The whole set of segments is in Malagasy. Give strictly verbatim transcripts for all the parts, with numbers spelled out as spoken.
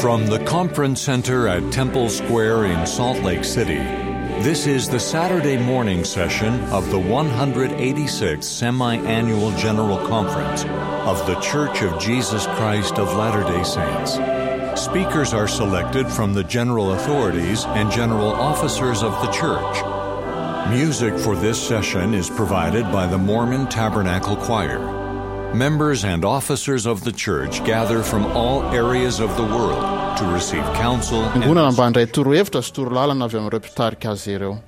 From the Conference Center at Temple Square in Salt Lake City, this is the Saturday morning session of the one hundred eighty-sixth Semi-Annual General Conference of The Church of Jesus Christ of Latter-day Saints. Speakers are selected from the general authorities and general officers of the church. Music for this session is provided by the Mormon Tabernacle Choir. Members and officers of the church gather from all areas of the world to receive counsel and Fiangonana mba handray torohevitra sy torolalana avy amin'ireo mpitarika azy ireo.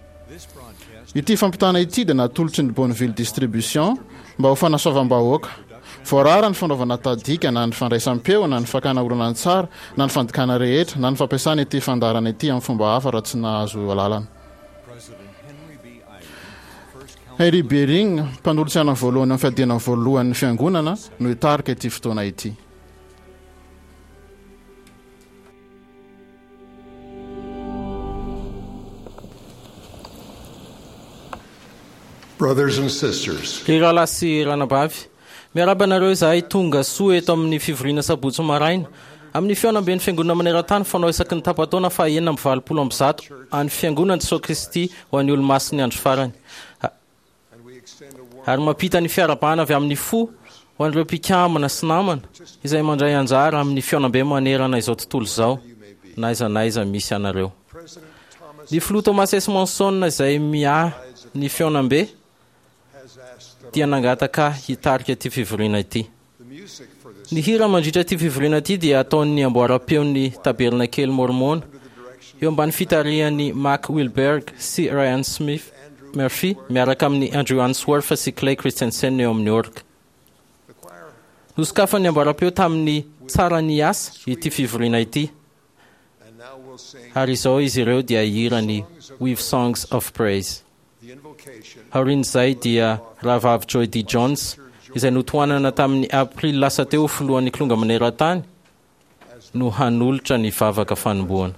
Ity fampitana ity dia natolotry ny Bonneville Distribution mba ho fanasoavam-bahoaka. Voarara ny fanaovana tadika na ny fandraisam-peo na ny fakana horonantsary na ny fandikana rehetra na ny fampiasana ity fandaharana ity amin'ny fomba hafa raha tsy nahazo alalana. Henry B. Eyring, mpanolotsaina voalohany amin'ny fiadiana voalohan'ny fiangonana, no hitarika ity fotoana ity. Brothers and sisters. Ry rahalahy sy ranabavy, miarahaba anareo izahay tonga soa eto amin'ny fivoriana sabotsy maraina amin'ny fihaonamben'ny fiangonana maneran-tany fanao isaky ny tapa-taona faha enina amby valopolo amby zato an'ny fiangonan'i Jesoa Kristy ho an'ny olomasin'ny andro farany. Ary mampita ny fiarahabana avy amin'ny fo ho an'ireo mpikambana sy namana izay mandray anjara amin'ny fihaonambe manerana izao tontolo izao, na aiza na aiza misy anareo. Ny filoha Thomas S. Monson izay miahy ny fihaonambe dia nangataka ahy hitarika ity fivoriana ity. Ny hira mandritra ity fivoriana ity dia ataon'ny amboaram-peon'ny Tabernakely Môrmôna eo ambany fitarihan'i Mack Wilberg sy Ryan Smith Murphy miaraka amin'i Andrew Answorth sy Clay Christensen eo amin'ny orga. Nosokafan'ny amboaram-peo tamin'ny Tsara ny asa ity fivoriana ity, ary izao izy ireo dia hihira ny With Songs of Praise. Aorian'izay dia Rahavavy Joy D. Jones, izay notohanana tamin'ny Aprily lasa teo ho filohan'ny Kilonga maneran-tany, no hanolotra ny vavaka fanombohana.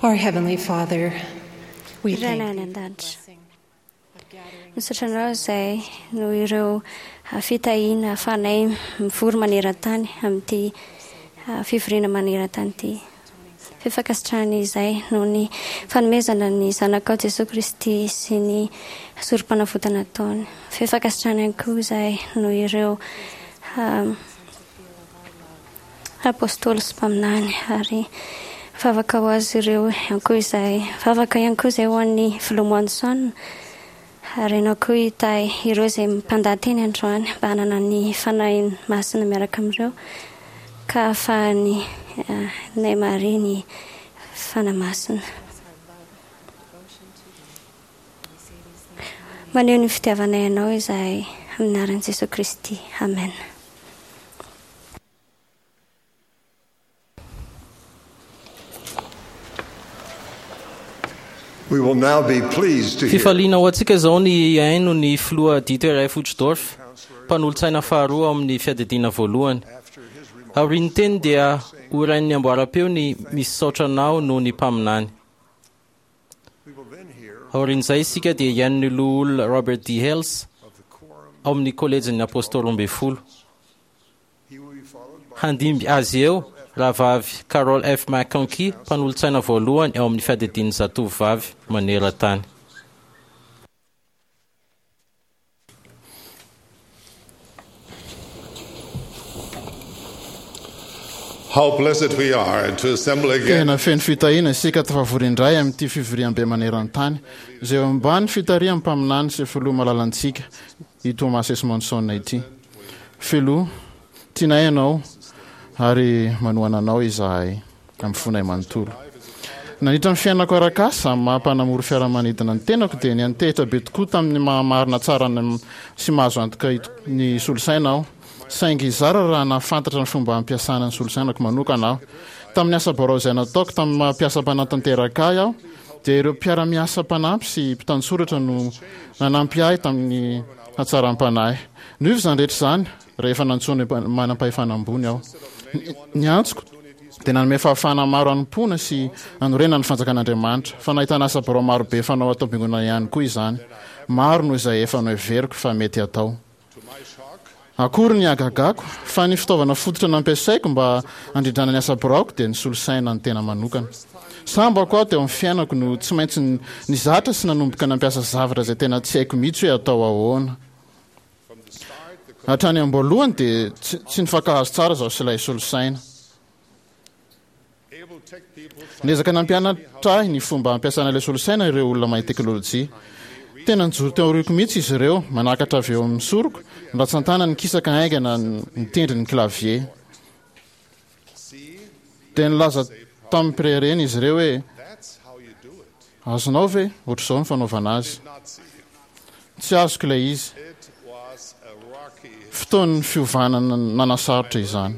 Our Heavenly Father, we Rainay thank any thee an-danitra. Misaotra anao izay noho ireo fitahiana ahafahanay mivory maneran-tany amin'ity fivoriana maneran-tany ity. Fankasitrahana izay noho ny fanomezana ny Zanakao Jesoa Kristy sy ny sorom-panavotana ataony. Fankasitrahana ihany koa izay noho ireo apôstôly sy mpaminany, ary vavaka ho azy ireo ihany koa izay. Vavaka ihany koa izay ho an'ny filoha Monson, ary ianao koa hitahy ireo izay mpandaha-teny androany mba hanana ny Fanahy Masina miaraka amin'ireo, ka ahafahany nay mahare ny Fanahy Masina. Maneho ny fitiavanay anao izahay amin'ny anaran'i Jesoa Kristy. Amen. We will now be pleased to hear Fifaliana ho antsika izao ny hihaino ny filoha Dieter F. Uchtdorf, mpanolotsaina faharoa amin'ny fiadidiana voalohany. Aorian'ny teny dia horain'ny amboaram-peo ny misaotra anao noho ny mpaminany. Aorian'izay isika dia hihaino ny loholona Robert D. Hales ao amin'ny kolejin'ny apôstôly roa ambin'ny folo. Handimby azy eo rahavavy Carol F. McConkie, mpanolotsaina voalohany ao amin'ny fiadidian'ny zatovovavy maneran-tany. How blessed we are to assemble again. Tena feno fitahiana isika tafavory indray amin'ity fivoriambe maneran-tany izay eo ambany fitarihan'ny mpaminany sy filoha malalantsika i Thomas S. Monson ity. Filoha, tianay ianao ary manohana anao izahay amin'ny fonay manontolo. Nandritra ny fiainako arak'asa amin'ny maha mpanamory fiaramanidina ny tenako dia niantehitra be tokoa tamin'ny maha-marina tsara sy mahazo antoka ny solosaina aho. Saingy zara raha nahafantatra ny fomba hampiasana ny solosainako manokana aho. Tamin'ny asa birao izay nataoko tamin'ny maha mpiasa mpanatanteraka ahy aho, dia ireo mpiara-miasa mpanampy sy mpitantsoratra no nanampy ahy tamin'ny hatsaram-panahy. Niova izany rehetra izany rehefa nantsoina manam-pahefana ambony aho. Ny antsoko dia nanome fahafahana maro hanompoana sy hanorenana ny fanjakan'Andriamanitra, fa nahitana asa birao marobe fanao atao am-piangonana ihany koa izany, maro noho izay efa noheveriko fa mety hatao. Akory ny hagagako fa ny fitaovana fototra nampiasaiko mba handrindrana ny asa biraoko dia ny solosaina ny tena manokana. Sambako aho teo amin'ny fiainako no tsy maintsy nizatra sy nanomboka nampiasa zavatra izay tena tsy haiko mihitsy hoe atao ahoana. Hatrany am-boalohany dia tsy nifankahazo tsara izaho sy ilay solosaina. Niezaka nampianatra ahy ny fomba hampiasana ilay solosaina ireo olona mahay teknolojia. Tena nijoro teo aoriako mihitsy izy ireo, manakatra avy eo amin'ny soroko, ny ratsan-tanany nikisaka haingana nitendry ny clavier. Dia nilaza tamim-pireharehana izy ireo hoe, Azonao ve ohatr'izao ny fanaovana azy? Tsy azoko ilay izy. Fotoan'ny fiovana nanasarotra izany.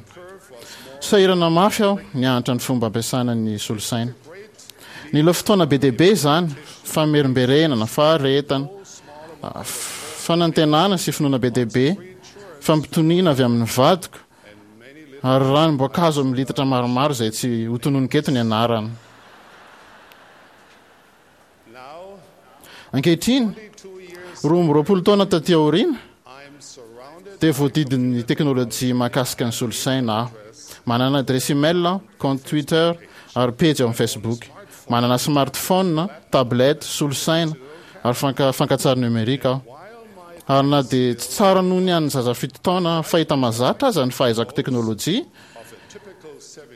Sahirana mafy aho nianatra ny fomba ampiasana ny solosaina. Nila fotoana be dia be izany, famerimberenana, faharetana, fanantenana sy finoana be dia be, fampitoniana avy amin'ny vadiko, ary ranom-boankazo amin'ny litatra maromaro izay tsy hotononiko eto ny anarany. Ankehitriny, roa amby roapolo taona taty aoriana, dia voadidin'ny teknolojia mahakasika ny solosaina aho. Manana adiresy email aho, kaonty Twitter, ary pejy ao amin'ny Facebook. Manana smartphone, tablette, solosaina, ary fankatsary nomerika aho. Ary na dia tsy tsara noho ny an'ny zaza fito taona fahita mahazatra aza ny fahaizako teknolojia,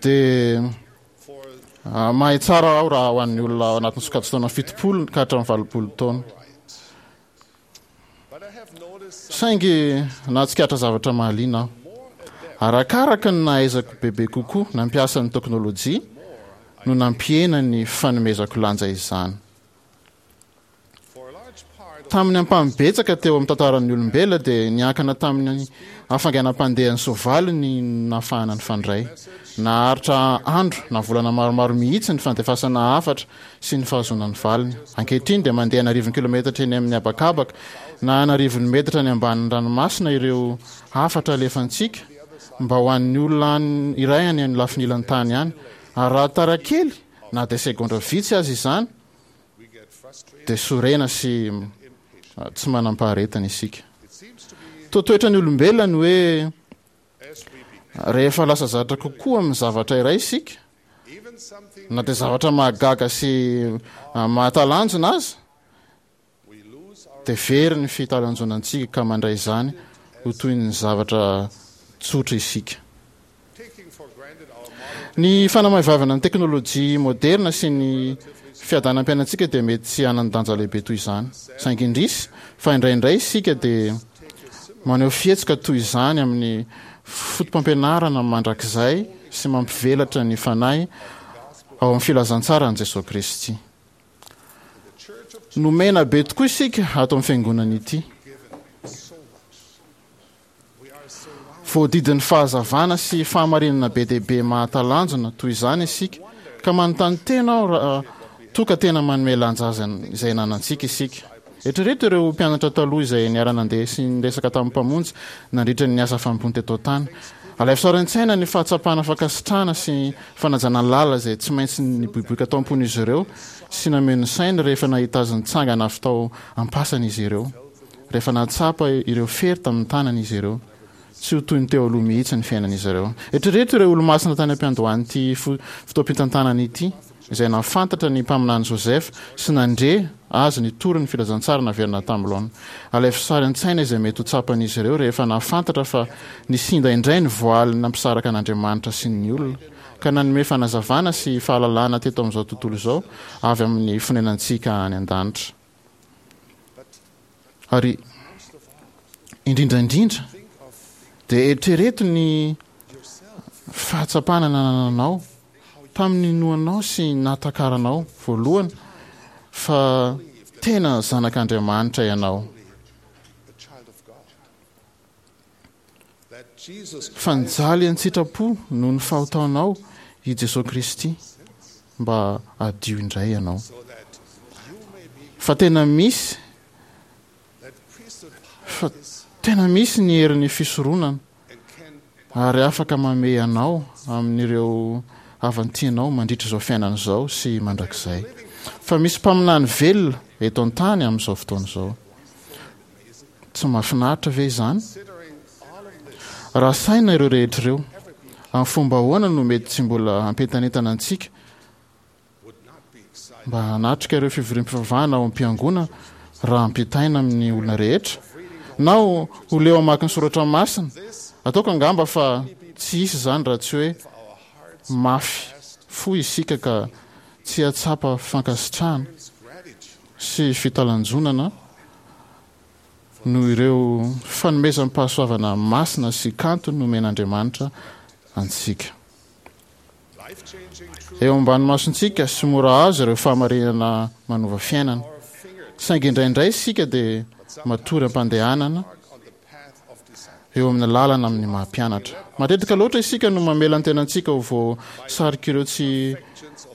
dia mahay tsara aho raha ho an'ny olona ao anatin'ny sokajin-taona fitopolo ka hatramin'ny valopolo taona. Saingy nahatsikaritra zavatra mahaliana aho. Arakaraka ny nahaizako bebe kokoa nampiasa ny teknolojia no nampihena ny fanomezako lanja izany. Tamin'ny ampahany betsaka teo amin'ny tantaran'ny olombelona dia niankina tamin'ny hafainganam-pandehan'ny soavaly ny nahafahana nifandray. Naharitra andro na volana maromaro mihitsy ny fandefasana hafatra sy ny fahazoana ny valiny. Ankehitriny dia mandeha an'arivony kilometatra eny amin'ny habakabaka na an'arivony metatra any ambanin'ny ranomasina ireo hafatra alefantsika mba ho an'ny olona iray any amin'ny lafiny ilan'ny tany any. Ary raha tara kely na dia segondra vitsy aza izany, dia sorena sy tsy manam-paharetana isika. Toa toetran'ny olombelona ny hoe rehefa lasa zatra kokoa amin'ny zavatra iray isika, Na dia zavatra mahagaga sy mahatalanjona aza, dia very ny fitalanjonantsika ka mandray izany ho toy ny zavatra tsotra isika. Ny fanamaivavana ny teknolojia moderna sy ny fiadanam-piainantsika dia mety tsy hanan-danja lehibe toy izany. Saingy indrisy fa indraindray isika dia maneho fihetsika toy izany amin'ny foto-pampianarana mandrakizay sy mampivelatra ny fanahy ao amin'ny filazantsaran'i Jesoa Kristy. Nomena be tokoa isika ato amin'ny fiangonana ity. Voadidin'ny fahazavana sy fahamarinana be dia be mahatalanjona toy izany isika, ka manontany tena aho raha toa ka tena manome lanja azy izay ananantsika isika. Eritrereto ireo mpianatra taloha izay niara-nandeha sy niresaka tamin'ny Mpamonjy nandritra ny asa fanompoany teto an-tany. Alaivo sary an-tsaina ny fahatsapana fankasitrahana sy fanajana lalina izay tsy maintsy niboiboika tao am-pon'izy ireo sy nameno ny sainy rehefa nahita azy nitsangana avy tao am-pasana izy ireo, rehefa nahatsapa ireo fery tamin'ny tanany izy ireo. Tsy ho toy ny teo aloha mihitsy ny fiainan'izy ireo. Eritrereto ireo olomasina tany am-piandohan'ity fotoam-pitantanana ity, izay nahafantatra ny mpaminany Joseph sy nandre azy nitory ny filazantsara naverina tamin'ny laoniny. Alaivo sary an-tsaina izay mety ho tsapan'izy ireo rehefa nahafantatra fa nisinda indray ny voaly nampisaraka an'Andriamanitra sy ny olona, ka nanome fanazavana sy fahalalana teto amin'izao tontolo izao avy amin'ny fonenantsika any an-danitra. Ary indrindra indrindra dia eritrereto ny fahatsapana nanananao tamin'ny ninoanao sy nahatakaranao voalohany fa tena zanak'Andriamanitra ianao. Fa nijaly an-tsitrapo noho ny fahotanao i Jesoa Kristy mba hadio indray ianao. Fa tena misy fa tena misy ny herin'ny fisoronana ary afaka mamehy anao amin'ireo havan-tianao mandritra izao fiainana izao sy mandrakizay. Fa misy mpaminany velona eto an-tany amin'izao fotoana izao. Tsy mahafinaritra ve izany? Raha saina ireo rehetra ireo, amin'ny fomba ahoana no mety tsy mbola hampientanentana antsika mba hanatrika ireo fivoriam-pivavahana ao am-piangonana raha ampitaina amin'ny olona rehetra? Na ho leo hamaky ny soratra masina? Ataoko angamba fa tsy hisy izany raha tsy hoe mafy fo isika ka tsy hahatsapa fankasitrahana sy fitalanjonana noho ireo fanomezam-pahasoavana masina sy kanto nomen'Andriamanitra antsika. Eo ambany masontsika sy mora azo ireo fahamarinana manova fiainana. Saingy indraindray isika dia matory am-pandehanana eo amin'ny lalana amin'ny maha mpianatra. Matetika loatra isika no mamela ny tenantsika ho voasarik'ireo tsy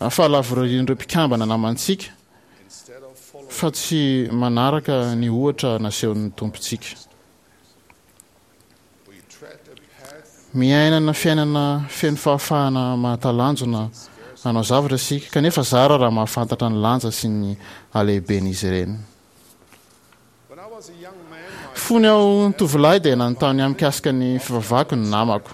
fahalavorarian'ireo mpikambana namantsika fa tsy manaraka ny ohatra nasehon'ny Tompontsika. Miainana fiainana feno fahafahana mahatalanjona hanao zavatra isika, kanefa zara raha mahafantatra ny lanja sy ny halehiben'izy ireny. Fony aho tovolahy dia nanontany ahy mikasika ny fivavahako ny namako.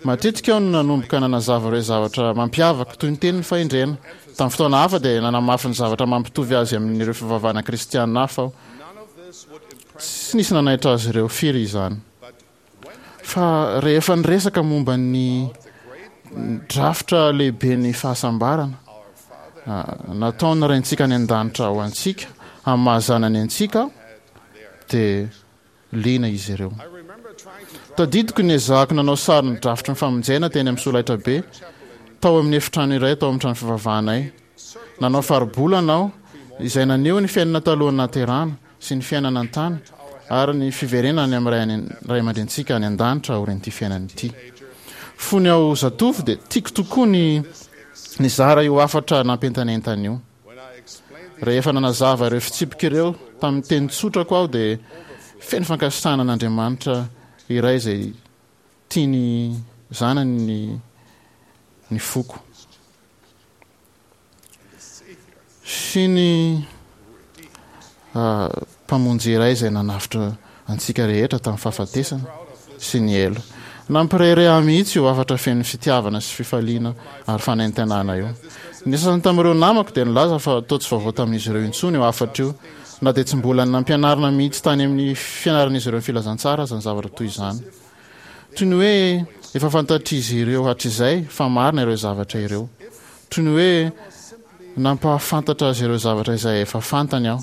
Matetika aho no nanomboka nanazava ireo zavatra mampiavaka, toy ny tenin'ny fahendrena. Tamin'ny fotoana hafa dia nanamafy ny zavatra mampitovy azy amin'ireo fivavahana kristiana hafa aho. Tsy nisy nanaitra azy ireo firy izany. Fa rehefa niresaka momba ny drafitra lehiben'ny fahasambarana nataon'ny Raintsika any an-danitra ho antsika amin'ny maha zanany antsika aho, dia liana izy ireo. Tadidiko ny niezahako nanao sary ny drafitry ny famonjena teny amin'ny solaitrabe tao amin'ny efitrano iray tao amin'ny trano fivavahanay. Nanao faribolana aho izay naneho ny fiainana talohan'ny nahaterahana sy ny fiainana an-tany ary ny fiverenana any amin'ny Ray aman-dRenintsika any an-danitra aorian'ity fiainana ity. Fony aho zatovo dia tiako tokoa ny nizara io hafatra nampientanentana io. Rehefa nanazava ireo fitsipika ireo tamin'ny teny tsotrako aho dia feno fankasitrahana an'Andriamanitra iray izay tia ny zanany ny ny foko. Sy ny Mpamonjy iray izay nanavotra antsika rehetra tamin'ny fahafatesana sy ny helo. Nampirehareha ahy mihitsy io hafatra feno fitiavana sy fifaliana ary fanentanana io. Ny sasany tamin'ireo namako dia nilaza fa toa tsy vaovao tamin'izy ireo intsony io hafatra io, na dia tsy mbola nampianarina mihitsy tany amin'ny fianaran'izy ireo ny filazantsara aza ny zavatra toy izany. Toy ny hoe efa fantatr'izy ireo hatrizay fa marina ireo zavatra ireo. Toy ny hoe nampahafantatra azy ireo zavatra izay efa fantany aho.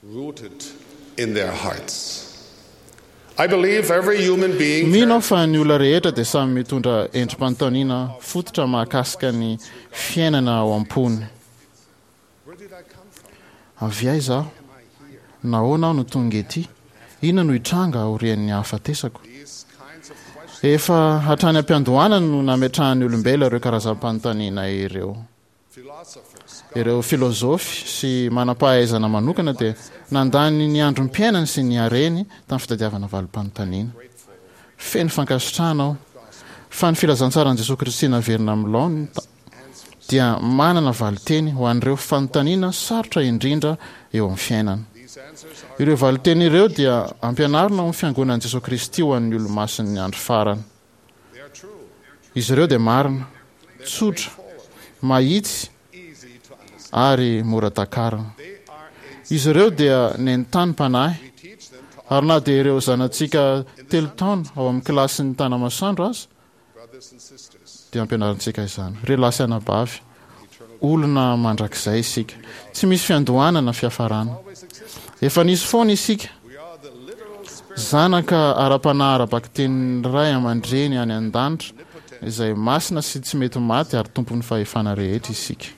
Rooted in their hearts. I believe every human being Mino aho fa ny olona rehetra dia samy mitondra endri-panontaniana fototra mahakasika ny fiainana ao am-pony. Avy aiza aho? Nahoana aho no tonga ety? Inona no hitranga aorian'ny hahafatesako? Efa hatrany am-piandohana no nametrahan'ny olombelona ireo karazam-panontaniana ireo. Ireo filôzôfy sy manam-pahaizana manokana dia nandany ny androm-piainany sy ny hareny tamin'ny fitadiavana valim-panontaniana. Feno fankasitrahana aho fa ny filazantsaran'i Jesoa Kristy naverina amin'ny laoniny dia manana valinteny ho an'ireo fanontaniana sarotra indrindra eo amin'ny fiainana. Ireo valinteny ireo dia ampianarina ao amin'ny Fiangonan'i Jesoa Kristy ho an'ny Olomasin'ny Andro Farany. Izy ireo dia marina, tsotra, mahitsy ary mora takarina. Izy ireo dia nentanim-panahy, ary na dia ireo zanatsika telo taona ao amin'ny kilasin'ny Tanamasoandro aza dia ampianarintsika izany. Ry lahy sy anabavy, olona mandrakizay isika. Tsy misy fiandohana na fiafarana. Efa nisy foana isika. Zanaka ara-panahy ara-bakitenin'ny Ray aman-dreny any an-danitra izay masina sy tsy mety maty ary tompon'ny fahefana rehetra isika.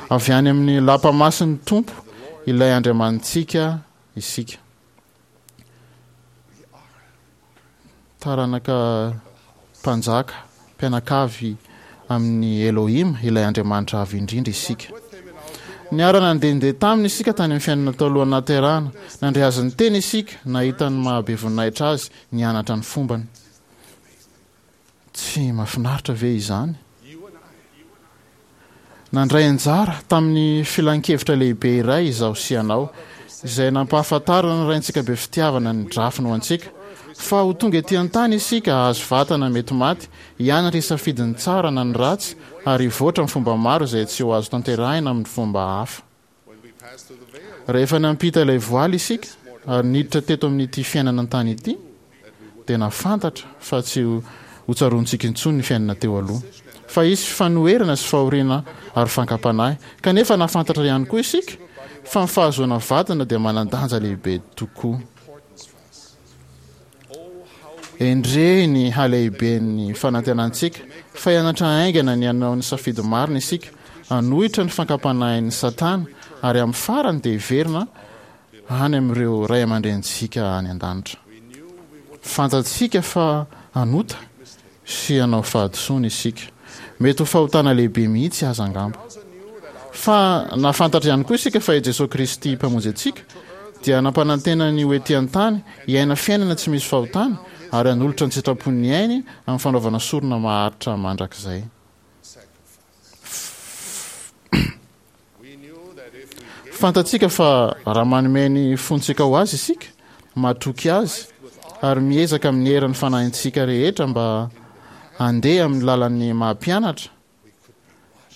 Avy any amin'ny lapa masin'ny Tompo ilay Andriamanitsika isika. Taranaka mpanjaka, mpianakavy amin'i Elohim, ilay Andriamanitra Avo Indrindra, isika. Niara-nandehandeha taminy isika tany amin'ny fiainana talohan'ny nahaterahana. Nandre azy niteny isika, nahita ny maha-be voninahitra azy, nianatra ny fombany. Tsy mahafinaritra ve izany? Nandray anjara tamin'ny filan-kevitra lehibe iray izaho sy ianao, izay nampahafantaran'ny Raintsika be fitiavana ny drafiny ho antsika, fa ho tonga ety an-tany isika hahazo vatana mety maty, hianatra hisafidy ny tsara na ny ratsy, ary hivoatra amin'ny fomba maro izay tsy ho azo tanterahina amin'ny fomba hafa. Rehefa nampita ilay voaly isika ary niditra teto amin'ity fiainana an-tany ity, dia nahafantatra fa tsy ho tsaroantsika intsony ny fiainana teo aloha, fa hisy fanoherana sy fahoriana ary fankam-panahy. Kanefa nahafantatra ihany koa isika fa ny fahazoana vadina dia manan-danja lehibe tokoa. Endrey ny halehiben'ny fanantenantsika fa hianatra haingana ny hanao ny safidy marina isika, hanohitra ny fankam-panahin'i Satana, ary amin'ny farany dia hiverina any amin'ireo ray aman-drenintsika any an-danitra. Fantatsika fa hanota sy hanao fahadisoana isika. Mety ho fahotana lehibe mihitsy aza angamba. Fa nahafantatra ihany koa isika fa i Jesoa Kristy Mpamonjy antsika dia nampanantena ny ho ety an-tany hiaina fiainana tsy misy fahotana ary hanolotra ny sitrapon'ny ainy amin'ny fanaovana sorona maharitra mandrakizay. Fantatsika fa raha manome ny fontsika ho Azy isika, matoky Azy, ary miezaka amin'ny herin'ny fanahintsika rehetra mba handeha amin'ny lalan'ny maha-mpianatra,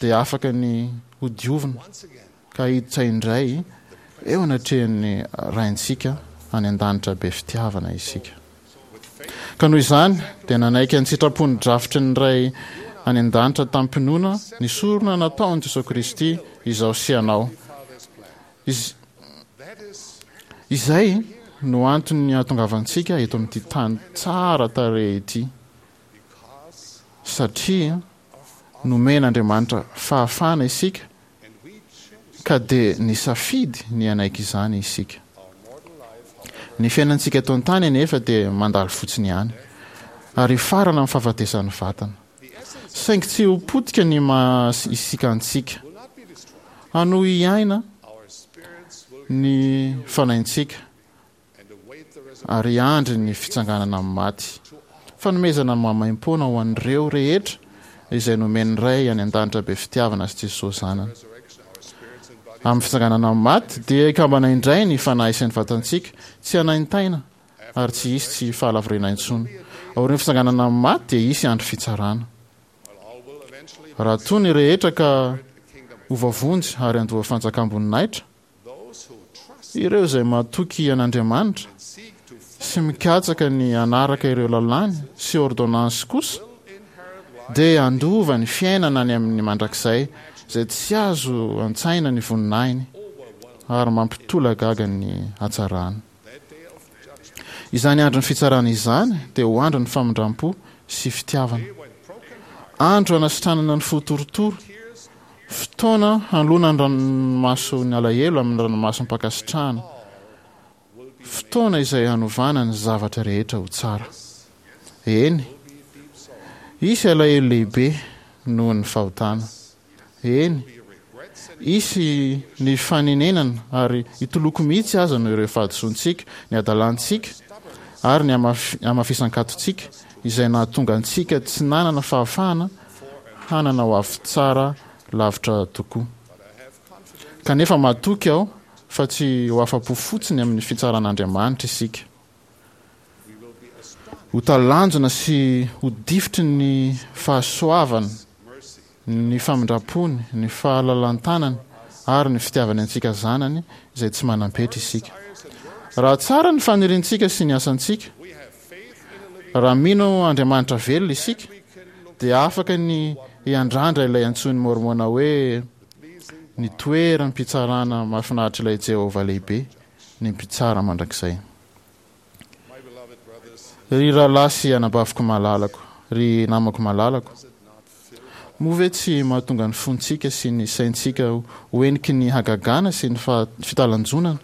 dia afaka ny hodiovina ka hiditra indray eo anatrehan'ny Raintsika any an-danitra be fitiavana isika. Ka noho izany dia nanaiky an-tsitrapo ny drafitry ny Ray any an-danitra tamim-pinoana ny sorona nataon'i Jesoa Kristy izaho sy ianao. Iz, izay no antony hahatongavantsika eto amin'ity tany tsara tarehy ity, satria nomen'Andriamanitra fahafahana isika Ka dia nisafidy ny hanaiky izany isika. Ny fiainantsika eto an-tany anefa dia mandalo fotsiny ihany, ary hifarana amin'ny fahafatesan'ny vatana. Saingy tsy ho potika ny maha isika antsika. Hanohy hiaina ny fanahintsika. ary hiandry ny fitsanganana amin'ny maty. Fanomezana maimaimpoana ho an'ireo rehetra izay nomen'ny Ray any an-danitra be fitiavana sy Jesoa Zanany. Amin'ny fitsanganana amin'ny maty dia hikambana indray ny fanahy sy ny vatantsika, tsy hanaintaina ary tsy hisy tsy fahalavorariana intsony. Aorian'ny fitsanganana amin'ny maty dia hisy andro fitsarana. Raha toa ny rehetra ka ho voavonjy ary handova fanjakam-boninahitra, ireo izay matoky an'Andriamanitra sy mikatsaka ny hanaraka ireo lalàny sy ôrdônansy kosa dia handova ny fiainana any amin'ny mandrakizay izay tsy azo an-tsaina ny voninahiny ary mampitolagaga ny hatsarany. Izany andron'ny fitsarana izany dia ho andron'ny famindram-po sy fitiavana. Andro hanasitranana ny fo torotoro, fotoana hanoloana ny ranomason'ny alahelo amin'ny ranomasom-pankasitrahana, fotoana izay hanovana ny zavatra rehetra ho tsara. Eny, hisy alahelo lehibe noho ny fahotana. Eny, hisy ny fanenenana ary hitoloko mihitsy aza noho ireo fahadisoantsika, ny hadalantsika ary ny hamafisan-katontsika izay nahatonga antsika tsy nanana fahafahana hanana ho avy tsara lavitra tokoa. Kanefa matoky aho fa tsy ho afa-po fotsiny amin'ny fitsaran'Andriamanitra isika. Ho talanjona sy ho difotry ny fahasoavany, ny famindram-pony, ny fahalalan-tanany ary ny fitiavany antsika zanany izay tsy manam-petra isika. Raha tsara ny faniriantsika sy ny asantsika, raha mino Andriamanitra velona isika, dia afaka ny hiandrandra ilay antsoin'i Môrmôna hoe ny toeram-pitsarana mahafinaritr'ilay Jehovah lehibe, ny Mpitsara mandrakizay. Ry rahalahy sy anabaviko malalako, ry namako malalako, moa ve tsy mahatonga ny fontsika sy ny saintsika ho heniky ny hagagana sy ny fitalanjonana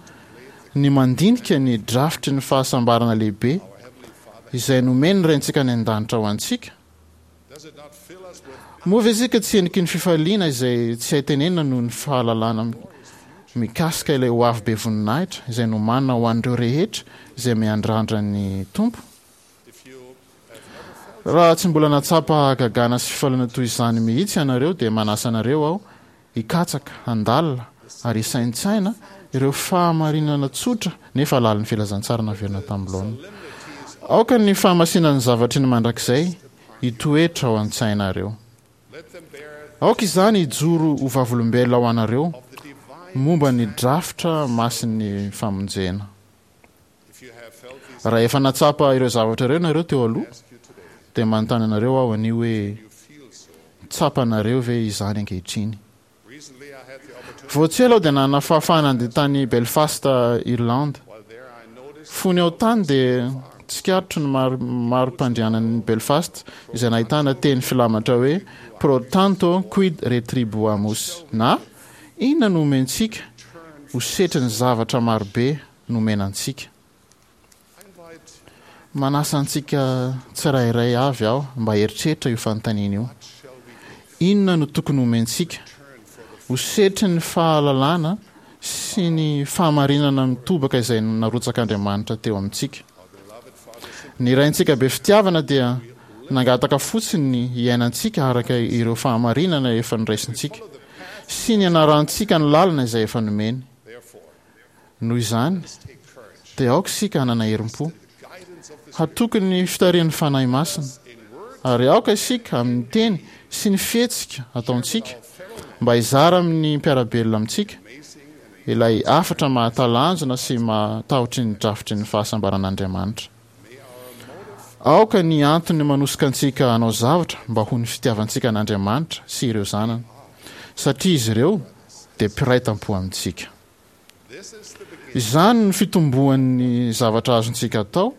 ny mandinika ny drafitry ny fahasambarana lehibe izay nomen'ny Raintsika any An-danitra ho antsika? Moa ve isika tsy heniky ny fifaliana izay tsy hay tenenina noho ny fahalalana mikasika ilay hoavy be voninahitra izay nomanina ho an'ireo rehetra izay miandrandra ny Tompo? Raha tsy mbola nahatsapa hagagana sy fifaliana toy izany mihitsy ianareo dia manasa anareo aho hikatsaka, handalina ary hisaintsaina ireo fahamarinana tsotra nefa lalin'ny filazantsara naverina tamin'ny laoniny. Aoka ny fahamasinan'ny zavatry ny mandrakizay hitoetra ao an-tsainareo. Aoka izany hijoro ho vavolombelona ho anareo momba ny drafitra masin'ny famonjena. Raha efa nahatsapa ireo zavatra ireo ianareo teo aloha, dia manontany anareo aho anio hoe, Tsapanareo ve izany ankehitriny? Vao tsy ela aho dia nanana fahafahana handeha tany Belfast, Irlande. Fony aho tany dia tsikaritro ny mari-pandrianan'i Belfast izay nahitana teny filamatra hoe Pro tanto quid retribuamus na Inona no omentsika ho setrin'ny zavatra marobe nomena antsika? Manasa antsika tsirairay avy aho mba hieritreritra io fanontaniana io. Inona no tokony homentsika ho setrin'ny fahalalana sy ny fahamarinana mitobaka izay narotsak'Andriamanitra teo amintsika? Ny Raintsika be fitiavana dia nangataka fotsiny ny hiainantsika araka ireo fahamarinana efa noraisintsika sy ny hanarantsika ny lalana izay efa nomeny. Noho izany, dia aoka isika hanana herim-po, hatoky ny fitarihan'ny Fanahy Masina, ary aoka isika amin'ny teny sy ny fihetsika ataontsika mba hizara amin'ny mpiara-belona amintsika ilay hafatra mahatalanjona sy mahatahotry ny drafitry ny fahasambaran'Andriamanitra. Aoka ny antony manosika antsika hanao zavatra mba ho ny fitiavantsika an'Andriamanitra sy ireo zanany, satria izy ireo dia mpiray tampo amintsika. Izany no fitomboan'ny zavatra azontsika atao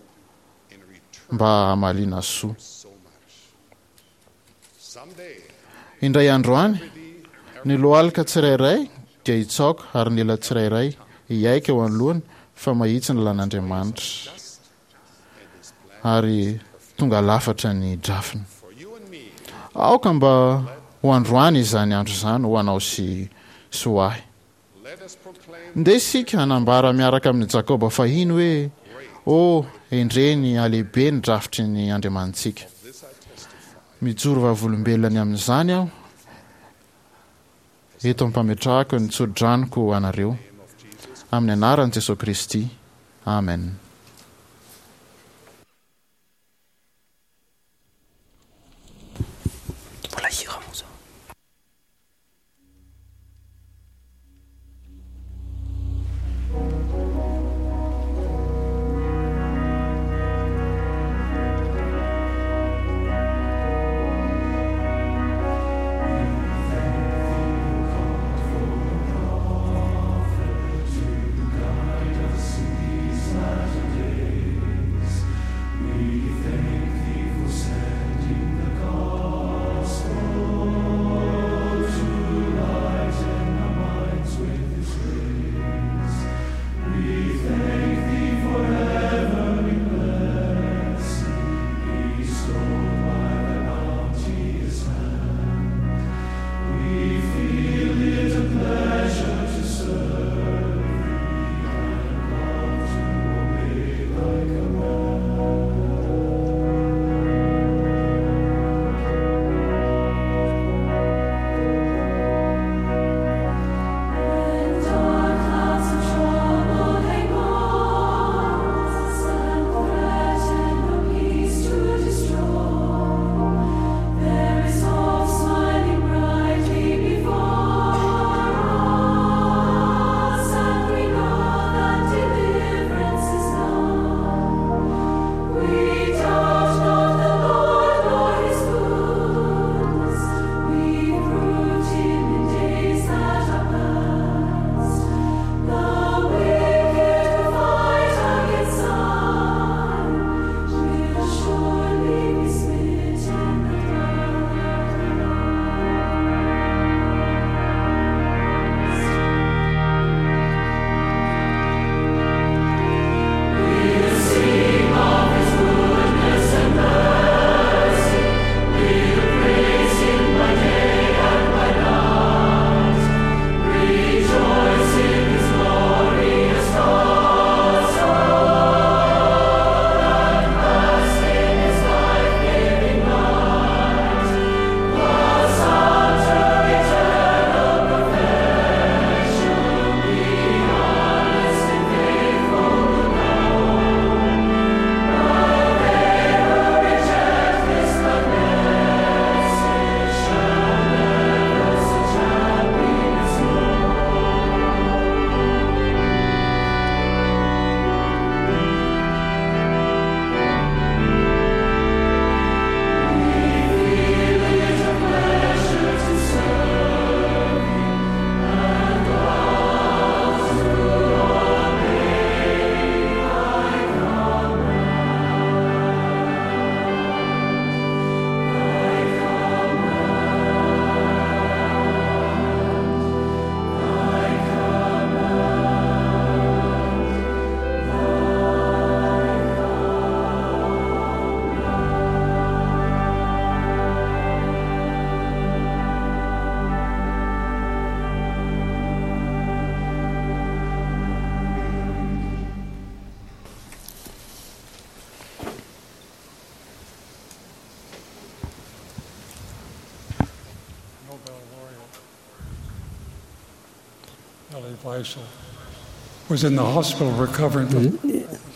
mba hamaliana soa. Indray andro any, ny lohalika tsirairay dia hitsaoka ary ny ela tsirairay hiaiky eo anoloany fa mahitsy ny lalàn'Andriamanitra ary tonga lafatra ny drafiny. Aoka mba ho androany izany andro izany ho anao sy sy ho ahy. Ndeha isika hanambara miaraka amin'i Jakoba fahiny hoe, O, endrey ny halehibe ny drafitry ny Andriamanitsika! Mijoro vavolombelona ny amin'izany aho eto am-pametrahako ny tso-dranoko ho anareo, amin'ny anaran'i Jesoa Kristy, Amen.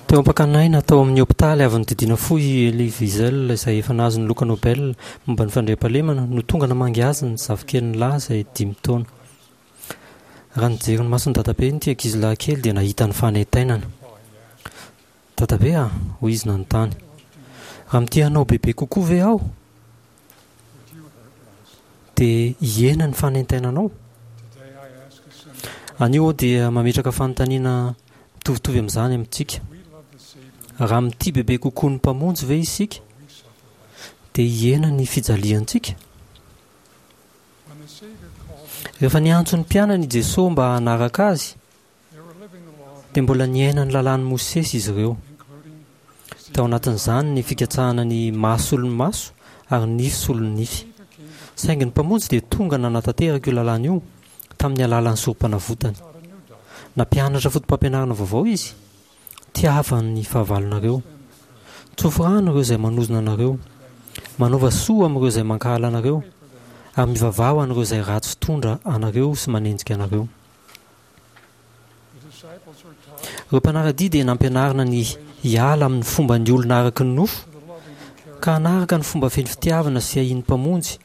Teo am-pakan'aina tao amin'ny hopitaly avy nodidiana fo i Elie Wiesel, izay efa nahazo ny loka Nobel momba ny fandriampahalemana, no tonga namangy azy ny zafikeliny lahy izay dimy taona. Raha nijery ny mason'ny dadabe ity ankizilahy kely dia nahita ny fanaintainana. Dadabe a, hoy izy nanontany, raha mitia anao bebe kokoa ve aho dia hihena ny fanaintainanao? Anio aho dia mametraka fanontaniana mitovitovy amin'izany amintsika. Raha mitia bebe kokoa ny Mpamonjy ve isika dia hihena ny fijaliantsika? Rehefa niantso ny mpianany i Jesoa mba hanaraka azy dia mbola niaina ny lalàn'i Mosesy izy ireo. Tao anatin'izany ny fikatsahana ny maso solon'ny maso ary ny nify solon'ny nify. Saingy ny Mpamonjy dia tonga nanatanteraka io lalàna io tamin'ny alalan'ny sorom-panavotany. Nampianatra foto-pampianarana vaovao izy. Tiava ny fahavalonareo. Tsofy rano ireo izay manozona anareo. Manaova soa amin'ireo izay mankahala anareo ary mivavaha ho an'ireo izay ratsy fitondra anareo sy manenjika anareo. Ireo mpanara-dia dia nampianarina ny hiala amin'ny fomban'ny olona araka ny nofo ka hanaraka ny fomba feno fitiavana sy fiahian'ny Mpamonjy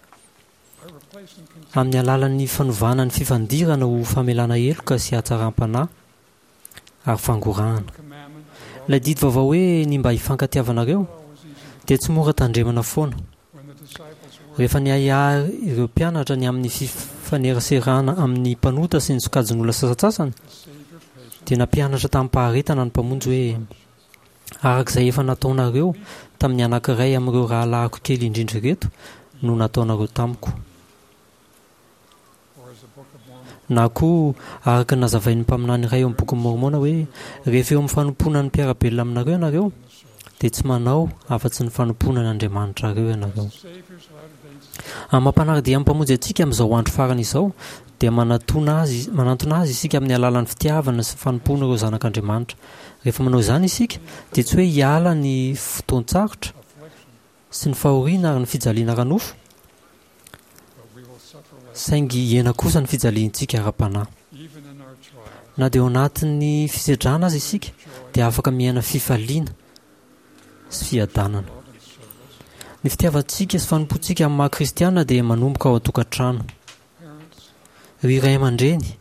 amin'ny alalan'ny fanovana ny fifandirana ho famelana heloka sy hatsaram-panahy ary fangorahana. Ilay didy vaovao hoe ny mba hifankatiavanareo dia tsy mora tandremana foana. Rehefa niahiahy ireo mpianatra ny amin'ny fifaneraserana amin'ny mpanota sy ny sokajin'olona sasantsasany, dia nampianatra tamim-paharetana ny Mpamonjy hoe, Araka izay efa nataonareo tamin'ny anankiray amin'ireo rahalahiko kely indrindra ireto no nataonareo tamiko. Na koa, araka ny nazavain'ny mpaminany iray ao amin'ny Bokin'i Môrmôna hoe, Rehefa eo amin'ny fanompoana ny mpiara-belona aminareo ianareo, dia tsy manao afa-tsy ny fanompoana an' Andriamanitrareo ianareo. Amin'ny maha mpanara-dia amin'ny Mpamonjy antsika amin'izao andro farany izao, dia manatona Azy, manantona Azy isika amin'ny alalan'ny fitiavana sy fanompoana ireo zanak'Andriamanitra. Rehefa manao izany isika, dia tsy hoe hiala ny fotoan-tsarotra sy ny fahoriana ary ny fijaliana ara-nofo, saingy hihena kosa ny fijaliantsika ara-panahy. Na dia ao anatin'ny fisedrana aza isika, dia afaka miaina fifaliana sy fiadanana. Ny fitiavantsika sy fanompoantsika amin'ny maha kristiana dia manomboka ao an-tokantrano. Ry ray aman-dreny,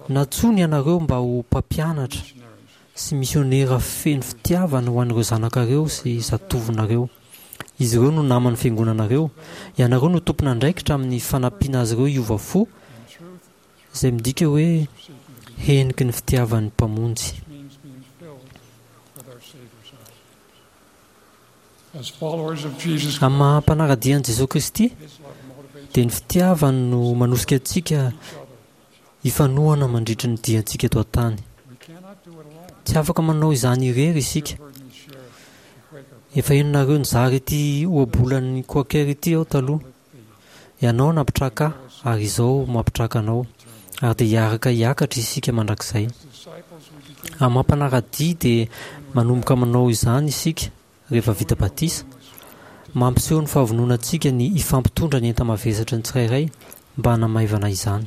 nantsoina ianareo mba ho mpampianatra sy misionera feno fitiavana ho an'ireo zanakareo sy zatovonareo. Izy ireo no naman'ny fiangonanareo. Ianareo no tompon'andraikitra amin'ny fanampiana azy ireo hiova fo, izay midika hoe heniky ny fitiavan'ny Mpamonjy. Amin'ny maha mpanara-dia an'i Jesoa Kristy, dia ny fitiavany no manosika antsika hifanohana mandritry ny diantsika eto an-tany. Tsy afaka manao izany irery isika. Efa henonareo nizara ity ohabolan'ny Quaker ity aho taloha. Ianao nampitraka ahy ary izao mampitraka anao, ary dia hiaraka hiakatra isika mandrakizay. Amin'ny maha mpanara-dia dia manomboka manao izany isika rehefa vita batisa. Mampiseho ny fahavononantsika ny hifampitondra ny enta-mavesatry ny tsirairay mba hanamaivana izany.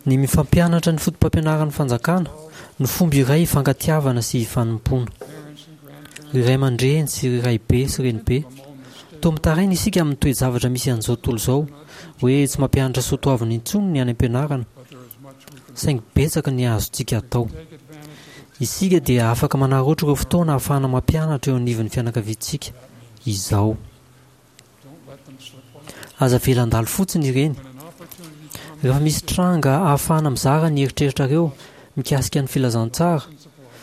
Ny mifampianatra ny fotopampianaran'ny Fanjakana no fomba iray hifankatiavana sy hifanompoana. Ry ray aman-dreny sy ry raibe sy renibe, toa mitaraina isika amin'ny toe-javatra misy an'izao tontolo izao, hoe tsy mampianatra soatoavina intsony ny any am-pianarana, saingy betsaka ny azontsika atao. Isika dia afaka manararaotra ireo fotoana ahafahana mampianatra eo anivon'ny fianakaviantsika izao. Aza avela handalo fotsiny ireny. Rehefa misy tranga ahafahana mizara ny eritreritrareo mikasika ny filazantsara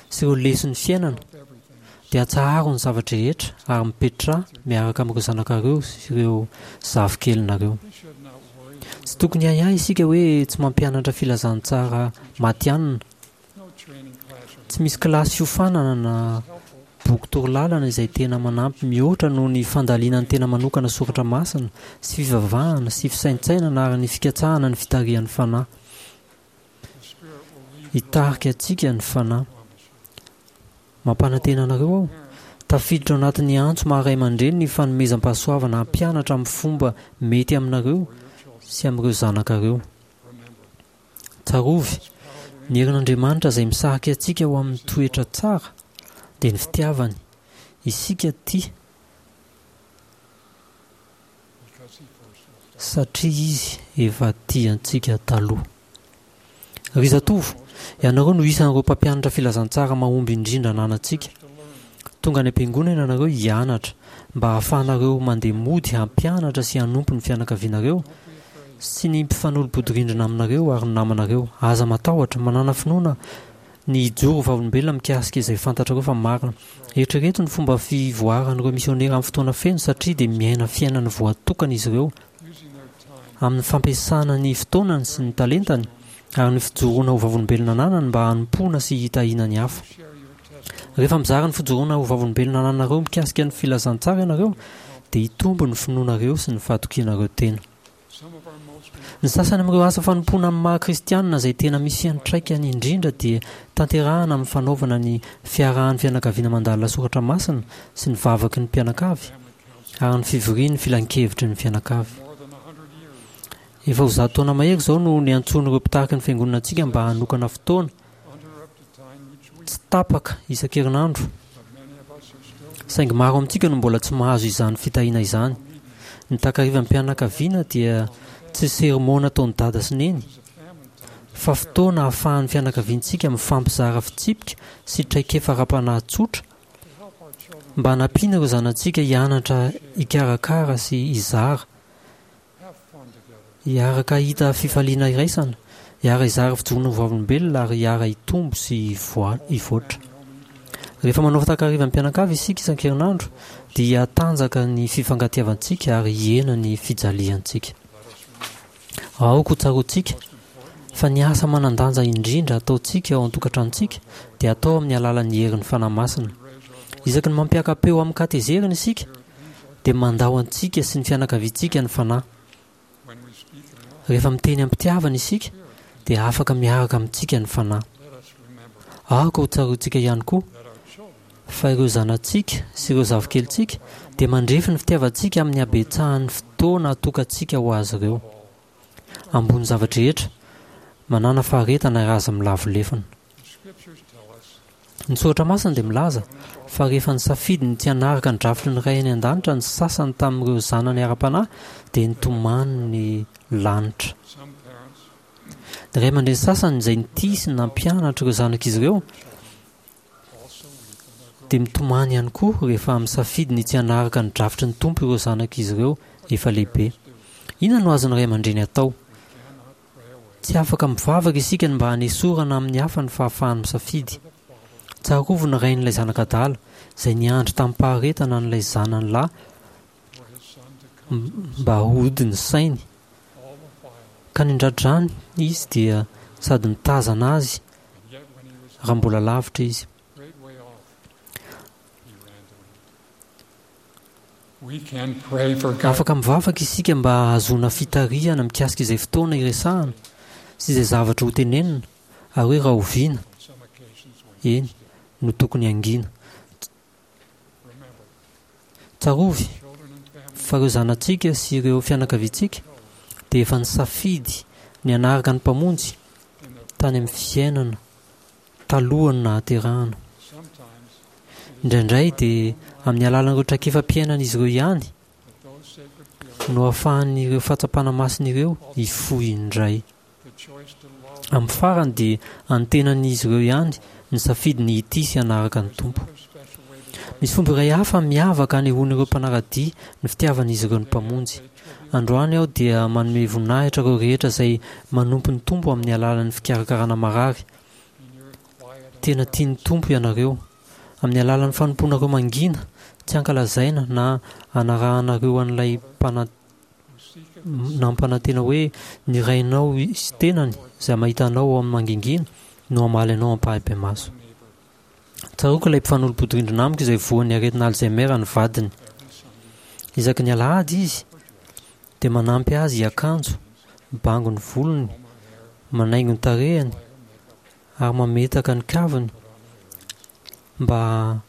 sy ireo leson'ny fiainana, dia atsaharo ny zava-drehetra ary mipetraha miaraka amin'ireo zanakareo sy ireo zafikelinareo. Tsy tokony hiahiahy isika hoe tsy mampianatra filazantsara matihanina. Tsy misy kilasy fiofanana na boky torolalana izay tena manampy mihoatra noho ny fandalinan'ny tena manokana soratra masina sy fivavahana sy fisaintsainana ary ny fikatsahana ny fitarihan'ny Fanahy. Hitarika antsika ny Fanahy. Mampanantena anareo aho, tafiditra ao anatin'ny antso maha ray aman-dreny ny fanomezam-pahasoavana hampianatra amin'ny fomba mety aminareo sy amin'ireo zanakareo. Tsarovy, ny herin'Andriamanitra izay misarika antsika ho amin'ny toetra tsara dia ny fitiavany. Isika tia satria izy efa tia antsika taloha. Ry zatovo, ianareo no isan'ireo mpampianatra filazantsara mahomby indrindra ananantsika. Tonga any am-piangonana ianareo hianatra mba hahafahanareo mandeha mody hampianatra sy hanompo ny fianakavianareo sy ny mpifanolo-bodirindrina aminareo ary ny namanareo. Aza matahotra, manàna finoana ny hijoro ho vavolombelona mikasika izay fantatrareo fa marina. Eritrereto ny fomba fivoaran'ireo misionera amin'ny fotoana feno satria dia miaina fiainana voatokana izy ireo amin'ny fampiasana ny fotoanany sy ny talentany ary ny fijoroana ho vavolombelona ananany mba hanompoana sy hitahiana ny hafa. Rehefa mizara ny fijoroana ho vavolombelona anananareo mikasika ny filazantsara ianareo dia hitombo ny finoanareo sy ny fahatokianareo tena. Ny sasany amin'ireo asa fanompoana amin'ny maha kristianina izay tena misy fiantraikany indrindra dia tanterahana amin'ny fanaovana ny fiarahan'ny fianakaviana mandalina soratra masina sy ny vavaky ny mpianakavy ary ny fivorian'ny filankevitry ny fianakavy. Efa ho zato taona mahery izao no niantsoan'ireo mpitariky ny fiangonana antsika mba hanokana fotoana tsy tapaka isan-kerinandro. Saingy maro amintsika no mbola tsy mahazo izany fitahiana izany. Ny takarivan'ny mpianakaviana dia tsy sermona ataon'i dada sy neny, fa fotoana ahafahan'ny fianakaviantsika mifampizara fitsipika sy traikefa ara-panahy tsotra mba hanampiana ireo zanatsika hianatra hikarakara sy hizara, hiaraka hahita fifaliana iraisana, hiara-hizara fijoroana ho vavolombelona ary hiara-hitombo sy hivoatra. Rehefa manao takarivan'ny mpianakavy isika isan-kerinandro dia hihatanjaka ny fifankatiavantsika ary hihena ny fijaliantsika. Aoka ho tsaroantsika fa ny asa manan-danja indrindra ataontsika ao an-tokantranontsika dia atao amin'ny alalan'ny herin'ny Fanahy Masina. Isaky ny mampiaka-peo amin-katezerana isika dia mandao antsika sy ny fianakaviantsika ny Fanahy. Rehefa miteny am-pitiavana isika dia afaka miaraka amintsika ny Fanahy. Aoka ho tsaroantsika ihany koa fa ireo zanatsika sy ireo zavikelintsika dia mandrefy ny fitiavantsika amin'ny habetsahan'ny fotoana atokantsika ho azy ireo. Ambony zava-drehetra, manàna faharetana ary aza milavo lefona. Ny soratra masina dia milaza fa rehefa nisafidy ny tsy hanaraka ny drafitry ny Ray any an-danitra ny sasany tamin'ireo zanany ara-panahy dia nitomany ny lanitra. Ny ray aman-dreny sasany izay nitia sy nampianatra ireo zanak'izy ireo dia mitomany ihany koa rehefa misafidy ny tsy hanaraka ny drafitry ny Tompo ireo zanak'izy ireo efa lehibe. Inona no azon'ny ray aman-dreny atao? Tsy afaka mivavaka isika ny mba hanesorana amin'ny hafa ny fahafahany misafidy. Tsarovy ny rain'ilay zanak'adala izay niandry tamim-paharetana an'ilay zanany lahy mba hody ny sainy, ka nindradrany izy dia sady nitazana azy raha mbola lavitra izy. Afaka mivavaka isika mba hahazoana fitarihana mikasika izay fotoana iresahana sy izay zavatra hotenenina ary hoe rahoviana, eny, no tokony hangina. Tsarovy fa ireo zanatsika sy ireo fianakaviantsika dia efa nisafidy ny hanaraka ny Mpamonjy tany amin'ny fiainana talohan'ny nahaterahana. Indraindray dia amin'ny alalan'ireo traikefam-piainan'izy ireo ihany no ahafahan'ireo fahatsapana masina ireo hifoha indray. Amin'ny farany dia antenan'izy ireo ihany ny safidy ny hitia sy hanaraka ny Tompo. Misy fomba iray hafa miavaka anehoan'ireo mpanara-dia ny fitiavan'izy ireo ny Mpamonjy. Androany aho dia manome voninahitra ireo rehetra izay manompo ny Tompo amin'ny alalan'ny fikarakarana marary. Tena tian'ny Tompo ianareo. Amin'ny alalan'ny fanompoanareo mangina, tsy ankalazaina na anarahanareo an'ilay nampanantena hoe ny Rainao sy tenany izay mahita anao ao amin'ny mangingina no hamaly anao ampahibemaso. Tsaroako ilay mpifanolo-bodirindrina amiko izay voan'ny aretina Alzheimer ny vadiny. Isaky ny alahady izy dia manampy azy hiakanjo, mibango ny volony, manaingo ny tarehiny ary mametaka ny kaviny mba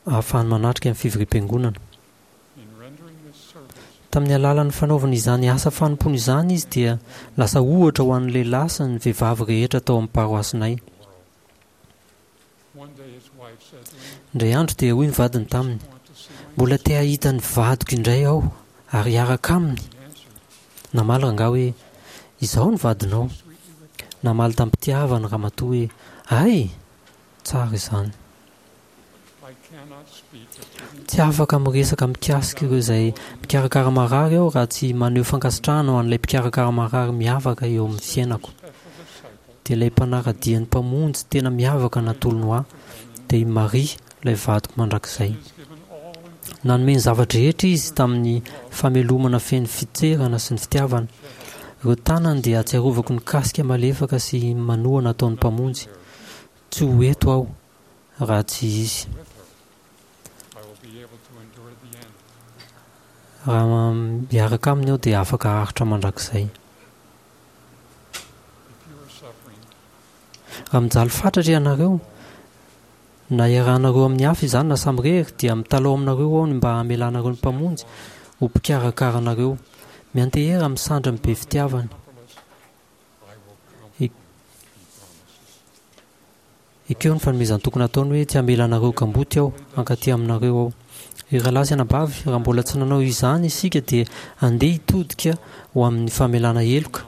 ahafahany manatrika ny fivoriam-piangonana. Tamin'ny alalan'ny fanaovana izany asa fanompoana izany izy dia lasa ohatra ho an'ny lehilahy sy ny vehivavy rehetra tao amin'ny paroasinay. Indray andro dia hoy ny vadiny taminy: "Mbola te hahita ny vadiko indray aho ary hiaraka aminy." Namaly rangahy hoe: "Izaho ny vadinao." Namaly tamim-pitiavana ramatoa hoe: "Hay! Tsara izany." Tsy afaka miresaka mikasika ireo izay mikarakara marary aho raha tsy maneho fankasitrahana ho an'ilay mpikarakara marary miavaka eo amin'ny fiainako. Dia ilay mpanara-dia ny Mpamonjy tena miavaka natolony ho ahy, dia i Maria, ilay vadiko mandrakizay. Nanome ny zava-drehetra izy tamin'ny famelomana feno fitserana sy ny fitiavana. Ireo tanany dia ahatsiarovako ny kasika malefaka sy manohana ataon'ny Mpamonjy. Tsy ho eto aho raha tsy izy. Raha miaraka aminy aho dia afaka haharitra mandrakizay. Raha mijaly fatratra ianareo, na iarahanareo amin'ny hafa izany na samirery, dia mitalaho aminareo aho ny mba hamelanareo ny Mpamonjy ho mpikarakara anareo. Miantehera amin'ny sandriny be fitiavana. Ekeo ny fanomezan-toky nataony hoe, Tsy hamela anareo kamboty aho, hankaty aminareo aho. Ry rahalahy sy anabavy, raha mbola tsy nanao izany isika dia andeha hitodika ho amin'ny famelana heloka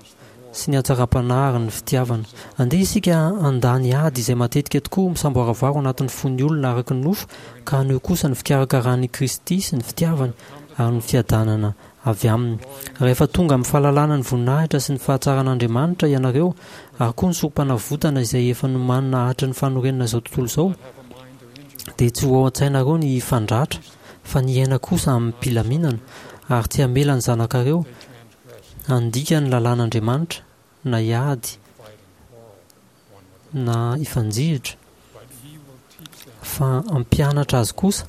sy ny hatsaram-panahy ary ny fitiavana. Andeha isika handà ny ady izay matetika tokoa misamboaravoara ao anatin'ny fon'ny olona araka ny nofo ka haneho kosa ny fikarakaran'i Kristy sy ny fitiavany ary ny fiadanana avy aminy. Rahefa tonga amin'ny fahalalana ny voninahitra sy ny fahatsaran'Andriamanitra ianareo, ary koa ny sorompanavotana izay efa nomanina hatry ny fanorenana izao tontolo izao, dia tsy ho ao an-tsainareo ny hifandratra, fa ny hiaina kosa amim-pilaminana, ary tsy hamela ny zanakareo handika ny lalàn'Andriamanitra, na hiady, na hifanjihitra, fa hampianatra azy kosa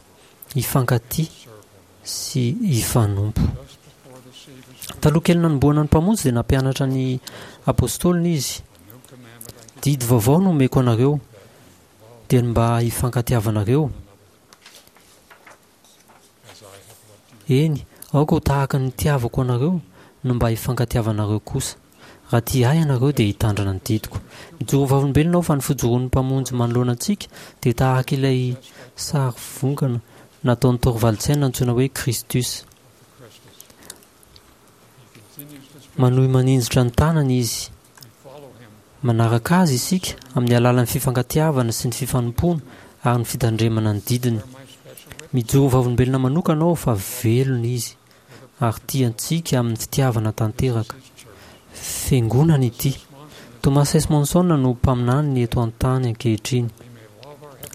hifankatia sy hifanompo. Taloha kely nanombohana ny Mpamonjy dia nampianatra ny apostoliny izy. Didy vaovao no omeko anareo, dia ny mba hifankatiavanareo. Eny, aoka ho tahaka ny nitiavako anareo no mba hifankatiavanareo kosa. Raha tia ahy ianareo dia hitandrina ny didiko. Mijoro vavolombelona aho fa ny fijoroan'ny Mpamonjy manoloana antsika dia tahaka ilay sary vongana nataon'i Thorvaldsen antsoina hoe Christus. Manohy maninjitra ny tanany izy. Manaraka azy isika amin'ny alalan'ny fifankatiavana sy ny fifanompoana ary ny fitandremana ny didiny. Mijoro vavolombelona manokana aho fa velona izy ary tia antsika amin'ny fitiavana tanteraka. Fiangonana ity. Thomas S. Monson no mpaminaniny eto an-tany ankehitriny.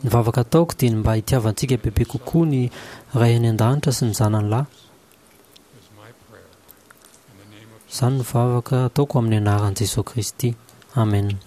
Ny vavaka ataoko dia ny mba hitiavantsika bebe kokoa ny Ray any An-danitra sy ny Zanany Lahy. Izany no vavaka ataoko amin'ny anaran'i Jesoa Kristy. Amen.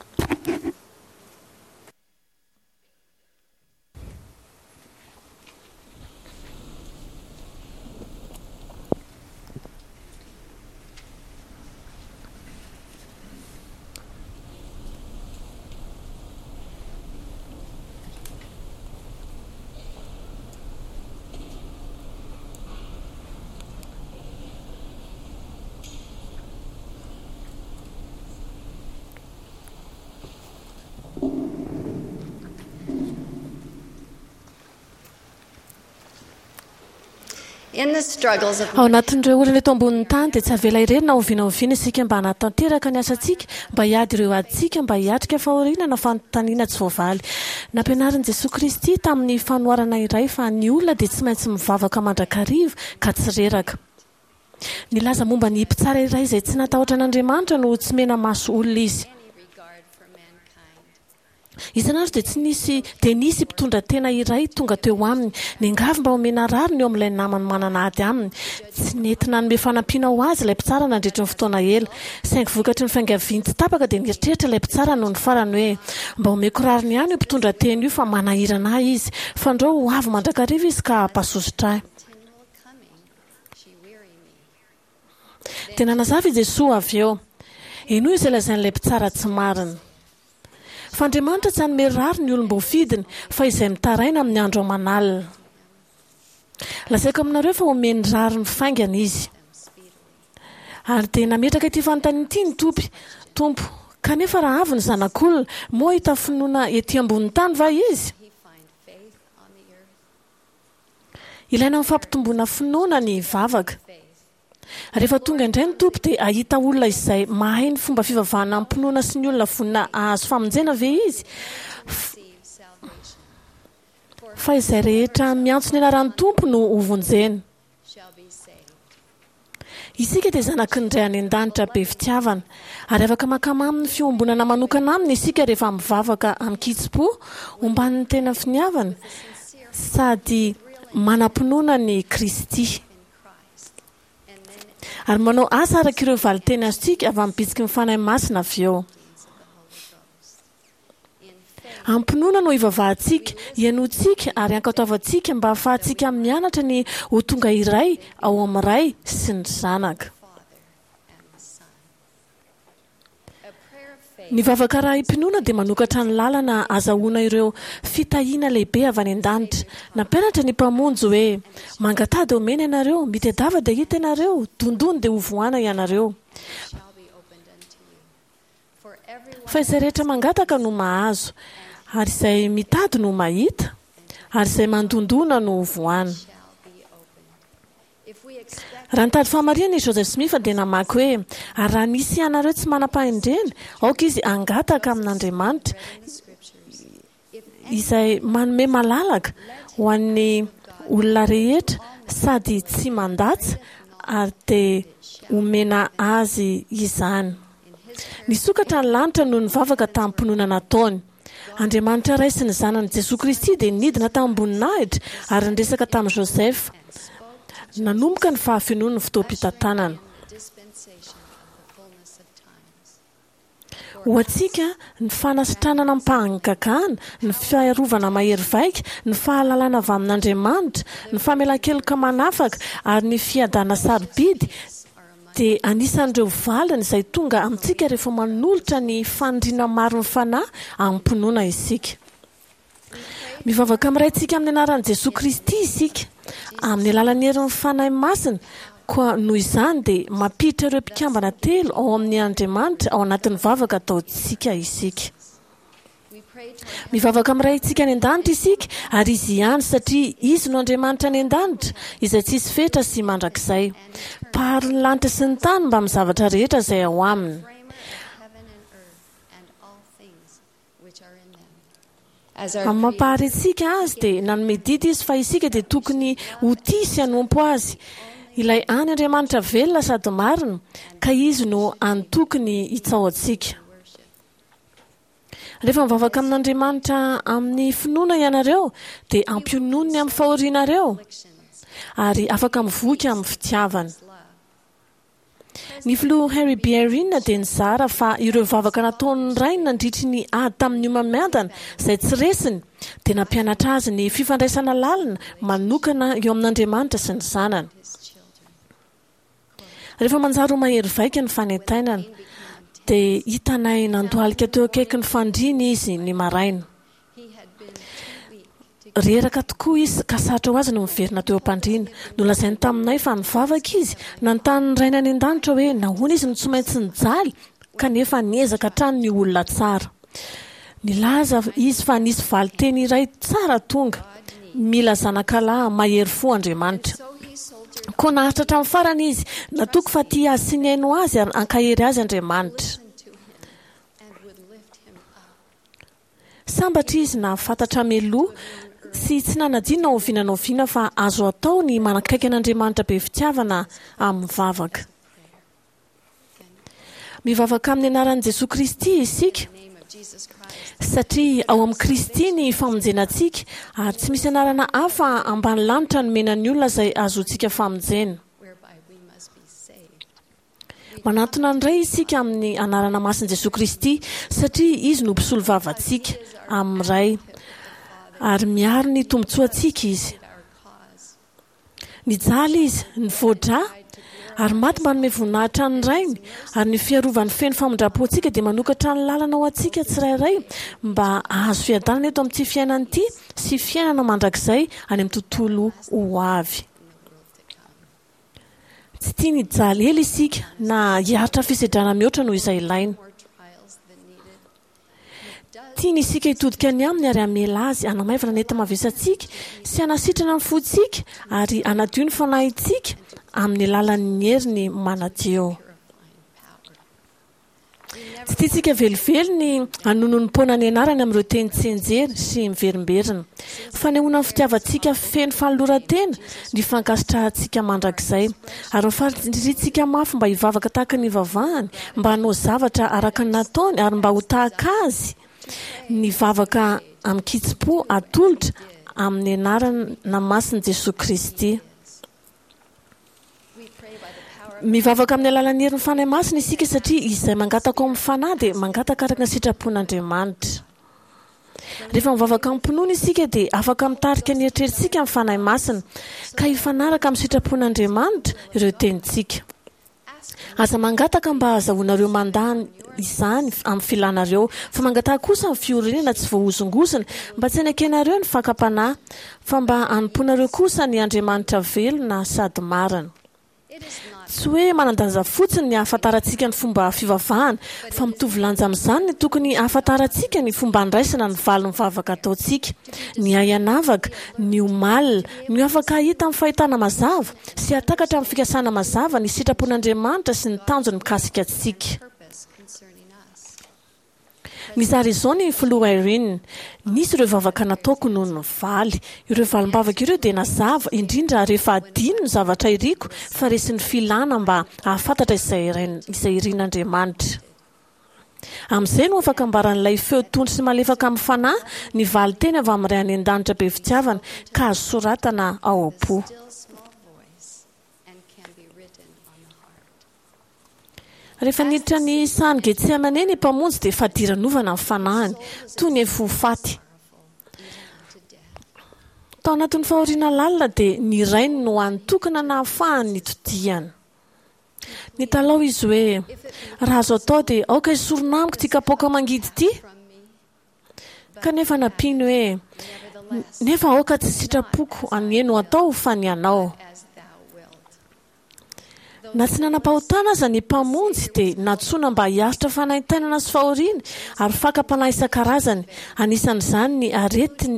Ao anatin'ireo olana eto ambonin'ny tany dia tsy avela irery na oviana oviana isika mba hanatanteraka ny asantsika, mba hiady ireo adintsika, mba hiatrika fahoriana na fanontaniana tsy voavaly. Nampianarin'i Jesoa Kristy tamin'ny fanoharana iray fa ny olona dia tsy maintsy mivavaka mandrakariva ka tsy reraka. Nilaza momba ny mpitsara iray izay tsy natahotra an'Andriamanitra no tsy mena-maso olona izy. Isan'andro dia tsy nisy dia nisy mpitondra tena iray tonga teo aminy, niangavy mba homena rariny eo amin'ilay namany manana ady aminy. Tsy nety nanome fanampiana ho azy ilay mpitsara nandritry ny fotoana ela. Saingy vokatry ny fiangaviany tsy tapaka dia nieritreritra ilay mpitsara nony farany hoe, Mba omeko rariny ihany io mpitondra tena io fa manahirana ahy izy, fandrao ho avy mandrakariva izy ka hampasosotra ahy. Dia nanazava i Jesoa avy eo, Henoy izay lazain'ilay mpitsara tsy marina. Fa Andriamanitra tsy hanome rariny ny olom-boafidiny, fa izay mitaraina amin'ny andro aman'alina. Lazaiko aminareo fa homeny rariny faingana izy. Ary dia nametraka ity fanontaniana ity ny Tompo, Tompo, kanefa raha avy ny Zanak'olona, moa hahita finoana ety ambonin'ny tany va izy? Ilaina amin'ny fampitomboana finoana ny vavaka. Rehefa tonga indray ny Tompo dia hahita olona izay mahay ny fomba fivavahana amim-pinoana sy ny olona vonona hahazo famonjena ve izy? Fa izay rehetra miantso ny anaran'ny Tompo no hovonjena. Isika dia zanaky ny Ray any an-danitra be fitiavana, ary afaka mankamamy ny fiombonana manokana aminy isika rehefa mivavaka amin-kitsim-po omban'ny tena finiavana sady manam-pinoana an'i Kristy, ary manao asa araka ireo valin-teny azontsika avy amin'ny bitsiky ny Fanahy Masina avy eo. Am-pinoana no ivavahantsika, ihainoantsika ary ankatoavantsika mba hahafahantsika mianatra ny ho tonga iray ao amin'ny Ray sy ny Zanaka. Ny vavaka arahim-pinoana dia manokatra ny lalana azahoana ireo fitahiana lehibe avy any an-danitra. Nampianatra ny Mpamonjy hoe, Mangataha dia homena ianareo, mitedava dia hita ianareo, dondony dia hovohana ianareo. Fa izay rehetra mangataka no mahazo, ary izay mitady no mahita, ary izay mandondona no hovohana. Raha nitady fahamarinana i Joseph Smith dia namaky hoe, Ary raha misy hianareo tsy manam-pahendrena, aoka izy hangataka amin'Andriamanitra, izay manome malalaka ho an'ny olona rehetra sady tsy mandatsa, ary dia homena azy izany. Nisokatra ny lanitra noho ny vavaka tamim-pinoana nataony. Andriamanitra Ray sy ny Zanany Jesoa Kristy dia nidina tamim-boninahitra ary niresaka tamin'i Joseph. Nanomboka ny fahafenoan'ny fotoam-pitantanana. Ho antsika, ny fanasitranana amim-pahagagana, ny fiarovana mahery vaika, ny fahalalana avy amin'Andriamanitra, ny famelan-keloka manafaka, ary ny fiadana sarobidy dia anisan'ireo valiny izay tonga amintsika rehefa manolotra ny faniriana marin'ny Fanahy amim-pinoana isika. Mivavaka amin'ny Raintsika amin'ny anaran'i Jesoa Kristy isika, amin'ny alalan'ny herin'ny Fanahy Masina, koa noho izany dia mampiditra ireo mpikambana telo ao amin'ny Andriamanitra ao anatin'ny vavaka ataontsika isika. Mivavaka amin'ny Raintsika any an-danitra isika, ary Izy ihany, satria Izy no Andriamanitra any an-danitra, izay tsisy fetra sy mandrakizay. Mpahary ny lanitra sy ny tany mbamin'ny zavatra rehetra izay ao aminy. Amin'ny maha-Mpahary antsika Azy dia nanome didy Izy fa isika dia tokony ho tia sy hanompo Azy, Ilay hany Andriamanitra velona sady marina, ka Izy no hany tokony hitsaohantsika. Rehefa mivavaka amin'Andriamanitra amin'ny finoana ianareo dia ampiononiny amin'ny fahorianareo ary afaka mivoky amin'ny fitiavana. Ny filoha Henry B. Eyring dia nizara fa ireo vavaka nataon'ny rainy nandritry ny ady tamin'ny homamiadana izay tsy resiny dia nampianatra azy ny fifandraisana lalina manokana eo amin'Andriamanitra sy ny Zanany. Rehefa manjary ho mahery vaika ny fanaintainana dia hitanay nandohalika teo akaikin'ny fandriany izy ny maraina. Reraka tokoa izy ka sarotra ho azy ny miverina teo am-pandriana. Nolazainy taminay fa nivavaka izy, nanontany ny Rainy any an-danitra hoe nahoana izy no tsy maintsy nijaly kanefa niezaka hatrany ny ho olona tsara. Nilaza izy fa nisy valin-teny iray tsara tonga, Mila zanakalahy mahery fo Andriamanitra. Koa naharitra hatramin'ny farany izy, natoky fa tia azy sy nihaino azy ary hankahery azy Andriamanitra. Sambatra izy nahafantatra mialoha sy tsy nanadino na oviana na oviana fa azo atao ny manakaiky an'Andriamanitra be fitiavana amin'ny vavaka. Mivavaka amin'ny anaran'i Jesoa Kristy isika satria ao amin'i Kristy ny famonjena antsika ary tsy misy anarana hafa ambany lanitra nomena ny olona izay ahazoantsika famonjena. Manantona ny Ray isika amin'ny anarana masin'i Jesoa Kristy satria Izy no mpisolovava antsika amin'ny Ray ary miaro ny tombontsoantsika Izy. Nijaly Izy, nivoa-drà, ary maty mba hanome voninahitra ny Rainy, ary ny fiarovany feno famindram-po antsika dia manokatra ny lalana ho antsika tsirairay mba hahazo fiadanana eto amin'ity fiainana ity sy fiainana mandrakizay any amin'ny tontolo ho avy. Tsy tiany hijaly ela isika na hiaritra fisedrana mihoatra noho izay ilaina. Tiany isika hitodika any aminy ary hamela azy hanamaivana ny enta-mavesatsika sy hanasitrana ny fontsika ary hanadio ny fanahintsika amin'ny alalan'ny heriny manadio. Tsy tiantsika velively ny hanononom-poana ny anarany amin'ireo teny tsianjery sy miverimberina. Fanehoana ny fitiavantsika feno fanoloran-tena ny fankasitrahantsika mandrakizay, ary ny faniriantsika mafy mba hivavaka tahaka ny ivavahany, mba hanao zavatra araka ny nataony ary mba ho tahaka azy ny vavaka amin-kitsim-po atolotra amin'ny anarana masin'i Jesoa Kristy. Mivavaka amin'ny alalan'ny herin'ny Fanahy Masina isika satria izay mangataka ao amin'ny Fanahy dia mangataka araka ny sitrapon'Andriamanitra. Rehefa mivavaka amim-pinoana isika dia afaka mitarika ny eritreritsika amin'ny Fanahy Masina ka hifanaraka amin'ny sitrapon'Andriamanitra ireo tenintsika. Aza mangataka mba hahazahoanareo mandany izany amin'ny filanareo, fa mangataka kosa amin'ny fiorenana tsy voahozongozona mba tsy hanekenareo ny fakam-panahy, fa mba hanompoanareo kosa ny Andriamanitra velona sady marina. Tsy hoe manan-danja fotsiny ny hahafantarantsika ny fomba fivavahana, fa mitovy lanja amin'izany ny tokony hahafantarantsika ny fomba handraisana ny valin'ny vavaka ataontsika. Ny hay hanavaka, ny ho malina, ny ho afaka hahita amin'ny fahitana mazava sy hahatakatra amin'ny fikasana mazava ny sitrapon'Andriamanitra sy ny tanjony mikasika antsika. Nizara izao ny filoha Eyring, Nisy ireo vavaka nataoko noho ny valy. Ireo valim-bavaka ireo dia nazava, indrindra rehefa adino ny zavatra iriko fa resin'ny filàna mba hahafantatra izay izay irin'Andriamanitra. Amin'izay no afaka ambaran'ilay feo tony sy malefaka amin'ny fanahy ny valin-teny avy amin'ny Ray any An-danitra be fitiavana ka azo soratana ao am-po. Rehefa niditra ny sahan'i Getsemane ny Mpamonjy dia fadiranovana ny fanahiny, toy ny efa ho faty. Tao anatin'ny fahoriana lalina dia ny Rainy no hany tokana nahafahany nitodihana. Nitalaho izy hoe, Raha azo atao dia aoka esorina amiko ity kapoaka mangidy ity. Kanefa nampiany hoe, Nefa aoka tsy sitrapoko anie no atao fa ny anao. Na tsy nanam-pahotana aza ny Mpamonjy dia nantsoina mba hiaritra fanaintainana sy fahoriana ary fakam-panahy isan-karazany, anisan'izany ny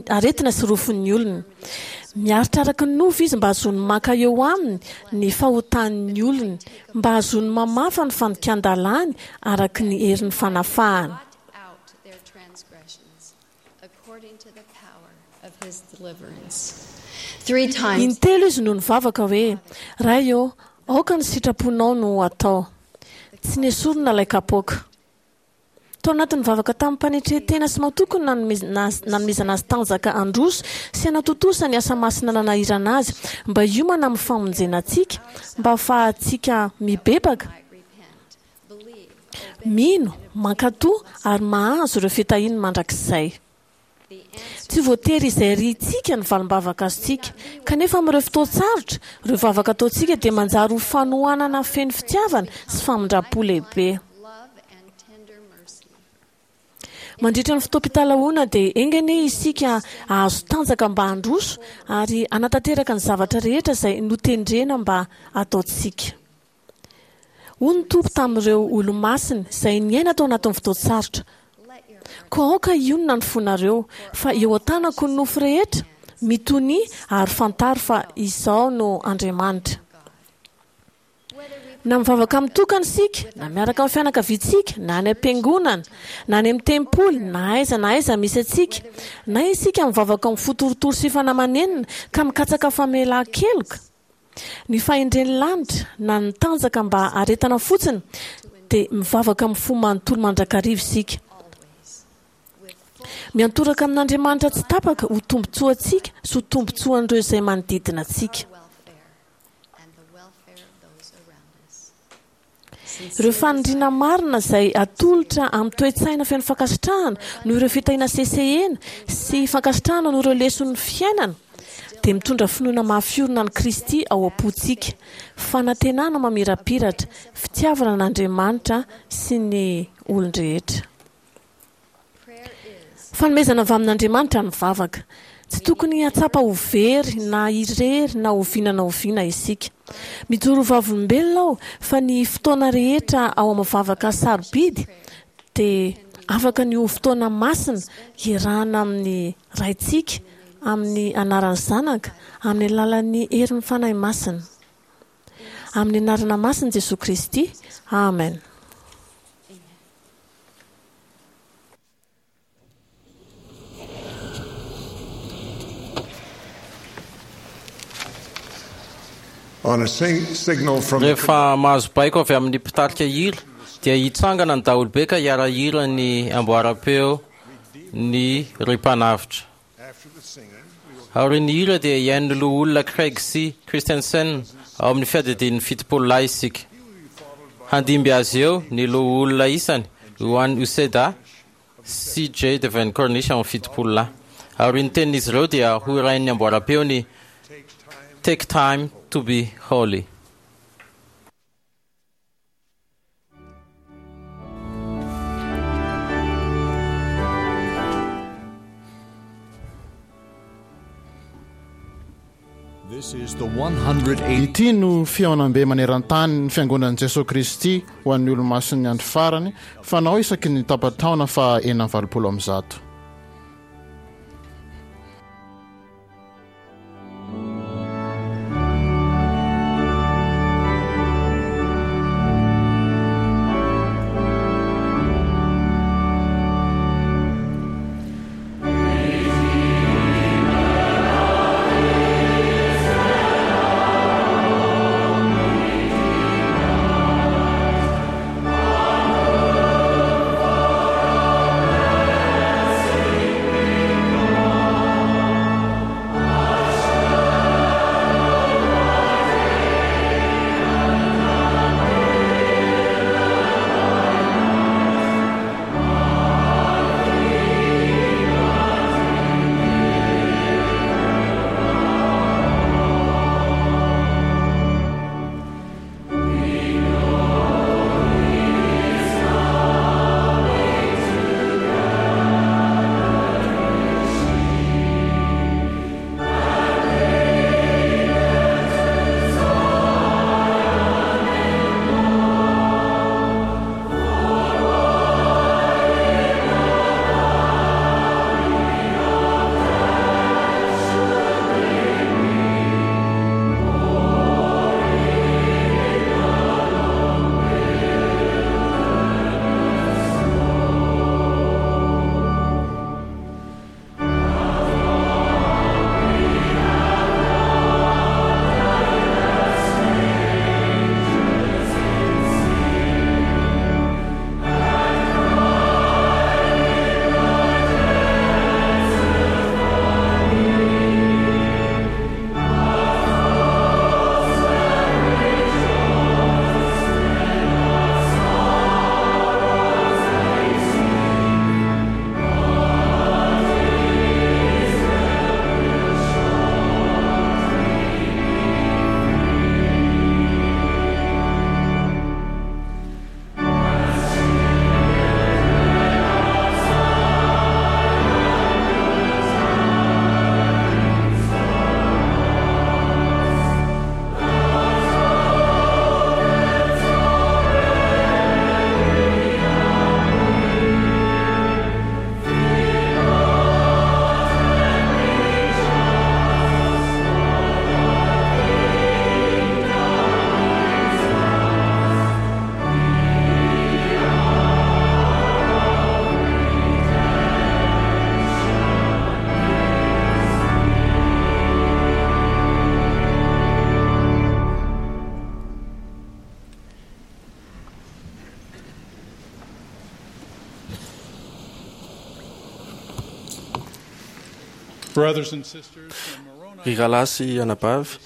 aretina sy rofin'ny olona. Miaritra araka ny nofo Izy mba hahazoany maka eo aminy ny fahotan'ny olony, mba hahazoany mamafa ny fandikan-dalàny araka ny herin'ny fanafahana. Intelo izy no nivavaka hoe, Ray ô, aoka ny sitraponao no ho atao. Tsy nesorina ilay kapoaka. Tao anatin'ny vavaka tamim-panetren-tena sy matoky no nanomezana azy tanjaka handroso sy hanatontosa ny asa masina nanahirana azy mba hiomana amin'ny famonjena antsika, mba hahafahantsika mibebaka, mino, mankatò ary mahazo ireo fitahiany mandrakizay. Tsy voatery izay rintsika ny valim-bavaka azontsika, kanefa amin'ireo fotoan-tsarotra, ireo vavaka ataontsika dia manjary ho fanohanana feno fitiavana sy famindram-po lehibe. Mandritra ny fotoam-pitalahoana dia enga anie isika hahazo tanjaka mba handroso ary hanatanteraka ny zavatra rehetra izay notendrena mba hataontsika. Hoy ny Tompo tamin'ireo olomasiny izay niaina tao anatin'ny fotoan-tsarotra, Koa aoka hionona ny fonareo, fa eo an-tanako ny nofo rehetra, mitonia ary fantaro fa Izaho no Andriamanitra. Na mivavaka mitokana isika, na miaraka amin'ny fianakaviantsika, na any am-piangonana, na any amin'ny tempoly, na aiza na aiza misy antsika, na isika mivavaka amin'ny fo torotoro sy fanahy manenina ka mikatsaka famelan-keloka, Ny fahendren'ny lanitra na ny tanjaka mba haharetana fotsiny dia mivavaka amin'ny fo manontolo mandrakariva isika. Miantoraka amin'Andriamanitra tsy tapaka ho tombontsoantsika sy ho tombontsoan'ireo izay manodidina antsika. Ireo faniriana marina izay atolotra amin'ny toe-tsaina feno fankasitrahana noho ireo fitahiana sesehena sy fankasitrahana noho ireo leson'ny fiainana dia mitondra finoana mafy orina an'i Kristy ao am-pontsika, fanantenana mamirapiratra, fitiavana an'Andriamanitra sy ny olon-drehetra. Fanomezana avy amin'Andriamanitra ny vavaka. Tsy tokony hahatsapa ho very na irery na oviana na oviana isika. Mijoro ho vavolombelona aho fa ny fotoana rehetra ao amin'ny vavaka sarobidy dia afaka ny ho fotoana masina iarahana amin'ny Raintsika amin'ny anaran'ny Zanaka amin'ny alalan'ny herin'ny Fanahy Masina. Amin'ny anarana masin'i Jesoa Kristy. Amen. On a sing- signal from the Rehefa mahazo baiko avy amin'ny mpitarika hira dia hitsangana ny daholobe ka hiara-hira ny amboaram-peo ny Ry Mpanavotra. Aorian'ny hira dia hihaino ny loholona Craig C. Christensen ao amin'ny fiadidian'ny fitopolo lahy isika. Handimby azy eo ny loholona isany Juan Uceda sy J. Devin Cornish ao amin'ny fitopolo lahy. Aorian'ny tenin'izy ireo dia ho hirain'ny amboaram-peo ny Take Time to be Holy. This is the one hundred eighty Ity no fihaonambe maneran-tany ny fiangonan'i Jesoa Kristy ho an'ny olomasin'ny andro farany fanao isaky ny tapa-taona faha enina amby valopolo amby zato. Brothers and sisters, when Moroni Ry rahalahy sy anabavy,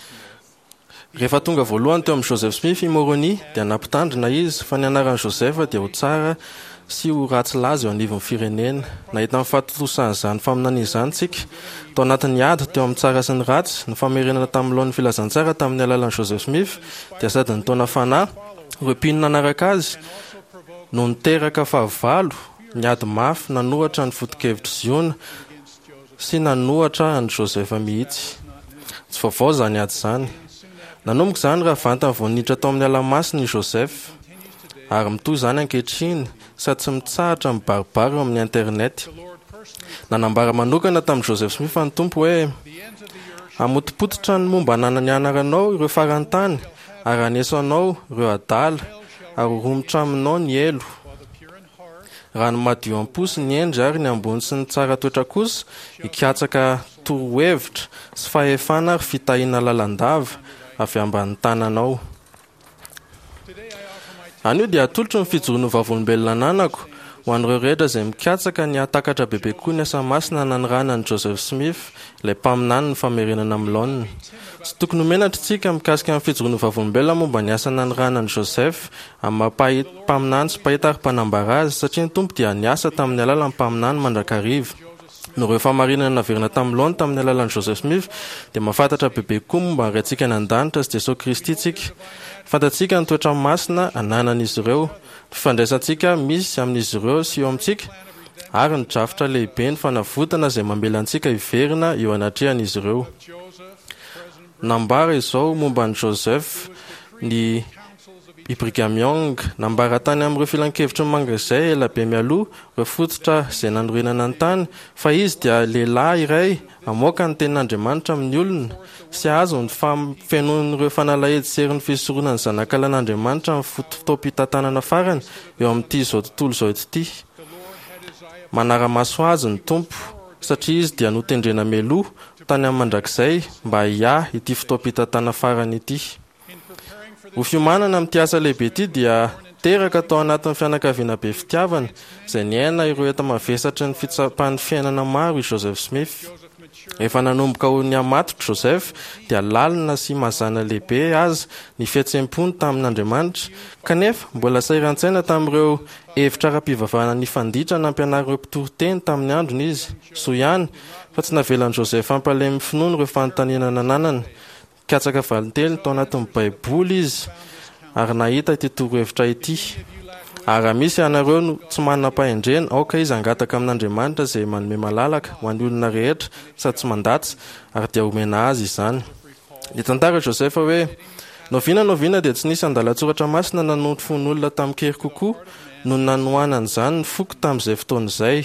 rehefa tonga voalohany teo amin'i Joseph Smith i Moroni dia nampitandrina izy fa ny anaran'i Joseph dia ho tsara sy ho ratsy laza eo anivon'ny firenena. Nahita ny fahatontosan'izany faminaniana izany tsika tao anatin'ny ady teo amin'ny tsara sy ny ratsy. Ny famerenana tamin'ny laoniny filazantsara tamin'ny alalan'i Joseph Smith dia sady nitaona fanahy ireo mpino nanaraka azy no niteraka fahavalo niady mafy nanohitra ny foto-kevitr'i Ziona sy nanohitra an'i Joseph mihitsy. Tsy vaovao izany ady izany. Nanomboka izany raha vantany vao niditra tao amin'ny ala masina i Joseph, ary mitohy izany ankehitriny sady tsy mitsahatra mibaribary eo amin'ny internet. Nanambara manokana tamin'i Joseph Smith ny Tompo hoe: "Hamotopototra ny momba ny anaranao ireo faran'ny tany, ary haneso anao ireo adala, ary ho romotra aminao ny helo. Raha ny madio am-po sy ny hendry ary ny ambony sy ny tsara toetra kosa, hikatsaka torohevitra sy fahefana ary fitahiana lalandava avy ambanin'ny tananao." Anio dia atolotro ny fijoroan'ny vavolombelona ananako ho an'ireo rehetra izay mikatsaka ny hahatakatra bebe kokoa ny asa masina nanirahana an'i Joseph Smith, ilay mpaminany ny famerenana amin'ny laoniny. Tsy tokony ho menatra isika mikasika ny fijoroan'ny vavolombelona momba ny asa nanirahana an'i Joseph amin'ny maha mpaminany sy mpahita ary mpanambara azy, satria ny Tompo dia niasa tamin'ny alalan'ny mpaminany mandrakariva. Noho ireo fahamarinana naverina tamin'ny laoniny tamin'ny alalan'i Joseph Smith, dia mahafantatra bebe kokoa momba ny Raintsika any an-danitra sy Jesosy Kristy isika. Fantatsika ny toetra masina ananan'izy ireo, ny fifandraisantsika misy amin'izy ireo sy eo amintsika, ary ny drafitra lehibe ny fanavotana izay mamela antsika hiverina eo anatrehan'izy ireo. Nambara izao momba an'i Joseph ny i Brigham Young, nambara tany amin'ireo filankevitry ny mandrakizay ela be mialoha ireo fototra izay nanorenana ny tany, fa izy dia lehilahy iray hamoaka ny tenin'Andriamanitra amin'ny olona sy hahazo ny fahafenoan'ireo fanalahidy sy herin'ny fisoronan'ny Zanakalan'Andriamanitra amin'ny fotoam-pitantanana farany eo amin'ity izao tontolo izao ity. Manara-maso azy ny Tompo, satria izy dia notendrena mialoha tany amin'ny mandrakizay mba hiahy ity fotoam-pitantana farany ity. Ho fiomanana amin'ity asa lehibe ity dia teraka tao anatin'ny fianakaviana be fitiavana izay niaina ireo enta-mavesatry ny fitsapan'ny fiainana maro i Joseph Smith. Efa nanomboka ho nihamatotra Joseph dia lalina sy mazàna lehibe aza ny fihetseham-pony tamin'Andriamanitra, kanefa mbola sahiran-tsaina tamin'ireo hevitra ara-pivavahana nifanditra nampianarin'ireo mpitoriteny tamin'ny androny izy. Soa ihany fa tsy navelan'i Joseph hampalemy finoana ireo fanontaniana nananany. Nikatsaka valinteny tao anatin'ny Baiboly izy ary nahita ity torohevitra ity: "Ary raha misy ianareo no tsy manam-pahendrena, aoka izy hangataka amin'Andriamanitra izay manome malalaka ho an'ny olona rehetra sady tsy mandatsa, ary dia homena azy izany." Nitantara i Joseph hoe, N'oviana n'oviana dia tsy nisy andalan-tsoratra masina nanondro fon'olona tamin-kery kokoa noho ny nanohanan'izany ny foko tamin'izay fotoana izay.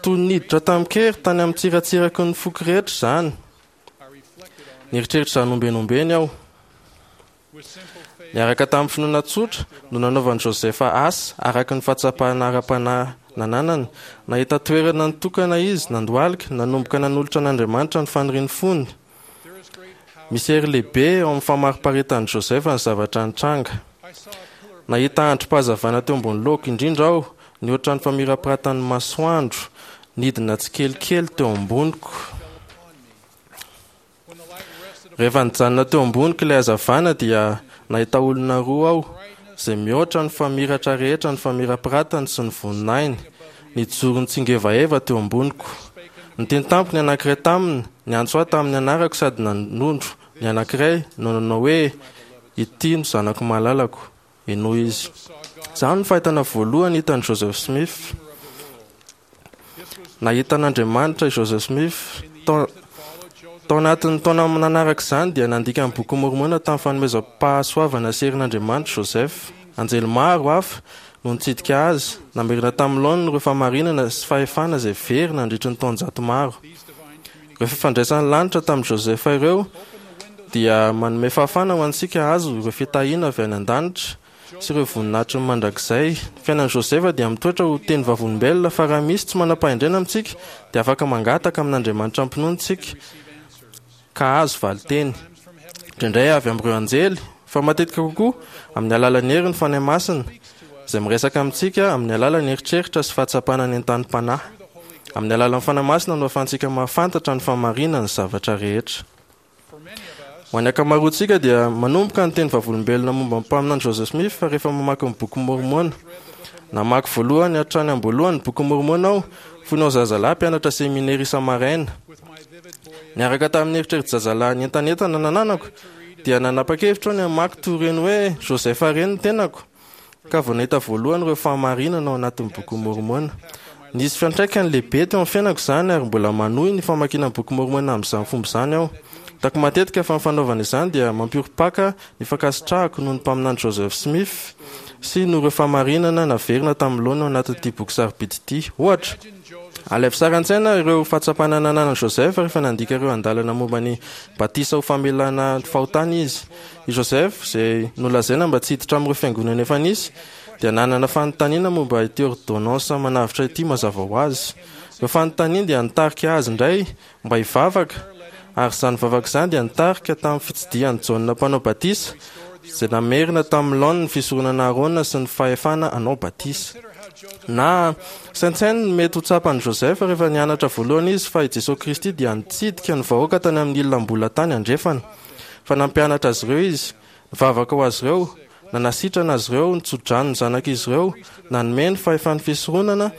Toy ny niditra tamin-kery tany amin'ny tsiratsiraky ny foko rehetra izany. Nieritreritra izany ombieny ombieny aho. Niaraka tamin'ny finoana tsotra no nanaovan'i Joseph asa araka ny fahatsapana ara-panahy nananany. Nahita toerana nitokana izy, nandohalika, nanomboka nanolotra an'Andriamanitra ny fanirian'ny fony. Misy hery lehibe ao amin'ny famariparitan'i Joseph ny zavatra nitranga. Nahita andrim-pahazavana teo ambony lohako indrindra aho, nihoatra ny famirapiratan'ny masoandro, nidina tsikelikely teo amboniko. Rehefa nijanona teo amboniko ilay hazavana dia nahita olona roa aho izay mihoatra ny famiratra rehetra ny famirapiratany sy ny voninahiny, nijoro nitsingevaheva teo amboniko. Niteny tamiko ny anankiray taminy, niantso ahy tamin'ny anarako sady nanondro ny anankiray no nanao hoe, Ity no zanako malalako. Henoy izy. Izany no fahitana voalohany hitan'i Joseph Smith. Nahita an'Andriamanitra i Joseph Smith. Tao, tao anatin'ny taona nanaraka izany dia nandika ny Bokin'i Môrmôna tamin'ny fanomezam-pahasoavana sy herin'Andriamanitra Joseph. Anjely maro hafa no nitsidika azy, namerina tamin'ny laoniny ireo fahamarinana sy fahefana izay very nandritry ny taonjato maro. Ireo fifandraisan'ny lanitra tamin'i Joseph ireo dia manome fahafahana ho antsika hahazo ireo fitahiana avy any an-danitra sy ireo voninahitry ny mandrakizay. Ny fiainan'i Joseph dia mitoetra ho teny vavolombelona fa raha misy tsy manam-pahendrena amintsika dia afaka mangataka amin'Andriamanitra am-pinoana isika ka hahazo valinteny, indraindray avy amin'ireo anjely, fa matetika kokoa amin'ny alalan'ny herin'ny Fanahy Masina, izay miresaka amintsika amin'ny alalan'ny eritreritra sy fahatsapana nentanim-panahy. Amin'ny alalan'ny Fanahy Masina no ahafahantsika mahafantatra ny fahamarinan'ny zavatra rehetra. Ho an'ny ankamaroantsika dia manomboka ny teny vavolombelona momba ny mpaminany Joseph Smith rehefa mamaky ny Bokin'i Môrmôna. Namaky voalohany hatrany am-boalohany ny Bokin'i Môrmôna aho fony aho zazalahy mpianatra seminera isa-maraina. Niaraka tamin'ny eritreri-jazalahy nientanentana nananako dia nanapa-kevitra aho ny hamaky toy ireny hoe Joseph ireny ny tenako ka vao nahita voalohany ireo fahamarinana ao anatin'ny Bokin'i Môrmôna. Nisy fiantraikany lehibe teo amin'ny fiainako izany ary mbola manohy ny famakiana ny Boky Môrmôna amin'izany fomba izany aho. Hitako matetika fa ny fanaovana izany dia mampiorim-paka ny fankasitrahako noho ny Mpaminany Joseph Smith sy noho ireo fahamarinana naverina tamin'ny laoniny ao anatin'ity boky sarobidy ity. Ohatra, alaivo sary an-tsaina ireo fahatsapana nananan'i Joseph rehefa nandika ireo andalana momba ny batisa ho famelana fahotana izy. I Joseph, izay nolazaina mba tsy hiditra amin'ireo fiangonana efa nisy, dia nanana fanontaniana momba ity ôrdônansa manavotra ity mazava ho azy. Ireo fanontaniany dia nitarika azy indray mba hivavaka, ary izany vavaka izany dia nitarika tamin'ny fitsidihan'i Jaona Mpanao Batisa, izay namerina tamin'ny laoniny ny fisoronana Arona sy ny fahefana hanao batisa. Na, saintsaino ny mety ho tsapan'i Joseph rehefa nianatra voalohany izy fa i Jesoa Kristy dia nitsidika ny vahoaka tany amin'ny ila tany andrefana, fa nampianatra azy ireo Izy, nivavaka ho azy ireo, nanasitrana azy ireo, nitso-drano ny zanak'izy ireo, nanome ny fahefan'ny fisoronana,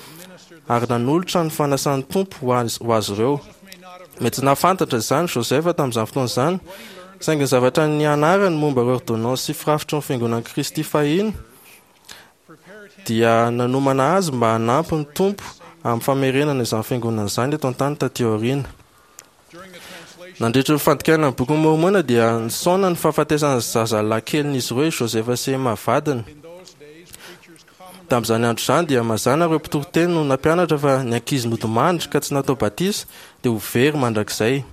ary nanolotra ny fanasan'ny Tompo ho azy, ho azy ireo. Mety tsy nahafantatra izany Joseph tamin'izany fotoana izany, saingy ny zavatra nianarany momba ireo ôrdônansy sy firafitry ny Fiangonan'i Kristy fahiny dia nanomana azy mba hanampy ny Tompo amin'ny famerenana izany Fiangonana izany eto an-tany taty aoriana. Nandritra ny fandikana ny Bokin'i Môrmôna dia nisaona ny fahafatesan'ny zazalahy kelin'izy ireo i Joseph sy Emma vadiny. Tamin'izany andro izany dia mazàna ireo mpitoriteny no nampianatra fa ny ankizy nodimandry ka tsy natao batisa dia ho very mandrakizay.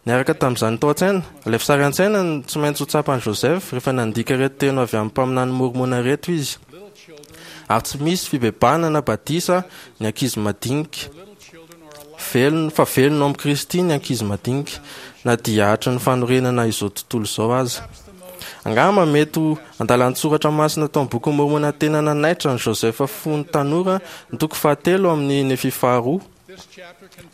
Niaraka tamin'izany tao an-tsaina, alaivo sary an-tsaina ny tsy maintsy ho tsapan'i Joseph rehefa nandika ireto teny avy amin'ny mpaminany môrmôna ireto izy, Ary tsy misy fibebahana na batisa ny ankizy madinika. Velona, fa velona ao amin'i Kristy ny ankizy madinika, na dia hatry ny fanorenana izao tontolo izao aza. Angamba mety ho andalan-tsoratra masina tao amin'ny Bokin'i Môrmôna tena nanaitra an'i Joseph fony tanora ny toko fahatelo amin'ny Nefia faharoa.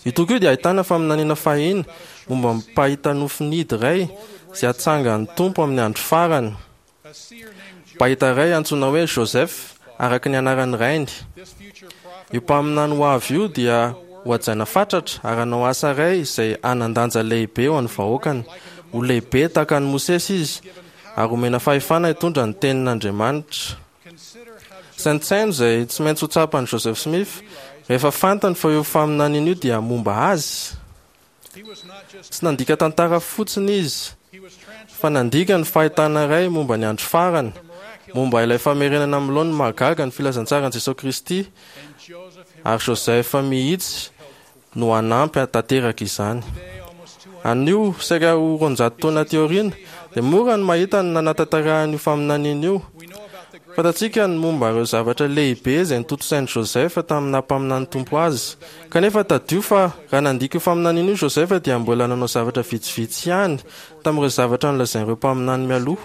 Io toko io dia ahitana faminaniana fahiny momba ny mpahita nofinidy iray izay hatsangan'ny Tompo amin'ny andro farany. Mpahita iray antsoina hoe Joseph, araka ny anaran'ny rainy. Io mpaminany ho avy io dia hohajaina fatratra ary hanao asa iray izay hanan-danja lehibe ho an'ny vahoakany. Ho lehibe tahaka an'i Mosesy izy ary homena fahefana hitondra ny tenin'Andriamanitra. Saintsaino izay tsy maintsy ho tsapan'i Joseph Smith rehefa fantany fa io faminaniana io dia momba azy. Tsy nandika tantara fotsiny izy, fa nandika ny fahitana iray momba ny andro farany, momba ilay famerenana amin'ny laoniny mahagaga ny filazantsaran'i Jesoa Kristy, ary Joseph mihitsy no hanampy hahatanteraka izany. Anio, saika ho roanjato taona aty aoriana, dia mora ny mahita ny nanatanterahana io faminaniana io. Fantatsika ny momba ireo zavatra lehibe izay notontosain'i Joseph tamin'ny naha-mpaminan'ny Tompo azy. Kanefa tadidio fa raha nandika io faminaniana io Joseph dia mbola nanao zavatra vitsivitsy ihany tamin'ireo zavatra nolazain'ireo mpaminany mialoha.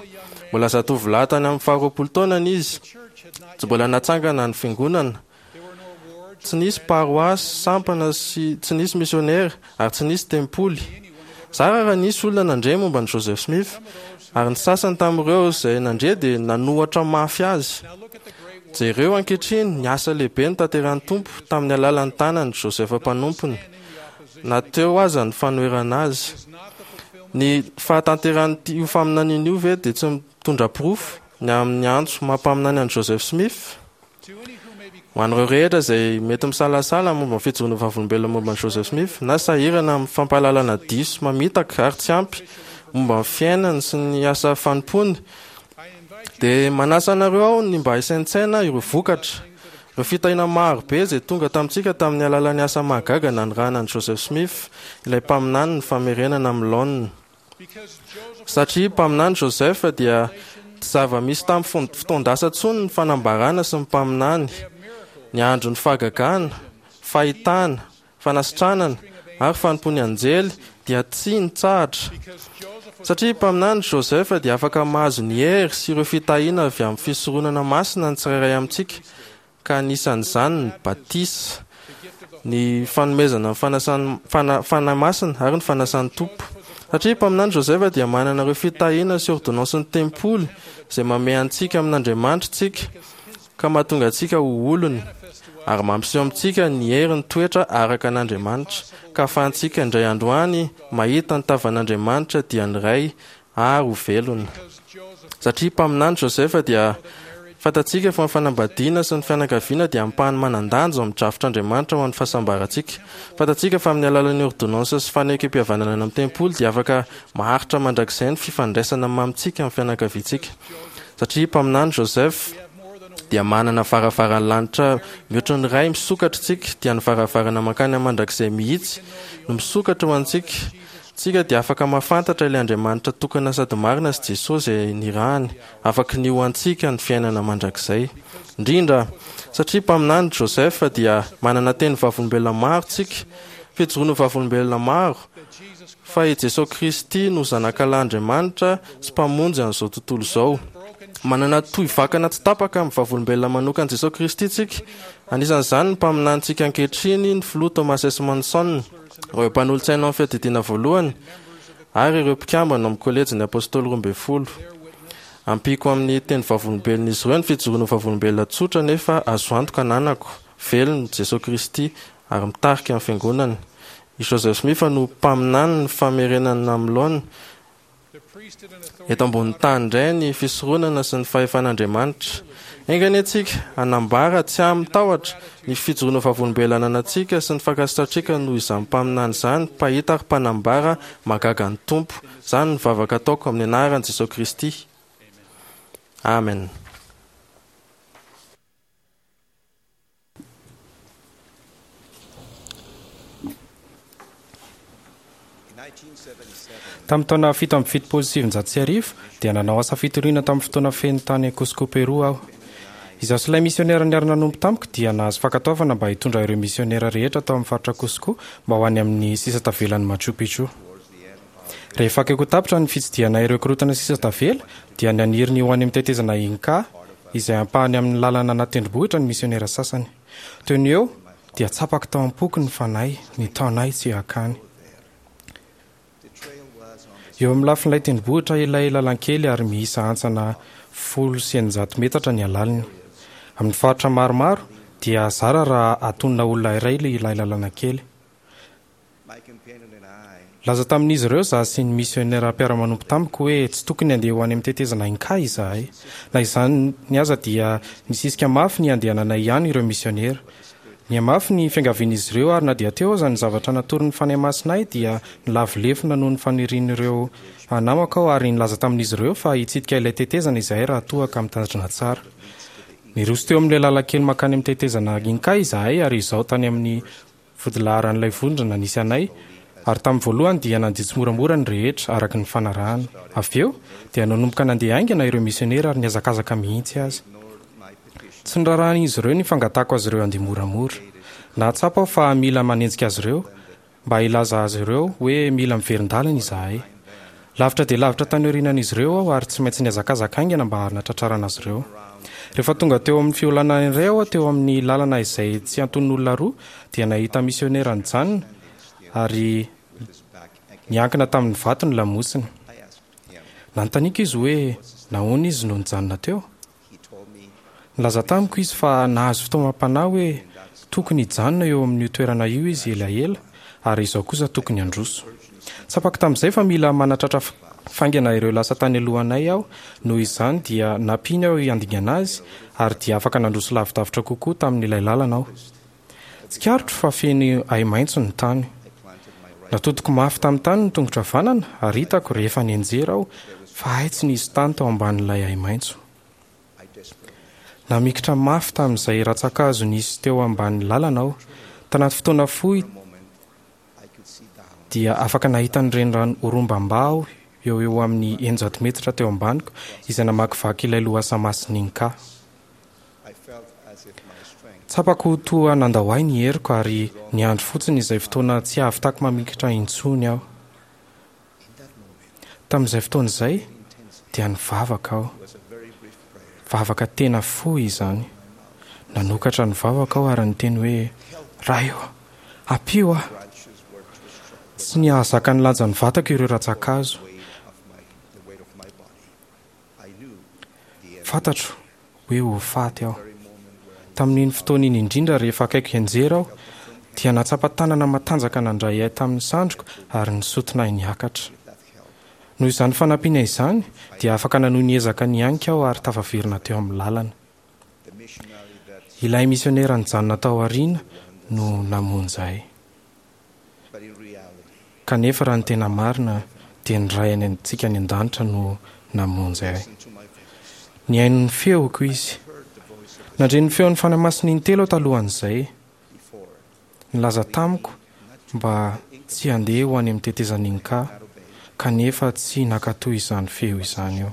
Mbola zatovolahy tany amin'ny faharoapolo taonany izy. Tsy mbola natsangana ny fiangonana. Tsy nisy paroasy, sampana sy tsy nisy misionera ary tsy nisy tempoly. Zara raha nisy olona nandre momba an'i Joseph Smith, ary ny sasany tamin'ireo izay nandre dia nanohatra mafy azy. Jereo ankehitriny ny asa lehibe notanterahin'ny Tompo tamin'ny alalan'ny tanan'i Joseph mpanompony, na teo aza ny fanoherana azy. Ny fahatanterahan'io faminaniana io ve dia tsy mitondra porofo ny amin'ny antso maha mpaminany an'i Joseph Smith? Ho an'ireo rehetra izay mety misalasala momba ny fijoroana vavolombelona momba an'i Joseph Smith na sahirana amin'ny fampahalalana diso mamitaka ary tsy ampy momba ny fiainany sy ny asa fanompoany, dia manasa anareo aho ny mba hisaintsaina ireo vokatra, ireo fitahiana maro be izay tonga tamintsika tamin'ny alalan'ny asa mahagaga nanirahana an'i Joseph Smith, ilay mpaminany ny famerenana amin'ny laoniny. Satria mpaminany Joseph dia tsy zava-misy tamin'ny fotoan-dasa intsony ny fanambarana sy ny mpaminany. Ny andron'ny fahagagana, fahitana, fanasitranana ary fanompoan'ny anjely dia tsy nitsahatra. Satria mpaminany Joseph dia afaka mahazo ny hery sy ireo fitahiana avy amin'ny fisoronana masina ny tsirairay amintsika ka anisan'izany ny batisa, ny fanomezana ny fanasan'ny Fanahy Masina ary ny fanasan'ny Tompo. Satria Mpaminany Joseph dia manana ireo fitahiana sy ôrdônansin'ny tempoly izay mamehy antsika amin'Andriamanitra isika ka mahatonga antsika ho olony ary mampiseho amintsika ny herin'ny toetra araka an'Andriamanitra ka ahafahantsika indray andro any mahita ny tavan'Andriamanitra dia ny Ray ary ho velona. Satria mpaminany Joseph dia Fantatsika fa ny fanambadiana sy ny fianakaviana dia ampahany manan-danja ao amin'ny drafitr'Andriamanitra ho an'ny fahasambarantsika. Fantatsika fa amin'ny alalan'ny ôrdônansy sy fanekempihavanana any amin'ny tempoly dia afaka maharitra mandrakizay ny fifandraisana mamintsika amin'ny fianakaviantsika. Satria mpaminany Joseph dia manana varavaran'ny lanitra mihoatra ny iray misokatra isika, dia ny varavarana mankany amin'ny mandrakizay mihitsy no misokatra ho antsika. Tsika dia afaka mahafantatra ilay Andriamanitra tokana sady marina sy Jesosy izay nirahany, afaky ny ho antsika ny fiainana mandrakizay. Indrindra, satria mpaminany Joseph dia manana teny vavolombelona maro tsika, fijoroana ho vavolombelona maro, fa i Jesosy Kristy no Zanakalahy-Andriamanitra sy Mpamonjy an'izao tontolo izao. Manana tohy vakana tsy tapaka amin'ny vavolombelona manokan'i Jesosy Kristy tsika, anisan'izany ny mpaminanintsika ankehitriny, ny Filoha Thomas S. Monson. Ireo mpanolotsaina ao amin'ny Fiadidiana Voalohany ary ireo mpikambana ao amin'ny Kôlejin'ny Apôstôly Roambinifolo. Ampiako amin'ny teny vavolombelon'izy ireo ny fijoroana ho vavolombelona tsotra nefa azo antoka ananako, velona Jesoa Kristy ary mitarika ny Fiangonany. I Joseph Smith no mpaminany ny famerenana amin'ny laoniny Eto ambonin'ny tany indray ny fisoronana sy ny fahefan'Andriamanitra. Enga anie tsika hanambara tsy amin-tahotra ny fijoroana vavolombelona ananantsika sy ny fankasitrahantsika noho izany mpaminany izany, mpahita ary mpanambara mahagaga ny Tompo. Izany no vavaka ataoko amin'ny anaran'i Jesoa Kristy. Amen. Tamin'ny taona fito amby fitopolo sy sivinjato sy arivo, dia nanao asa fitoriana tamin'ny fotoana feno tany Cusco, Pérou aho. Izaho sy ilay misionera niara-nanompo tamiko dia nahazo fankatoavana mba hitondra ireo misionera rehetra tao amin'ny faritra Cusco mba ho any amin'ny sisa tavelan'i Machu Picchu. Rehefa akaiky ho tapitra ny fitsidihana ireo korontana sisa tavela, dia naniry ny ho any amin'ny tetezana Inca, izay ampahany amin'ny lalana anaty tendrombohitra ny misionera sasany. Teo no eo, dia tsapako tao am-poko ny Fanahy nitaona ahy tsy hankany. Eo amin'ny lafin'ilay tendrombohitra ilay lalankely ary miisa hantsana folo sy eninjato metatra ny halaliny. Amin'ny faritra maromaro, dia zara raha atonina olona iray ilay lalana kely. Nilaza tamin'izy ireo izaho sy ny misiônera mpiara-manompo tamiko hoe tsy tokony handeha ho any amin'ny tetezana Inca izahay. Na izany aza dia nisisika mafy ny handehananay ihany ireo misiônera. Nihamafy ny fiangavian'izy ireo ary na dia teo aza ny zavatra natoron'ny Fanahy Masina ahy dia nilavo lefona noho ny fanirian'ireo namako aho ary nilaza tamin'izy ireo fa hitsidika ilay tetezana izahay raha toa ka mitandrina tsara. Niroso teo amin'ilay lalan-kely mankany amin'ny tetezana Inca izahay ary izao tany amin'ny Vodilaharan'ilay vondrona nisy anay, ary tamin'ny voalohany dia nandeha tsimoramora ny rehetra, araka ny fanarahana. Avy eo, dia nanomboka nandeha haingana ireo misionera ary nihazakazaka mihitsy aza. Tsy norarahin'izy ireo ny fangatahako azy ireo handeha moramora. Nahatsapa aho fa mila manenjika azy ireo, mba hilaza azy ireo hoe mila miverin-dalana izahay. Lavitra dia lavitra tany aorianan'izy ireo aho ary tsy maintsy nihazakazaka haingana mba hanatratrarana azy ireo. Rehefa tonga teo amin'ny fiholanana iray aho teo amin'ny lalana izay tsy antonon'olona roa dia nahita misionera nijanona ary niankina tamin'ny vato ny lamosiny. Nanontaniako izy hoe nahoana izy no nijanona teo. Nilaza tamiko izy fa nahazo fitaomam-panahy hoe tokony hijanona eo amin'io toerana io izy elaela ary izaho kosa tokony handroso. Tsapako tamin'izay fa mila manatratra faingana ireo lasa tany alohanay aho, noho izany dia nampiany aho handingana azy ary dia afaka nandroso lavidavitra kokoa tamin'ilay lalana aho. Tsikaritro fa feno ahi-maitso ny tany. Natodiko mafy tamin'ny tany ny tongotro havanana ary hitako rehefa nianjera aho fa hay tsy nisy tany tao ambanin'ilay ahi-maitso. Namikitra mafy tamin'izay rantsankazo nisy teo ambany lalana aho. Tanaty fotoana fohy dia afaka nahita ny renirano Urubamba aho eo ho eo amin'ny eninjato metatra teo ambaniko izay namakivaky ilay lohasaha masin'i Inca. Tsapako ho toa nandao ahy ny heriko ary niandry fotsiny izay fotoana tsy hahavitako mamikitra intsony aho. Tamin'izay fotoana izay dia nivavaka aho. Vavaka tena fohy izany. Nanokatra ny vavako aho ary niteny hoe, Ray ô, ampio aho! Tsy nahazaka ny lanjan'ny vatako ireo rantsankazo. Fantatro hoe ho faty aho. Tamin'iny fotoana iny indrindra rehefa akaiky hianjera aho, dia nahatsapa tanana matanjaka nandray ahy tamin'ny sandriko ary nisotona ahy niakatra. Noho izany fanampiana izany, dia afaka nanohy ny ezaka nihanika aho ary tafaverina teo amin'ny lalana. Ilay misionera nijanona tao aoriana no namonjy ahy. Kanefa raha ny tena marina dia ny Ray any antsika any an-danitra no namonjy ahy. Nihaino ny feoko izy. Nandre ny feon'ny Fanahy Masina intelo aho talohan'izay. Nilaza tamiko mba tsy handeha ho any amin'ny tetezan'Inca, kanefa tsy nankatò izany feo izany aho.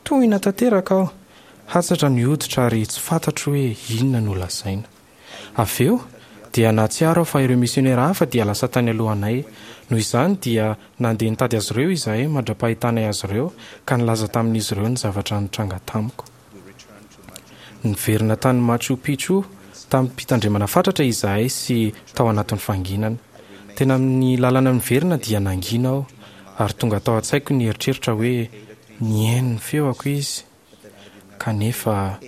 Tohina tanteraka aho, hatsatra ny hoditra ary tsy fantatro hoe inona no lazaina. Avy eo, dia nahatsiaro aho fa ireo misionera hafa dia lasa tany alohanay. Noho izany dia nandeha nitady azy ireo izahay mandra-pahitanay azy ireo ka nilaza tamin'izy ireo ny zavatra nitranga tamiko. Niverina tany Machu Picchu tamim-pitandremana fatratra izahay sy tao anatin'ny fanginana. Tena amin'ny lalana miverina dia nangina aho ary tonga tao an-tsaiko ny eritreritra hoe nihaino ny feoko izy kanefa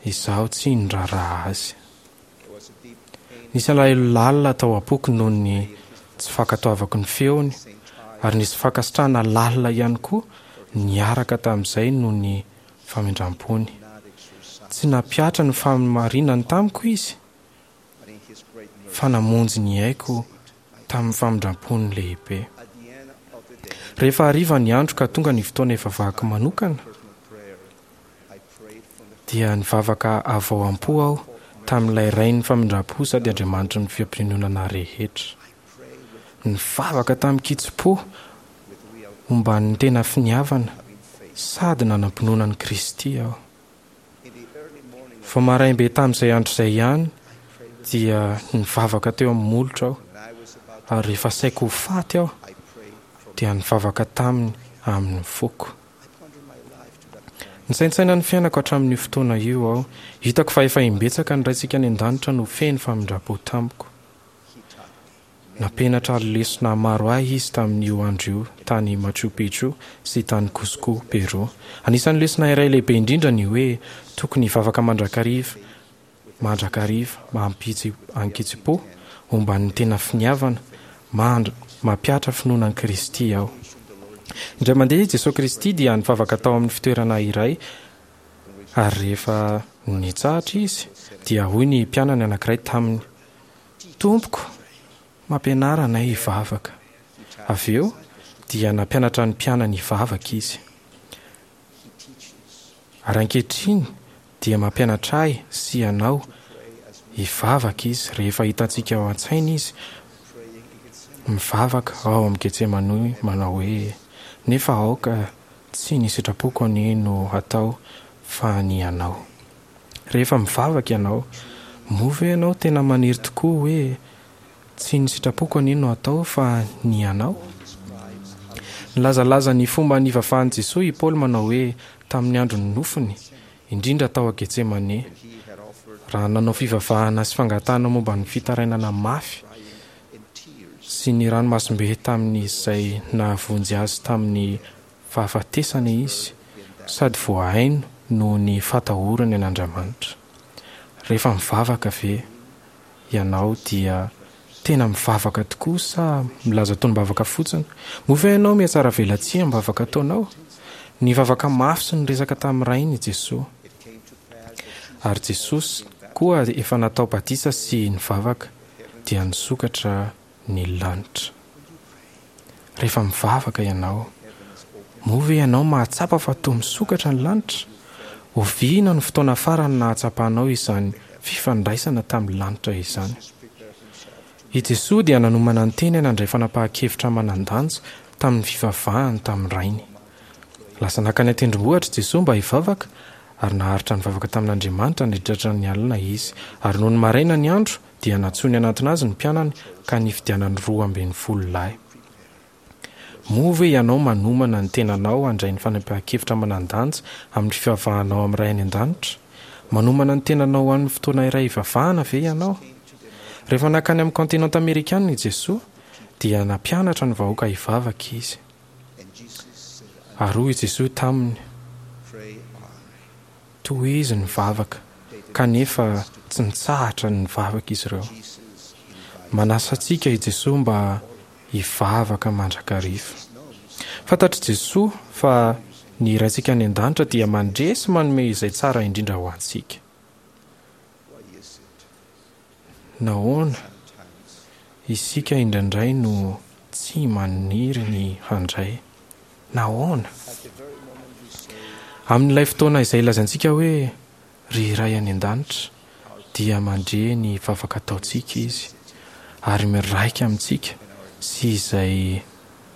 izaho tsy niraharaha azy. Nisy alahelo lalina tao am-poko noho ny tsy fankatoavako ny feony, ary nisy fankasitrahana lalina ihany koa niaraka tamin'izay noho ny famindram-pony. Tsy nampihatra ny fahamarinany tamiko izy, fa namonjy ny aiko tamin'ny famindram-pony lehibe. Rehefa hariva ny andro ka tonga ny fotoana hivavahako manokana, dia nivavaka avy ao am-po aho tamin'ilay Rain'ny famindram-po sady Andriamanitry ny fampiononana rehetra. Nivavaka tamin-kitsim-po omban'ny tena finiavana sady nanam-pinoana an'i Kristy aho. Vao maraim-be tamin'izay andro izay ihany dia nivavaka teo amin'ny molotro aho, ary rehefa saika ho faty aho dia nivavaka taminy amin'ny foko. Nisaintsaina ny fiainako hatramin'io fotoana io aho. Hitako fa efa imbetsaka ny Raintsika any An-danitra no feno famindram-po tamiko. Nampianatra lesona maro ahy izy tamin'io andro io tany Machu Picchu sy tany Cusco, Pérou. Anisan'ny lesona iray lehibe indrindra ny hoe tokony hivavaka mandrakariva mandrakariva amin-kitsim-po omban'ny tena finiavana mandra mampihatra finoana an'i Kristy aho. Indray mandeha i Jesoa Kristy dia nivavaka tao amin'ny fitoerana iray ary rehefa nitsahatra Izy dia hoy ny mpianany anankiray taminy, Tompoko, mampianara anay hivavaka. Avy eo dia nampianatra ny mpianany hivavaka Izy. Ary ankehitriny dia mampianatra ahy sy ianao hivavaka Izy rehefa hitantsika ao an-tsaina Izy mivavaka ao amin'ny Getsemane manao hoe, Nefa aoka tsy ny sitrapoko anie no hatao fa ny Anao. Rehefa mivavaka ianao, moa ve ianao tena maniry tokoa hoe Tsy ny sitrapoko anie no atao fa ny Anao? Nilazalaza ny fomba nivavahan'i Jesoa i Paoly manao hoe tamin'ny andron'ny nofony, indrindra tao Getsemane, raha nanao fivavahana sy fangatahana momba ny fitarainana mafy sy ny ranomasimbe tamin'izay nahavonjy azy tamin'ny fahafatesana izy sady voahaino noho ny fatahorany an'Andriamanitra. Rehefa mivavaka ve ianao dia tena mivavaka tokoa sa milaza tonom-bavaka fotsiny? Moa ve ianao mihatsaravelatsihy amin'ny vavaka ataonao? Nivavaka mafy sy niresaka tamin'ny Rainy i Jesoa. Ary Jesosy koa efa natao batisa sy nivavaka dia nisokatra ny lanitra. Rehefa mivavaka ianao, moa ve ianao mahatsapa fa toa misokatra ny lanitra? Oviana no fotoana farany nahatsapanao izany fifandraisana tamin'ny lanitra izany? I Jesoa dia nanomana ny tenany handray fanapahan-kevitra manan-danja tamin'ny fivavahany tamin'ny Rainy. Lasa nankany an-tendrombohitra i Jesoa mba hivavaka, ary naharitra nivavaka tamin'Andriamanitra nandritra ny alina Izy. Ary nony maraina ny andro, dia nantsoiny hanantona azy ny mpianany ka nifidianany roa ambin'ny folo lahy. Moa ve ianao manomana ny tenanao handray ny fanapahan-kevitra manan-danja amin'ny fivavahanao amin'ny Ray any An-danitra? Manomana ny tenanao ho an'ny fotoana iray hivavahana ve ianao? Rehefa nankany amin'ny kaontinanta amerikana i Jesoa, dia nampianatra ny vahoaka hivavaka Izy. Ary hoy i Jesoa taminy, Tohizo ny vavaka, kanefa tsy nitsahatra ny nivavaka izy ireo. Manasa antsika i Jesoa mba hivavaka mandrakariva. Fantatr'i Jesoa fa ny Raintsika any An-danitra dia mandre sy manome izay tsara indrindra ho antsika. Nahoana isika indraindray no tsy maniry ny handray? Nahoana? Amin'ilay fotoana izay ilazantsika hoe, Ry Ray any An-danitra, dia mandre ny vavaka ataontsika Izy ary miraika amintsika sy izay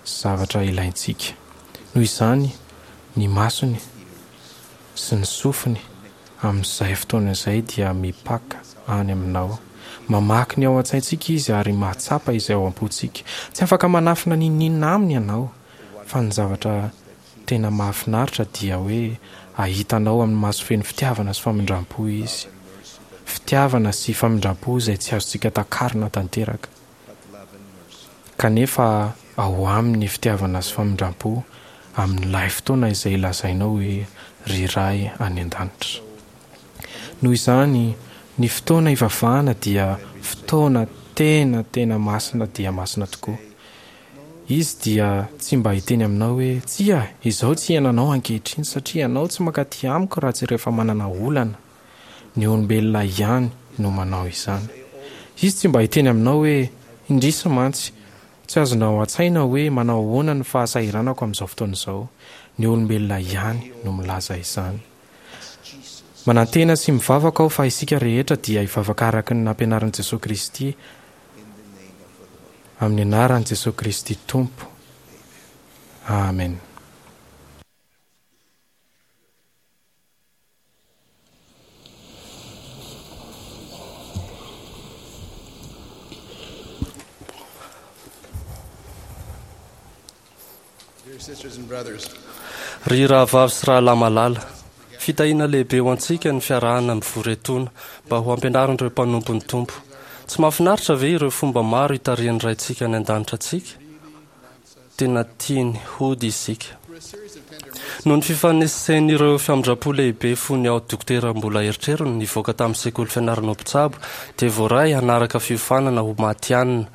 zavatra ilaintsika. Noho izany, ny masony sy ny sofiny amin'izay fotoana izay dia mipaka any aminao. Mamaky ny ao an-tsaintsika Izy ary mahatsapa izay ao am-pontsika. Tsy afaka manafina n'inon'inona Aminy ianao, fa ny zavatra tena mahafinaritra dia hoe hahita anao amin'ny maso feno fitiavana sy famindram-po Izy. Fitiavana sy famindram-po izay tsy azontsika takarina tanteraka. Kanefa ao Aminy ny fitiavana sy famindram-po amin'ilay fotoana izay lazainao hoe Ry Ray any An-danitra. Noho izany, ny fotoana ivavahana dia fotoana tena tena masina dia masina tokoa. Izy dia tsy mba hiteny aminao hoe, Tsia, izao tsy iainanao ankehitriny satria ianao tsy mankaty amiko raha tsy rehefa manana olana. Ny olombelona ihany no manao izany. Izy tsy mba hiteny aminao hoe, Indrisy mantsy, tsy azonao an-tsaina hoe manao ahoana ny fahasahiranako amin'izao fotoana izao. Ny olombelona ihany no milaza izany. Manantena sy mivavaka aho fa isika rehetra dia hivavaka araka ny nampianarin'i Jesoa Kristy amin'ny anaran'i Jesoa Kristy Tompo. Amen. Ry rahavavy sy rahalahy malala, fitahiana lehibe ho antsika ny fiarahana mivory etoana mba ho ampianarin'ireo mpanompon'ny Tompo. Tsy mahafinaritra ve ireo fomba maro itarihan'ny Raintsika any An-danitra antsika? Tena tiany hody isika. Noho ny fifanesen'ireo famindram-po lehibe fony aho dokotera mbola erotrerony nivoaka tamin'ny sekoly fianarana ho mpitsabo dia voaray hanaraka fiofanana ho matihanina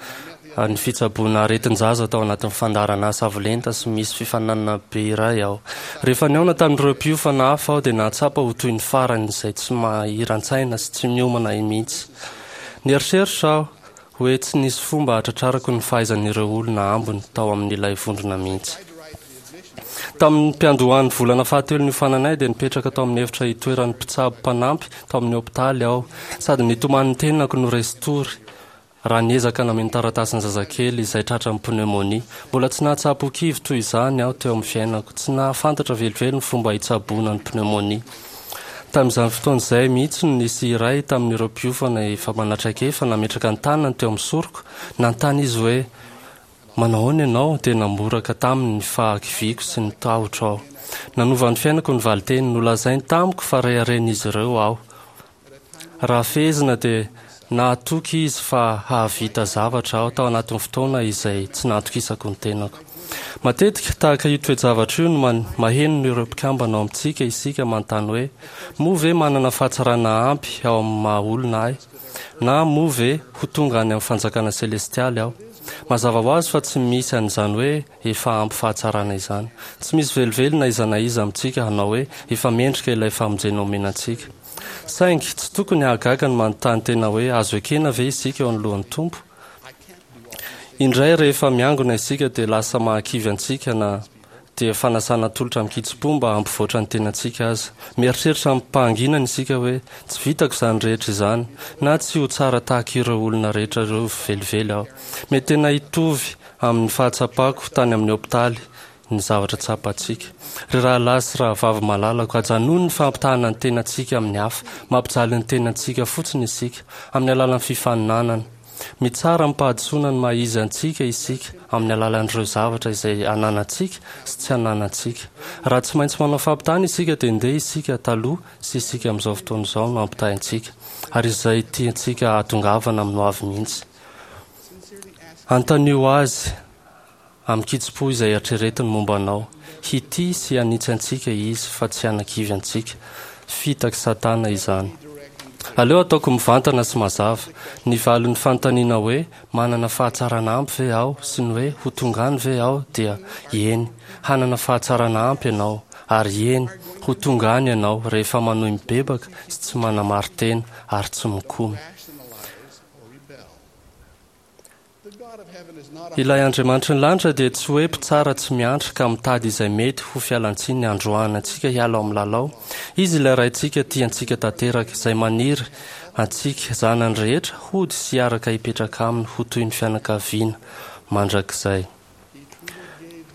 ny fitsaboana aretin-jaza tao anatin'ny fandaharan'asa avo lenta sy misy fifaninanana be iray aho. Rehefa nihaona tamin'ireo mpiofana hafa aho dia nahatsapa ho toy ny farany izay tsy mahiran-tsaina sy tsy miomana mihitsy. Nieritreritra aho hoe tsy nisy fomba hahatratrarako ny fahaizan'ireo olona ambony tao amin'ilay vondrona mihitsy. Tamin'ny mpiandohan'ny volana fahatelo niofananay dia nipetraka tao amin'ny efitra itoeran'ny mpitsabo mpanampy tao amin'ny hopitaly aho, sady nitomany ny tenako no resin-tory raha niezaka nameno taratasin'ny zazakely izay tratran'ny pneumonie. Mbola tsy nahatsapa ho kivy toy izany aho teo amin'ny fiainako. Tsy nahafantatra velively ny fomba hitsaboana ny pneumonie. Tamin'izany fotoana izay mihitsy no nisy iray tamin'ireo mpiofana efa manatraikefa nametraka ny tanany teo amin'ny soroko. Nanontany izy hoe, Manao ahoana ianao? Dia namboraka taminy ny fahakiviako sy ny tahotro aho. Nanova ny fiainako ny valinteny. Nolazainy tamiko fa reharehan'izy ireo aho. Raha fehezina dia nahatoky izy fa hahavita zavatra aho tao anatin'ny fotoana izay tsy nahatokisako ny tenako. Matetika, tahaka io toe-javatra io no maheno ireo mpikambana ao amintsika isika manontany hoe, Moa ve manana fahatsarana ampy ao amin'ny maha-olona ahy? Na moa ve ho tonga any amin'ny fanjakana selestialy aho? Mazava ho azy fa tsy misy an'izany hoe efa ampy fahatsarana izany. Tsy misy velively na iza na iza amintsika hanao hoe efa mendrika ilay famonjena omena antsika. Saingy, tsy tokony hahagaga ny manontany tena hoe azo ekena ve isika eo anoloan'ny Tompo? Indray rehefa miangona isika dia lasa mahakivy antsika na dia fanasana atolotra amin-kitsim-po mba hampivoatra ny tenantsika aza. Mieritreritra amim-pahanginana isika hoe tsy vitako izany rehetra izany na tsy ho tsara tahaka ireo olona rehetra ireo velively aho. Mety tena hitovy amin'ny fahatsapako tany amin'ny hopitaly ny zavatra tsapantsika. Ry rahalahy sy rahavavy malalako, ajanony ny fampitahana ny tenantsika amin'ny hafa. Mampijaly ny tenantsika fotsiny isika, amin'ny alalan'ny fifaninanana. Mitsara amim-pahadisoana ny maha-izy antsika isika, amin'ny alalan'ireo zavatra izay ananantsika sy tsy ananantsika. Raha tsy maintsy manao fampitahana isika, dia ndeha isika taloha sy isika amin'izao fotoana izao no ampitahaintsika, ary izay tiantsika hahatongavana amin'ny hoavy mihitsy. Anontanio azy. Amin-kitsim-po izay eritreretiny momba anao. Hitia sy hanitsy antsika Izy fa tsy hanakivy antsika. Fitak'i Satana izany. Aleo ataoko mivantana sy mazava. Ny valin'ny fanontaniana hoe manana fahatsarana ampy ve aho sy ny hoe ho tonga any ve aho dia eny, hanana fahatsarana ampy ianao, ary eny, ho tonga any ianao rehefa manohy mibebaka sy tsy manamari-tena ary tsy mikomy. Ilay Andriamanitry ny lanitra dia tsy hoe mpitsara tsy miantra ka mitady izay mety ho fialantsiny handroahana antsika hiala ao amin'ny lalao. Izy ilay Raintsika tia antsika tanteraka, izay maniry antsika zanany rehetra hody sy hiaraka hipetraka aminy ho toy ny fianakaviana mandrakizay.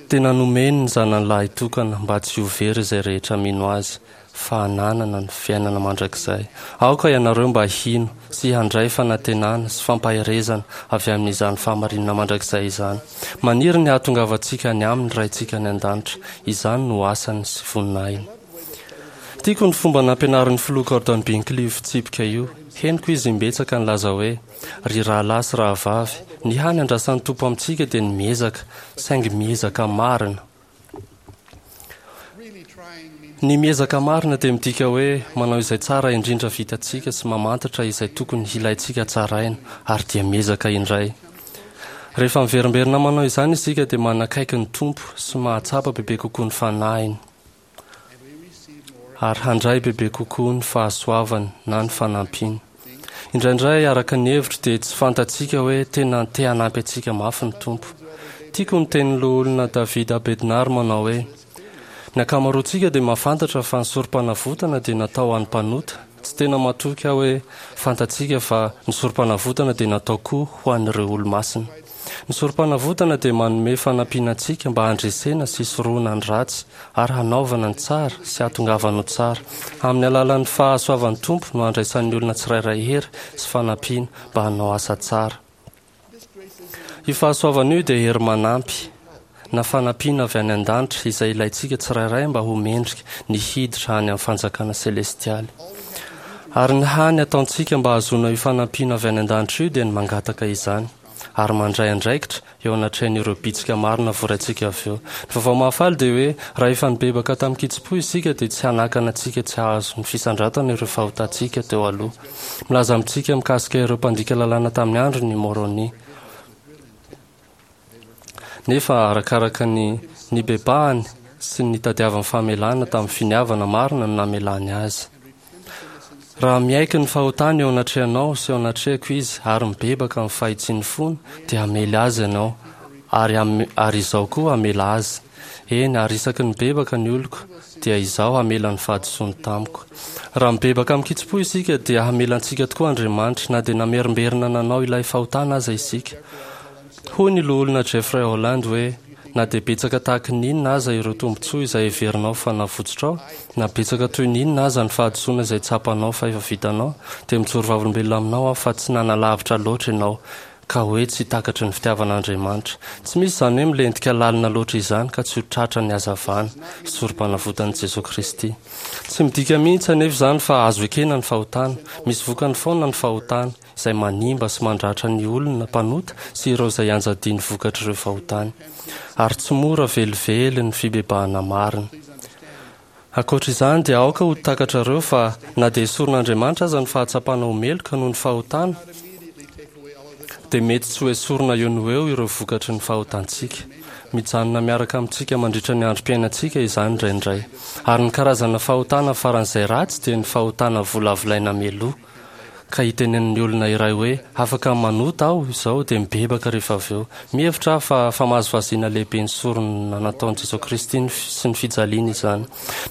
Tena nomeny ny Zanany lahitokana mba tsy ho very izay rehetra mino Azy, fa hananana ny fiainana mandrakizay. Aoka ianareo mba hino sy handray fanantenana sy fampaherezana avy amin'izany fahamarinana mandrakizay izany. Maniry ny hahatongavantsika any Aminy ny Raintsika any An-danitra. Izany no asany sy voninahiny. Tiako ny fomba nampianarin'ny Filoha Gordon Binkley io fitsipika io. Henoko izy imbetsaka nilaza hoe, Ry rahalahy sy rahavavy, ny hany andrasan'ny Tompo amintsika dia ny miezaka, saingy miezaka marina. Ny miezaka marina dia midika hoe manao izay tsara indrindra vitantsika sy mamantatra izay tokony hilaintsika tsaraina, ary dia miezaka indray. Rehefa miverimberina manao izany isika dia manakaiky ny Tompo sy mahatsapa bebe kokoa ny Fanahiny. Ary handray bebe kokoa ny fahasoavany na ny fanampiany. Indraindray, araka ny hevitro, dia tsy fantatsika hoe tena te hanampy antsika mafy ny Tompo. Tiako ny tenin'ny Loholona David A. Bednar manao hoe, Ny ankamaroantsika dia mahafantatra fa ny Sorompanavotana dia natao ho an'ny mpanota. Tsy tena matoky aho hoe fantatsika fa ny Sorompanavotana dia natao koa ho an'ireo Olomasina. Ny Sorompanavotana dia manome fanampiana antsika mba handresena sy hisorohana ny ratsy ary hanaovana ny tsara sy hahatongavana ho tsara. Amin'ny alalan'ny fahasoavan'ny Tompo no handraisan'ny olona tsirairay hery sy fanampiana mba hanao asa tsara. Io fahasoavana io dia hery manampy na fanampiana avy any an-danitra izay ilaintsika tsirairay mba ho mendrika ny hiditra any amin'ny fanjakana selestialy. Ary ny hany ataontsika mba hahazoana io fanampiana avy any an-danitra io dia ny mangataka izany ary mandray andraikitra eo anatrehan'ireo bitsika marina voraintsika avy eo. Ny vaovao mahafaly dia hoe raha efa nibebaka tamin-kitsim-po isika dia tsy hanakana antsika tsy hahazo ny fisandratana ireo fahotantsika teo aloha. Milaza amintsika mikasika ireo mpandika lalàna tamin'ny androny i Môrônia. Nefa arakaraka ny nibebahany sy ny nitadiavany famelana tamin'ny finiavana marina no namelany azy. Raha miaiky ny fahotany eo anatrehanao sy eo anatrehako izy ary mibebaka amin'ny fahitsian'ny fony, dia hamely azy ianao, ary ary Izaho koa hamela azy. Eny, ary isaky ny mibebaka ny oloko, dia Izaho hamela ny fahadisoany tamiko. Raha mibebaka amin-kitsim-po isika, dia hamela antsika tokoa Andriamanitra, na dia namerimberina nanao ilay fahotana aza isika. Hoy ny Loholona Jeffrey Holland hoe, Na dia betsaka tahaka ny inona aza ireo tombontsoa izay heverinao fa navotsotrao, na betsaka toy ny inona aza ny fahadisoana izay tsapanao fa efa vitanao, dia mijoro vavolombelona aminao aho fa tsy nanalavitra loatra ianao ka hoe tsy takatry ny fitiavan'Andriamanitra. Tsy misy izany hoe milentika lalina loatra izany ka tsy ho tratra ny hazavana sy sorom-panavotan'i Jesoa Kristy. Tsy midika mihitsy anefa izany fa azo ekena ny fahotana. Misy vokany foana ny fahotana, izay manimba sy mandratra ny olona mpanota sy ireo izay ianjadian'ny vokatr'ireo fahotany. Ary tsy mora velively ny fibebahana marina. Ankoatra izany dia aoka ho takatrareo fa na dia esorin'Andriamanitra aza ny fahatsapana ho meloka noho ny fahotana, dia mety tsy ho esorina eo no eo ireo vokatry ny fahotantsika. Mijanona miaraka amintsika mandritra ny androm-piainantsika izany indraindray. Ary ny karazana fahotana faran'izay ratsy dia ny fahotana volavolaina mialoha. ka hitenenan'ny olona iray hoe afaka manota aho izao dia mibebaka rehefa avy eo. Mihevitra aho fa famazivaziana lehibe ny sorona nataon'i Jesoa Kristy sy ny fijaliany izany.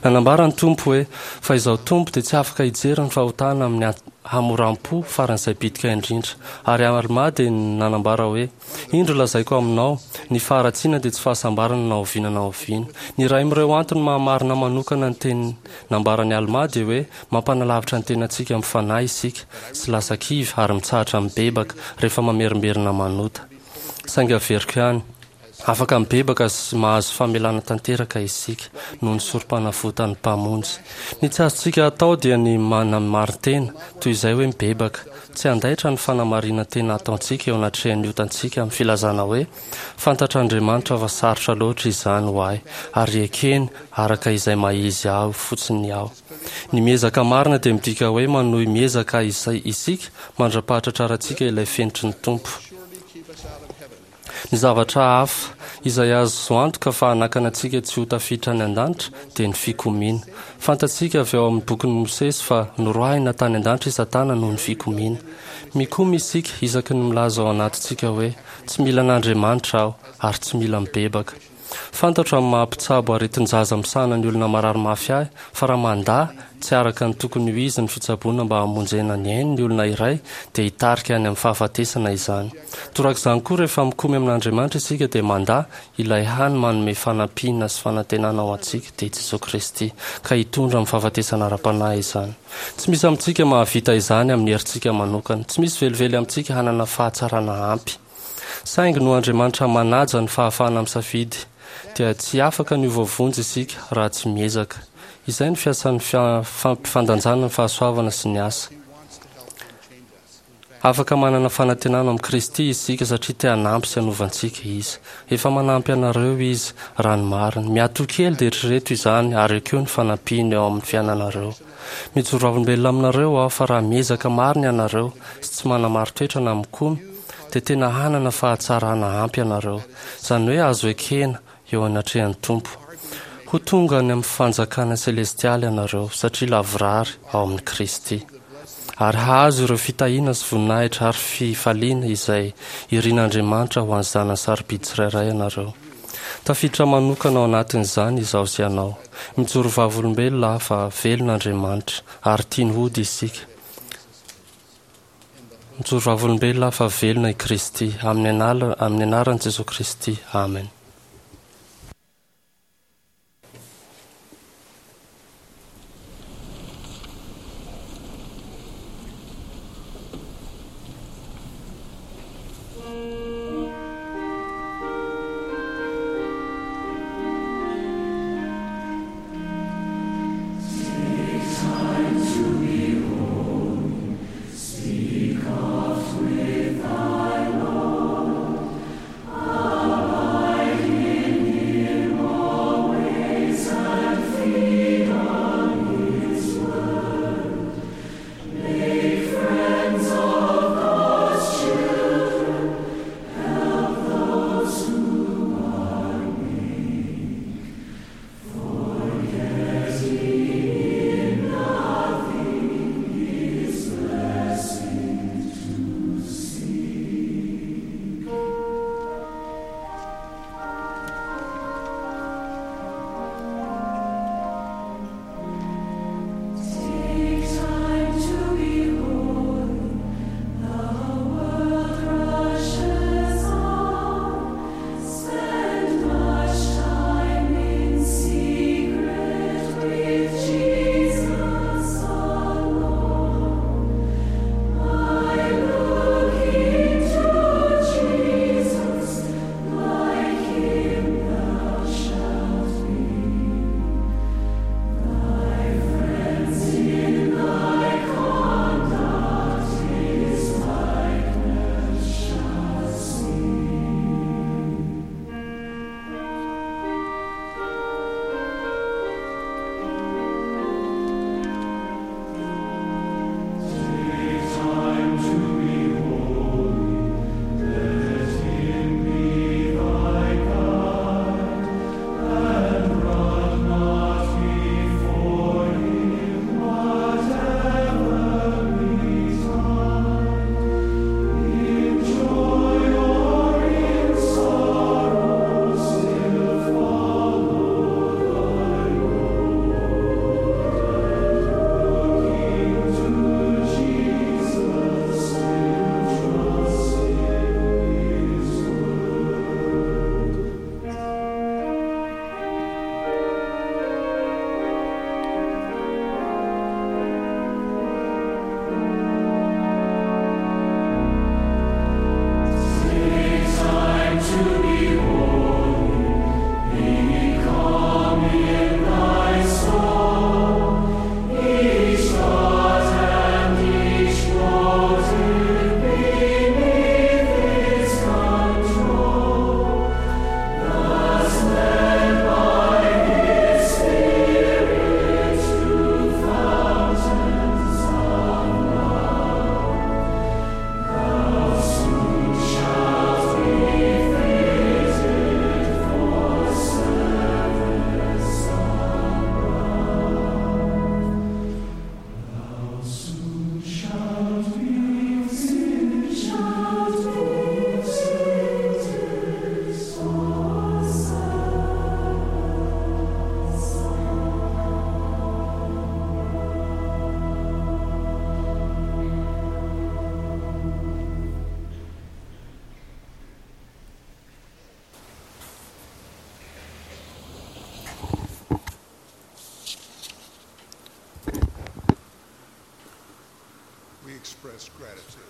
Nanambara ny Tompo hoe, Fa izaho Tompo dia tsy afaka hijery ny fahotana amin'ny hamoram-po faran'izay bitika indrindra. Ary Almà dia nanambara hoe, Indro lazaiko aminao, ny faharatsiana dia tsy fahasambarana na oviana na oviana. Ny iray amin'ireo antony maha-marina manokana ny teny nambaran'i Almà dia hoe mampanalavitra ny tenantsika amin'ny Fanahy isika sy lasa kivy ary mitsahatra mibebaka rehefa mamerimberina manota. Saingy averiko ihany, afaka mibebaka sy mahazo famelana tanteraka isika noho ny Sorompanavotan'ny Mpamonjy. Ny tsy azontsika atao dia ny manamarin-tena toy izay hoe mibebaka. Tsy handaitra ny fanamarinan-tena ataontsika eo anatrehan'ny otantsika amin'ny filazana hoe, Fantatr'Andriamanitra fa sarotra loatra izany ho ahy, ary ekeny araka izay maha-izy ahy fotsiny aho. Ny miezaka marina dia midika hoe manohy miezaka isika mandra-pahatratrarantsika ilay fenitry ny Tompo. Ny zavatra hafa izay azo antoka fa hanakana antsika tsy ho tafiditra any an-danitra dia ny fikomiana. Fantatsika avy ao amin'ny bokin'i Mosesy fa noroahina tany an-danitra i Satana noho ny fikomiana. Mikomy isika isaky ny milaza ao anatintsika hoe, Tsy mila an'Andriamanitra aho ary tsy mila mibebaka. Fantatro amin'ny maha mpitsabo aretin-jaza misahana ny olona marary mafy ahy fa raha mandà tsy araka ny tokony ho izy ny fitsaboana mba hamonjena ny ainy ny olona iray dia hitarika any amin'ny fahafatesana izany. Torak'izany koa rehefa mikomy amin'Andriamanitra isika dia mandà ilay hany manome fanampiana sy fanantenana ho antsika dia i Jesoa Kristy ka hitondra amin'ny fahafatesana ara-panahy izany. Tsy misy amintsika mahavita izany amin'ny herintsika manokana. Tsy misy velively amintsika hanana fahatsarana ampy. Saingy noho Andriamanitra manaja ny fahafahana misafidy dia tsy afaka ny ho voavonjy isika raha tsy miezaka. Izay no fiasan'ny fampifandanjana ny fahasoavana sy ny asa. Afaka manana fanantenana ao amin'i Kristy isika satria te hanampy sy hanova antsika Izy. Efa manampy anareo Izy, raha ny marina. Miatoa kely dia eritrereto izany ary ekeo ny fanampiany eo amin'ny fiainanareo. Mijoro vavolombelona aminareo aho fa raha miezaka marina ianareo sy tsy manamari-toetra na mikomy dia tena hanana fahatsarana ampy ianareo. Izany hoe azo ekena eo anatrehan'ny Tompo. Ho tonga any amin'ny fanjakana selestialy ianareo satria lavorary ao amin'i Kristy. Ary hahazo ireo fitahiana sy voninahitra ary fifaliana izay irin'Andriamanitra ho an'ny zanany sarobidy tsirairay ianareo. Tafiditra manokana ao anatin'izany izaho sy ianao. Mijoro vavolombelona aho fa velona Andriamanitra ary tiany hody isika. Mijoro vavolombelona aho fa velona i Kristy. Amin'ny anaran'i Jesoa Kristy. Amen.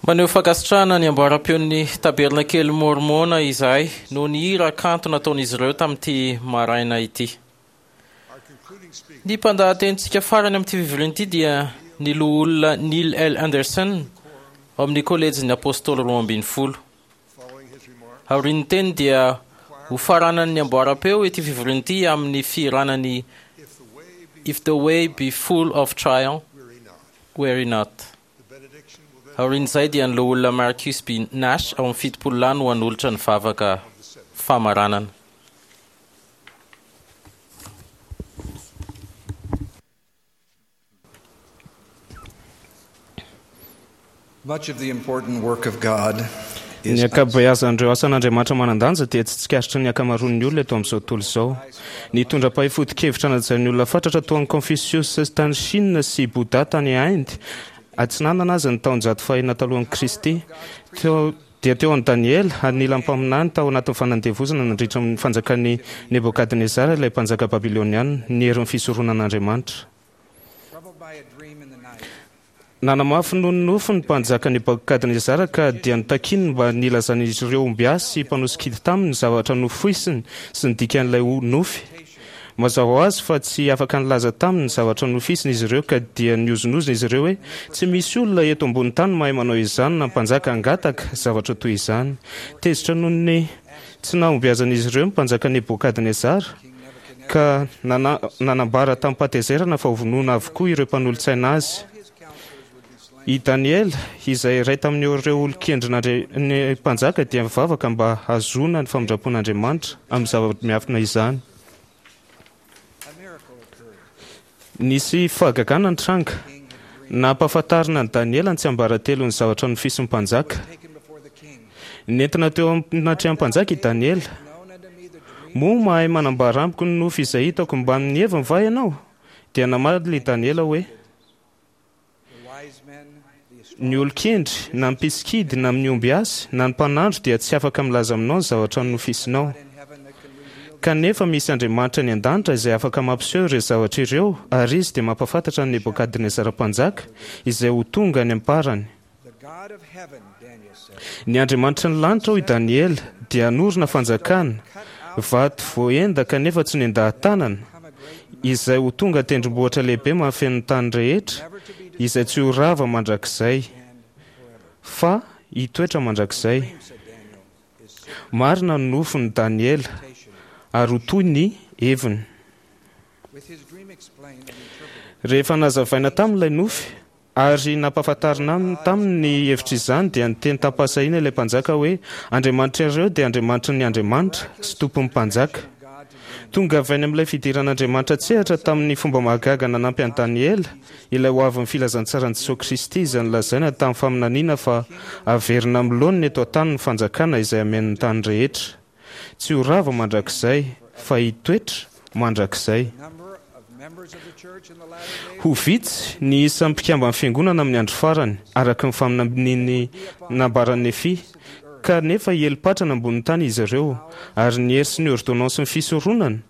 Maneho fankasitrahana ny amboaram-peon'ny Tabernakely Môrmôna izahay noho ny hira kanto nataon'izy ireo tamin'ity maraina ity. Ny mpandahatenintsika farany amin'ity fivoriana ity dia ny Loholona Neil L. Andersen ao amin'ny Kolejin'ny Apôstôly Roa ambin'ny Folo. Aorian'ny teny dia hofaranan'ny amboaram-peo ity fivoriana ity amin'ny fihirana ny If the Way Be Full of Trial, Weary Not. Aorian'izay dia ny Loholona Marcus B. Nash ao amin'ny Fitopolo Lahy no hanolotra ny vavaka famaranana. Much of the important work of God Ny ankabeazan'ireo asan'Andriamanitra manan-danja dia tsy tsikaritry ny ankamaroan'ny olona eto amin'izao tontolo izao. Nitondra mpahay foto-kevitra najain'ny olona fatratra toa an'i Confucius tany Chine sy Bouddha tany Inde Atsinanana aza ny taonjato fahenina talohan'i Kristy. Teo dia teo amin'i Daniela, anilan'ny mpaminany tao anatin'ny fanandevozana nandritra ny fanjakan'i Nebokadnezara ilay mpanjaka babyloniana, ny herin'ny fisoronan'Andriamanitra. Nanamafy noho ny nofy ny mpanjaka Nebokadnezara ka dia notakiny mba nilazan'izy ireo ombiasy sy mpanosikidy taminy ny zavatra nofoisiny sy ny dikan'ilay nofy. Mazava ho azy fa tsy afaka nilaza taminy ny zavatra nofisiny izy ireo ka dia nihozonozona izy ireo hoe, Tsy misy olona eto ambony tany mahay manao izany na mpanjaka hangataka zavatra toy izany. Tezitra noho ny tsy nahombiazan'izy ireo ny mpanjaka Nebokadnezara ka nanambara tamim-pahatezerana fa hovonoina avokoa ireo mpanolo-tsaina azy. I Daniela, izay iray tamin'ireo olon-kendrin'ny mpanjaka dia nivavaka mba hahazoana ny famindram-pon'Andriamanitra amin'ny zava-miafina izany. Nisy fahagagana nitranga. Nampahafantarina an'i Daniela ny tsiambaratelon'ny zavatra nofisin'ny mpanjaka. Nentina teo anatrehan'ny mpanjaka i Daniela. Moa mahay manambara amiko ny nofy izay hitako mbamin'ny heviny va ianao? Dia namaly i Daniela hoe. Ny olon-kendry, na ny mpisikidy, na ny ombiasy, na ny mpanandro dia tsy afaka milaza aminao ny zavatra nofisinao. Kanefa misy Andriamanitra any an-danitra izay afaka mampiseho ireo zavatra ireo, ary Izy dia mampahafantatra an'i Nebokadnezara mpanjaka izay ho tonga any am-parany. Ny Andriamanitry ny lanitra, hoy Daniela, dia hanorina fanjakana, vato voaenda kanefa tsy nendahan-tanana, izay ho tonga tendrombohitra lehibe mahafeno ny tany rehetra, izay tsy ho rava mandrakizay, fa hitoetra mandrakizay. Marina ny nofin'i Daniela, ary ho toy ny heviny. Rehefa nazavaina taminy ilay nofy, Ary nampahafantarina taminy ny hevitr'izany, dia niteny tamim-pahasahiana ilay mpanjaka hoe, Andriamanitrareo dia Andriamanitry ny andriamanitra, sy Tompon'ny mpanjaka. Tonga avy any amin'ilay fidiran'Andriamanitra an-tsehatra tamin'ny fomba mahagaga nanampy an'i Daniela, ilay hoavin'ny filazantsaran'i Jesoa Kristy izay nolazaina tamin'ny faminaniana fa haverina amin'ny laoniny eto an-tany ny fanjakana izay hameno ny tany rehetra. Tsy ho rava mandrakizay, fa hitoetra mandrakizay. Ho vitsy ny isan'ny mpikamban'ny Fiangonana amin'ny andro farany, araka ny faminanian'ny nambaran'i Nefia, kanefa hiely patrana ambonin'ny tany izy ireo, ary ny hery sy ny ôrdônansin'ny fisoronana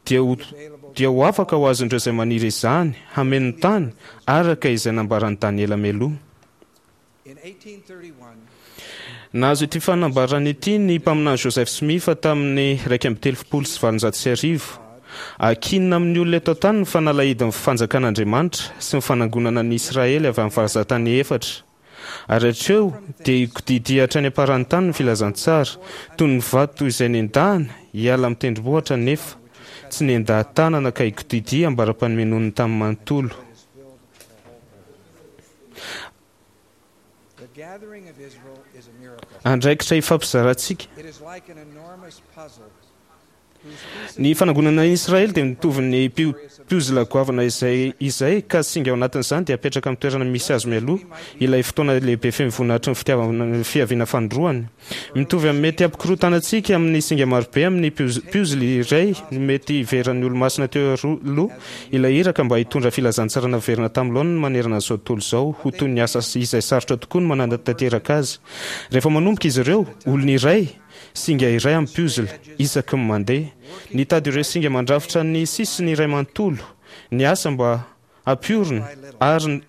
dia ho dia ho afaka ho azon'ireo izay maniry izany hameno ny tany, araka izay nambaran'i Daniela mialoha. Nahazo ity fanambarana ity ny Mpaminany Joseph Smith tamin'ny iraika amby telopolo sy valonjato sy arivo, Ankinina amin'ny olona eto an-tany ny fanalahidin'ny fanjakan'Andriamanitra sy ny fanangonana an'i Israely avy amin'ny vazan-tany efatra. Ary hatreo dia hikodidia hatrany am-paran'ny tany ny filazantsara, toy ny vato izay nendahana hiala amin'ny tendrombohitra nefa tsy nendaha-tanana ka hikodidia ambara-panomenoan'ny tany manontolo. Andraikitra ifampizarantsika. Ny fanangonana an'i Israely dia mitovy ny piozila goavana izay izay ka singa ao anatin'izany dia apetraka amin'ny toerana misy azy mialoha ilay fotoana lehibe feno voninahitry ny fitiavana fiaviana fanindroany. Mitovy amin'ny mety hampikorontana antsika amin'ny singa marobe amin'ny puzzle iray ny mety hiveran'ny Olomasina teo aloha ilay iraka mba hitondra filazantsara naverina tamin'ny laoniny manerana an'izao tontolo izao ho toy ny asa izay sarotra tokoa ny manatanteraka azy. Rehefa manomboka izy ireo, olona iray, singa iray amin'ny puzzle, isaky ny mandeha. Nitady ireo singa mandrafitra ny sisiny iray manontolo, ny asa mba hampiorina ary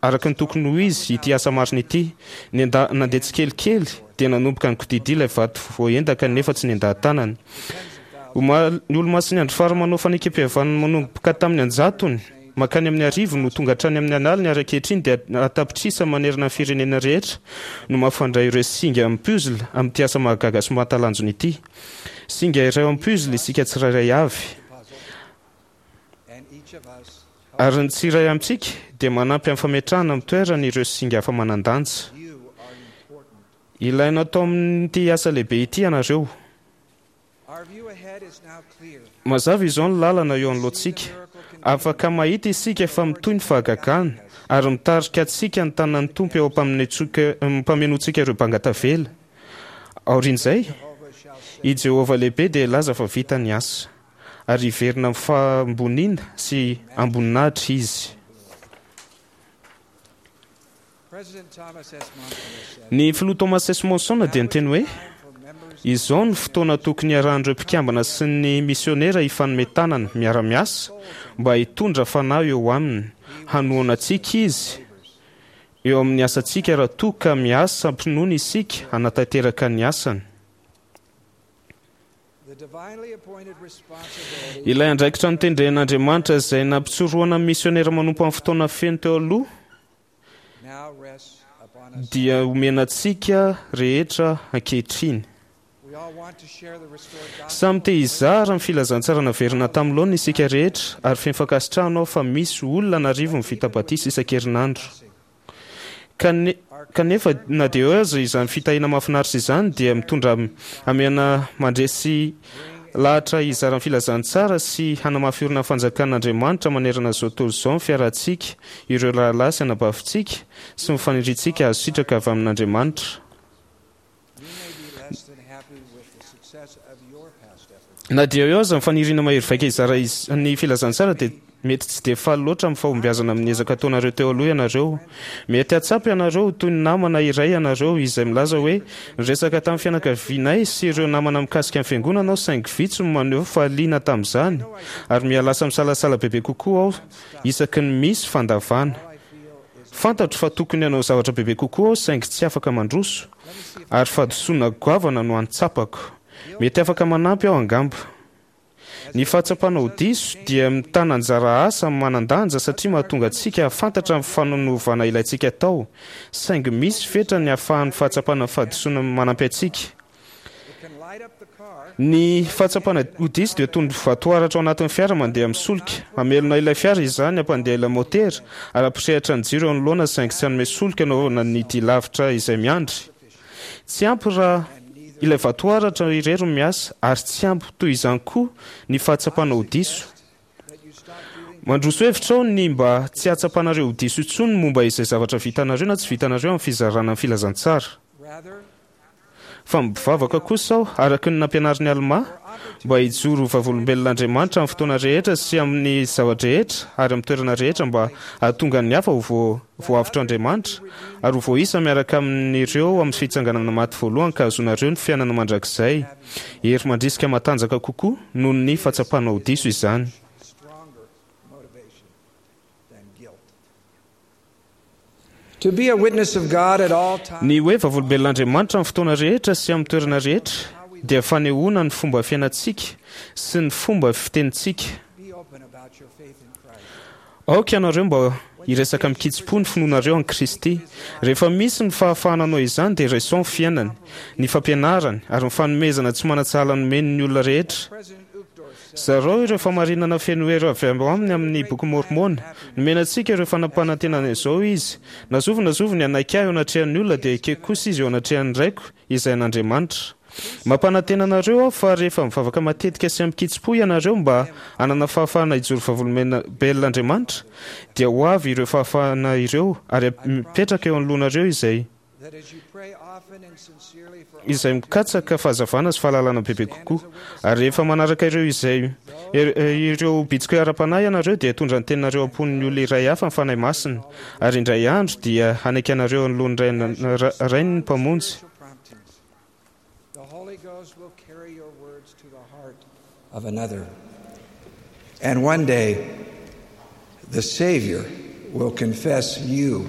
araka ny tokony ho izy ity asa marina ity. Nenda, nandeha tsikelikely dia nanomboka nikodidia ilay vato voaendaka nefa tsy nendaha-tanana. Omaly, ny Olomasin'ny Andro Farany manao fanekempihavanana manomboka tamin'ny an-jatony mankany amin'ny arivo no tonga hatrany amin'ny an'aliny ary ankehitriny dia an-tapitrisa manerana ny firenena rehetra no mampifandray ireo singa amin'ny puzzle amin'ity asa mahagaga sy mahatalanjona ity. Singa iray ao amin'ny puzzle isika tsirairay avy. Ary ny tsiray amintsika dia manampy amin'ny fametrahana amin'ny toerany ireo singa hafa manan-danja. Ilaina atao amin'ity asa lehibe ity ianareo. Mazava izao ny lalana eo anoloantsika. Afaka mahita isika fa mitohy ny fahagagana, ary mitarika antsika ny tanan'ny Tompo eo am-pamenoantsika ireo banga tavela. Aorian'izay, i Jehovah lehibe dia hilaza fa vita ny asa. Ary hiverina amin'ny fahamboniana sy amboninahitra izy. Ny Filoha Thomas S. Monson dia niteny hoe, Izao no fotoana tokony hiarahan'ireo mpikambana sy ny misionera hifanome tanana, miara-miasa, mba hitondra fanahy eo aminy. Hanohana antsika izy eo amin'ny asantsika raha toa ka miasa am-pinoana isika hanatanteraka ny asany. Ilay andraikitra notendren'Andriamanitra izay nampitsorohana ny misionera manompo amin'ny fotoana feno teo aloha dia omena antsika rehetra ankehitriny. Samy te hizara ny filazantsara naverina tamin'ny laoniny isika rehetra ary feno fankasitrahana aho fa misy olona an'arivony vita batisa isan-kerinandro. Kanefa, na dia eo aza izany fitahiana mahafinaritra izany, dia mitondra hamehana mandresy lahatra hizara ny filazantsara sy hanamafy orina ny fanjakan'Andriamanitra manerana izao tontolo izao ny fiarahantsika, ireo rahalahy sy anabavintsika, sy ny faniriantsika hahazo sitraka avy amin'Andriamanitra. Na dia eo aza ny faniriana mahery vaika hizara ny filazantsara dia mety tsy dia faly loatra amin'ny fahombiazana amin'ny ezaka ataonareo teo aloha ianareo. Mety hahatsapa ianareo ho toy ny namana iray ianareo izay milaza hoe, Niresaka tamin'ny fianakavianay sy ireo namana mikasika ny Fiangonana aho saingy vitsy no maneho fa liana tamin'izany ary miha-lasa misalasala bebe kokoa aho isaky ny misy fandavana. Fantatro fa tokony hanao zavatra bebe kokoa aho saingy tsy afaka mandroso ary fahadisoana goavana no antsapako. Mety afaka manampy aho angamba. Ny fahatsapana ho diso dia mitana anjara asa manan-danja satria mahatonga antsika hahafantatra ny fanonovana ilaintsika atao, saingy misy fetra ny ahafahan'ny fahatsapana ny fahadisoana manampy antsika. Ny fahatsapana ho diso dia toy ny vatoaratra ao anatin'ny fiara mandeha amin'ny solika. Hamelona ilay fiara izany, hampandeha ilay maotera, ary hampirehitra ny jiro eo anoloana saingy tsy hanome solika hanaovana ny dia lavitra izay miandry. Tsy ampy raha ilay vatoaratra irery no miasa, ary tsy ampy toy izany koa ny fahatsapana ho diso. Mandroso hevitra aho ny mba tsy hahatsapanareo ho diso intsony momba izay zavatra vitanareo na tsy vitanareo amin'ny fizarana ny filazantsara. Fa mivavaka kosa aho, araka ny nampianarin'i Almà, mba hijoro ho vavolombelon'Andriamanitra amin'ny fotoana rehetra sy amin'ny zava-drehetra ary amin'ny toerana rehetra mba hahatonga ny hafa ho voavotr'Andriamanitra ary ho voaisa miaraka amin'ireo amin'ny fitsanganana maty voalohany ka hahazoanareo ny fiainana mandrakizay. Hery mandrisika matanjaka kokoa noho ny fahatsapana ho diso izany. Ny hoe vavolombelon'Andriamanitra amin'ny fotoana rehetra sy amin'ny toerana rehetra dia fanehoana ny fomba fiainantsika sy ny fomba fitenintsika. Aoka ianareo mba hiresaka amin-kitsim-po ny finoanareo an'i Kristy. Rehefa misy ny fahafahana hanao izany dia raiso ny fiainany, ny fampianarany ary ny fanomezana tsy manan-tsahala nomeny ny olona rehetra. Zarao ireo fahamarinana feno hery avy ao aminy amin'ny Bokin'i Môrmôna. Nomena antsika ireo fanampanantenana izao Izy, Na zovy na zovy ny hanaiky Ahy eo anatrehan'ny olona, dia ekeko kosa izy eo anatrehan'ny Raiko, izay an'Andriamanitra. Mampanantena anareo aho fa rehefa mivavaka matetika sy amin-kitsim-po ianareo mba hanana fahafahana hijoro vavolombelon'Andriamanitra, dia ho avy ireo fahafahana ireo ary hapetraka eo anoloanareo izay izay mikatsaka fahazavana sy fahalalana bebe kokoa. Ary rehefa manaraka ireo izay ireo bitsika ara-panahy ianareo dia hitondra ny teninareo am-pon'ny olona iray hafa ny Fanahy Masina, ary indray andro dia hanaiky anareo anoloan'ny Rainy ny Mpamonjy. Of another. And one day the Savior will confess you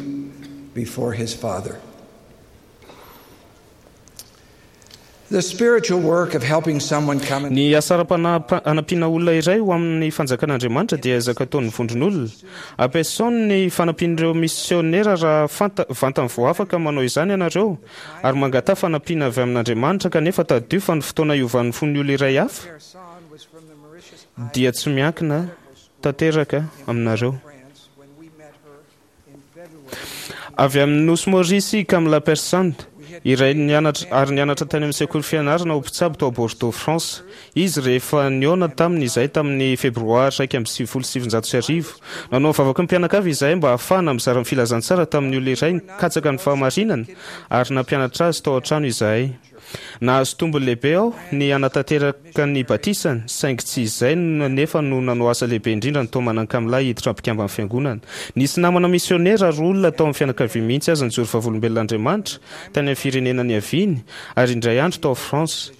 before his Father. The spiritual work of helping someone come Ny asa ara-panahy hanampiana olona iray ho amin'ny fanjakan'Andriamanitra dia ezaka ataon'ny vondron'olona. Ampiasao ny fanampian'ireo misionera raha fanta, vantany vao afaka manao izany ianareo, ary mangataha fanampiana avy amin'Andriamanitra, kanefa tadidio fa ny fotoana hiovan'ny fon'ny olona iray hafa dia tsy miankina tanteraka aminareo. Avy amin'ny Nosy Maurice i Kamla Persand, iray nianatra ary nianatra tany amin'ny sekoly fianarana ho mpitsabo tao Bordeaux, France. Izy rehefa nihaona taminy izahay tamin'ny Febroary iraika amby sivifolo sy sivinjato sy arivo. Nanao vavaka ny mpianakavy izahay mba hahafahana mizara ny filazantsara tamin'ny olona iray nikatsaka ny fahamarinana ary nampianatra azy tao an-trano izahay. Nahazo tombony lehibe aho ny hanatanteraka ny batisany, saingy tsy izay anefa no nanao asa lehibe indrindra nitaomana an'i Kamla hiditra mpikamban'ny fiangonana. Nisy namana misionera ary olona tao amin'ny fianakaviany mihitsy aza nijoro vavolombelon'Andriamanitra tany amin'ny firenena niaviany, ary indray andro tao France.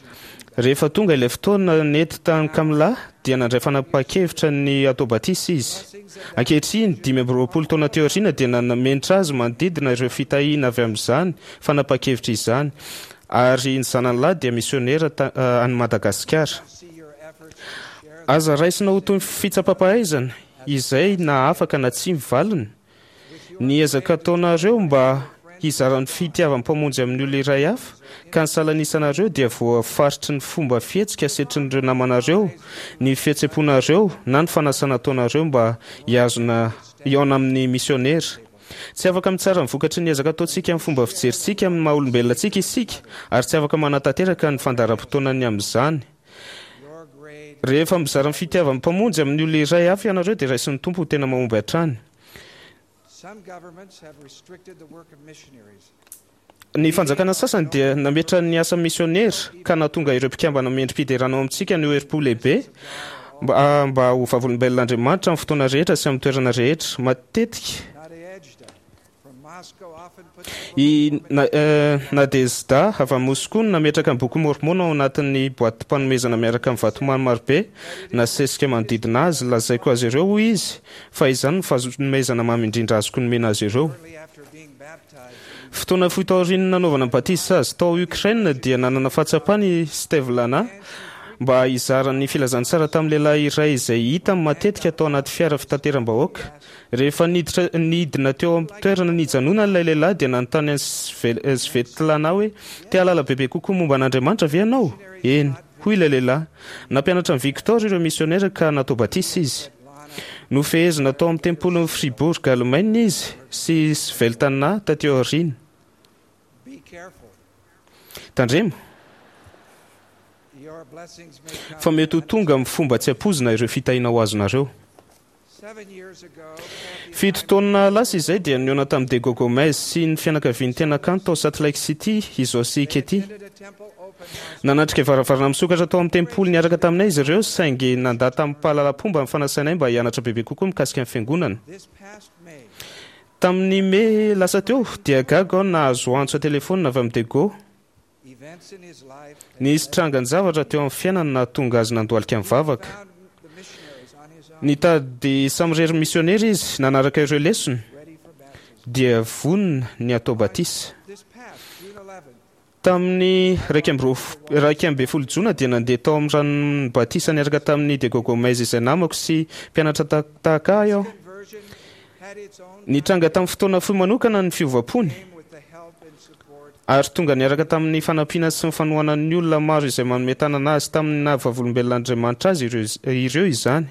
Rehefa tonga ilay fotoana nety tamin'i Kamla, dia nandray fanapahan-kevitra ny hatao batisa izy. Ankehitriny, dimy amby roapolo taona teo aoriana, dia nanamenatra azy manodidina ireo fitahiana avy amin'izany fanapahan-kevitra izany, ary ny zanany lahy dia misionera any Madagasikara. Aza raisina ho toy ny fitsapam-pahaizana izay na afaka na tsia ny valiny. Ny ezaka ataonareo mba hizara ny fitiavan'ny Mpamonjy amin'ny olona iray hafa, ka ny salanisanareo dia voafaritry ny fomba fihetsika setrin'ireo namanareo, ny fihetseham-ponareo na ny fanasana ataonareo mba hihazona hihaona amin'ny misionera. Tsy afaka mitsara ny vokatry ny ezaka ataontsika amin'ny fomba fijerintsika amin'ny maha olombelona antsika isika, ary tsy afaka manatanteraka ny fandaharam-potoanany amin'izany. Rehefa mizara ny fitiavan'ny Mpamonjy amin'ny olona iray hafa ianareo, dia raisin'ny Tompo ho tena mahomby hatrany. Ny fanjakana sasany dia nametra ny asa misionera ka nahatonga ireo mpikambana mendri-piderana ao amintsika haneho herim-po lehibe mba mba ho vavolombelon'Andriamanitra amin'ny fotoana rehetra sy amin'ny toerana rehetra. Matetika i Nadezhda avy any Moskoa no nametraka ny Boky Môrmôna ao anatin'ny boatim-panomezana miaraka amin'ny vatomamy marobe nasesika manodidina azy. Lazaiko azy ireo, hoy izy, fa izany no fanomezana mamy indrindra azoko nomena azy ireo. Fotoana fohy taorian'ny nanaovana batisa azy tao Ukraine dia nanana fahatsapana i Stevlana mba hizara ny filazantsara tamin'ny lehilahy iray izay hitany matetika tao anaty fiara fitateram-bahoaka. Rehefa niditra nidina teo amin'ny toerana nijanonany ilay lehilahy dia nanontany an'i Svetlana hoe, Te hahalala bebe kokoa momba an'Andriamanitra ve ianao? Eny, hoy ilay lehilahy. Nampianatra an'i Victor ireo misionera ka natao batisa izy. Nofehezina tao amin'ny tempolin'i Fribourg, Alemaina izy sy Sveltana tatỳ aoriana. Tandremo fa mety ho tonga amin'ny fomba tsy ampoizina ireo fitahiana ho azonareo. Fito taona lasa izay dia nihaona tamin'i Diego Gomez sy ny fianakaviany tena kanto tao Salt Lake City i Zoe sy i Katie. Nanatrika varavarana misokatra tao amin'ny tempoly niaraka taminay izy ireo, saingy nandà tamim-pahalalam-pomba ny fanasanay mba hianatra bebe kokoa mikasika ny Fiangonana. Tamin'ny Mey lasa teo, dia gaga aho nahazo antso an-telefaonina avy amin'i Diego. Nisy trangan-javatra teo amin'ny fiainany nahatonga azy nandohalika nivavaka. Nitady samirery misionera izy, nanaraka ireo lesona, dia vonona ny hatao batisa. Tamin'ny iraika amby roa- iraika ambin'ny folo jona dia nandeha tao amin'ny ranon'ny batisa niaraka tamin'i Diego Gomez izay namako sy mpianatra ta- tahaka ahy aho. Nitranga tamin'ny fotoana fohy manokana ny fiovam-pony. Ary tonga niaraka tamin'ny fanampiana sy ny fanohanan'ny olona maro izay manome tanana azy tamin'ny naha vavolombelon'Andriamanitra azy ireo izany.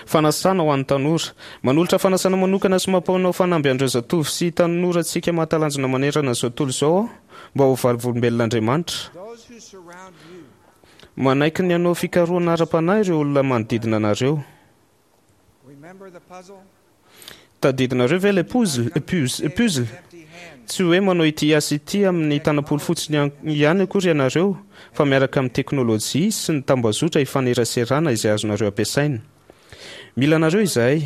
Fanasana ho an'ny tanora. Manolotra fanasana manokana sy mampanao fanamby an'ireo zatovo sy tanorantsika mahatalanjona manerana izao tontolo izao aho mba ho vavolombelon'Andriamanitra. Manaiky ny hanao fikarohana ara-panahy ireo olona manodidina anareo. Tadidinareo ve ilay puzzle, puzzle? Tsy hoe manao ity asa ity amin'ny tanam-polo fotsiny ihany akory ianareo, fa miaraka amin'ny teknolojia sy ny tambazotra ifaneraserana izay azonareo ampiasaina. Mila anareo izahay.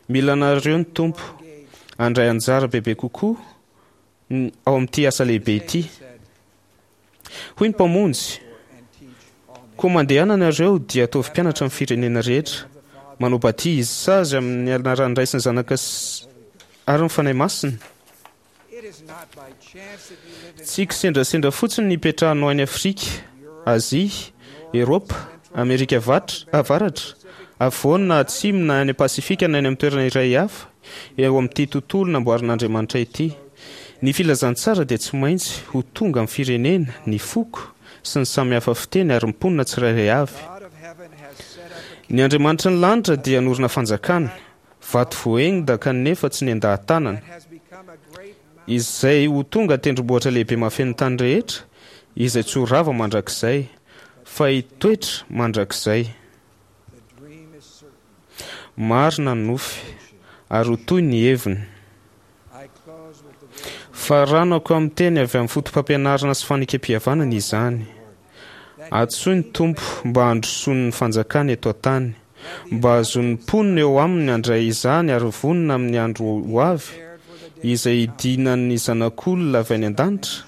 Mila anareo ny Tompo. Handray anjara bebe kokoa ao amin'ity asa lehibe ity. Hoy ny Mpamonjy, Koa mandehana ianareo dia ataovy mpianatra ny firenena rehetra, Manao batisa azy amin'ny anaran'ny Ray sy ny Zanaka ary ny Fanahy Masina. Tsy kisendrasendra fotsiny ny hipetrahanao any Afrika, Azia, Eoropa, Amerika Avaratra, Afovoany na Atsimo na any Pasifika na any amin'ny toerana iray hafa eo amin'ity tontolo namboarin'Andriamanitra ity. Ny filazantsara dia tsy maintsy ho tonga amin'ny firenena, ny foko, sy ny samy hafa fiteny ary ny mponina tsirairay avy. Ny Andriamanitry ny lanitra dia hanorina fanjakana, vato voaengda kanefa tsy nendaha-tanana, izay ho tonga tendrombohitra lehibe mahafeno ny tany rehetra, izay tsy ho rava mandrakizay, fa hitoetra mandrakizay. Marina ny nofy, ary ho toy ny heviny. Faranako amin'ny teny avy amin'ny fotopampianarana sy fanekempihavanana izany. Antsoy ny Tompo mba handrosoany ny fanjakany eto an-tany, mba hahazoan'ny mponina eo aminy handray izany ary vonona amin'ny andro ho avy, izay hidinan'ny Zanak'olona avy any an-danitra,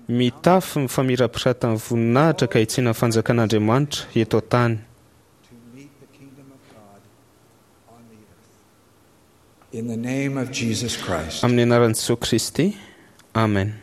mitafy ny famirapiratan'ny voninahitra ka hitsena ny fanjakan'Andriamanitra eto an-tany. In the name of Jesus Christ. Amin'ny anaran'i Jesoa Kristy. Amen.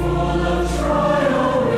Full of trial.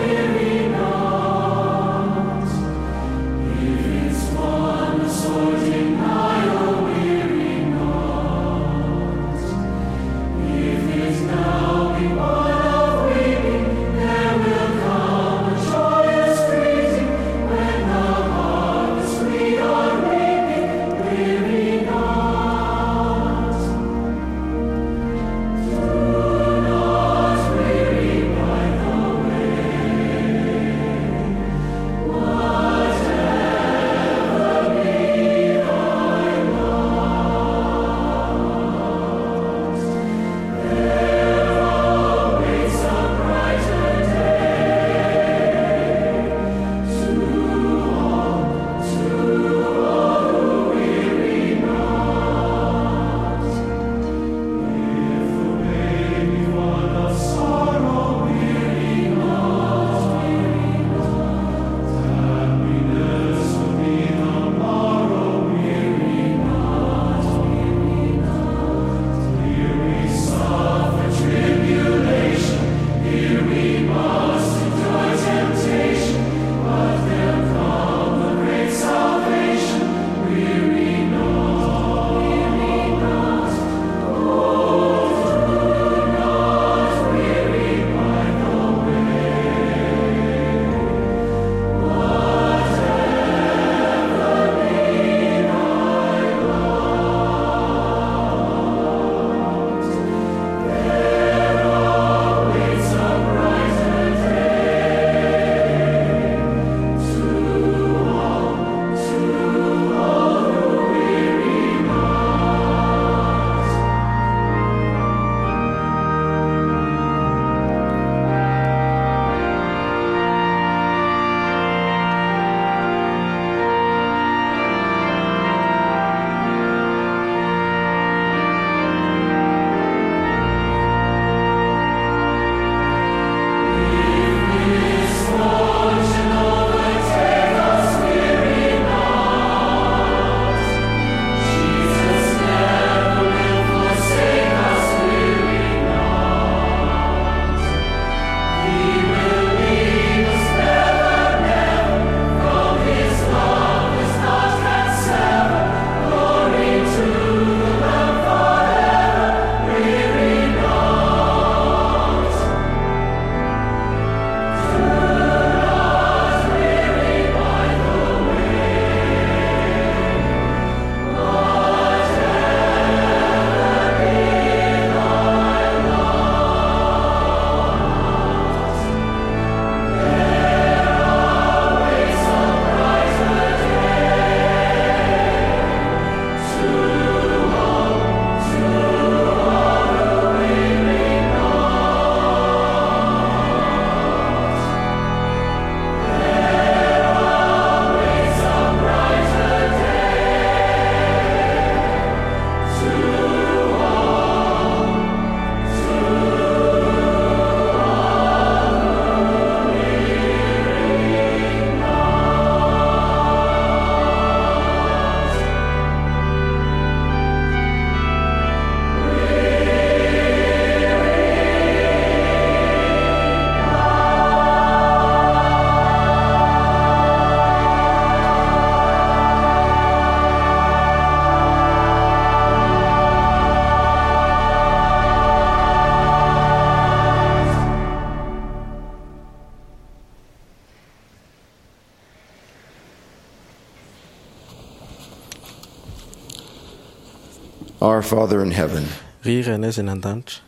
Our Father in heaven, Ry Rainay izay any an-danitra,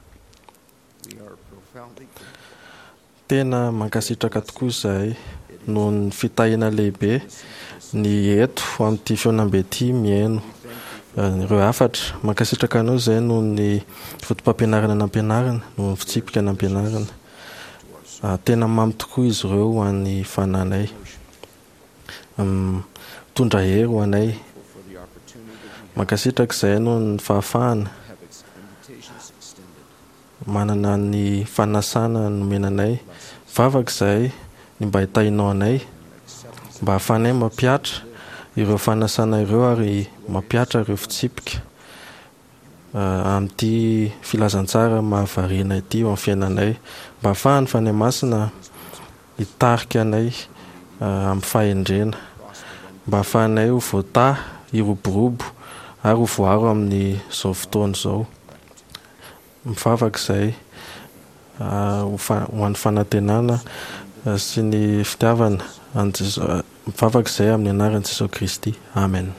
tena mankasitraka tokoa izahay noho ny fitahiana lehibe ny eto amin'ity fihaonambe ity mihaino ireo hafatra. Mankasitraka anao izahay noho ny fotopampianarana nampianarina, noho ny fitsipika nampianarina. Tena mamy tokoa izy ireo ho an'ny fananay. Mitondra hery ho anay. Mankasitraka izahay noho ny fahafahana manana ny fanasana nomena anay. Vavaka izahay ny mba hitahianao anay, mba hahafahanay mampihatra ireo fanasana ireo ary mampihatra ireo fitsipika amin'ity filazantsara mahavariana ity eo amin'ny fiainanay, mba hahafahan'ny Fanahy Masina hitarika anay amin'ny fahendrena, mba hahafahanay ho voatahy, hiroborobo ary ho voaro amin'izao fotoana izao. Mivavaka izahay ho an'ny fanantenana sy ny fitiavana an'i Jesoa. Mivavaka izahay amin'ny anaran'i Jesoa Kristy. Amen.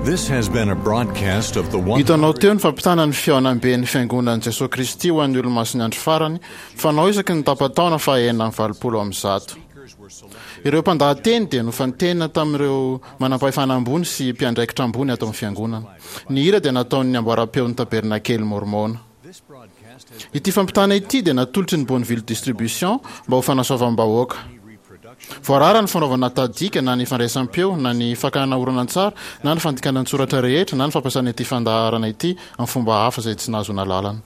This has been a broadcast of the one Hitanao teo ny fampitana ny fihaonamben'ny Fiangonan'i Jesoa Kristy ho an'ny Olomasin'ny Andro Farany, fanao isaky ny tapa-taona faha-enina amby valopolo amby zato. Ireo mpandahateny dia nofantenina tamin'ireo manampahefana ambony sy mpiandraikitra ambony ato amin'ny Fiangonana. Ny hira dia nataon'ny amboaram-peon'ny Tabernakely Môrmôna. Ity fampitana ity dia natolotry ny Bonneville Distribution mba ho fanasoavam-bahoaka. Voarara ny fanaovana tahadika na ny fandraisam-peo na ny fakana horonantsary na ny fandikana an-tsoratra rehetra na ny fampiasana ity fandaharana ity amin'ny fomba hafa izay tsy nahazoana alalana.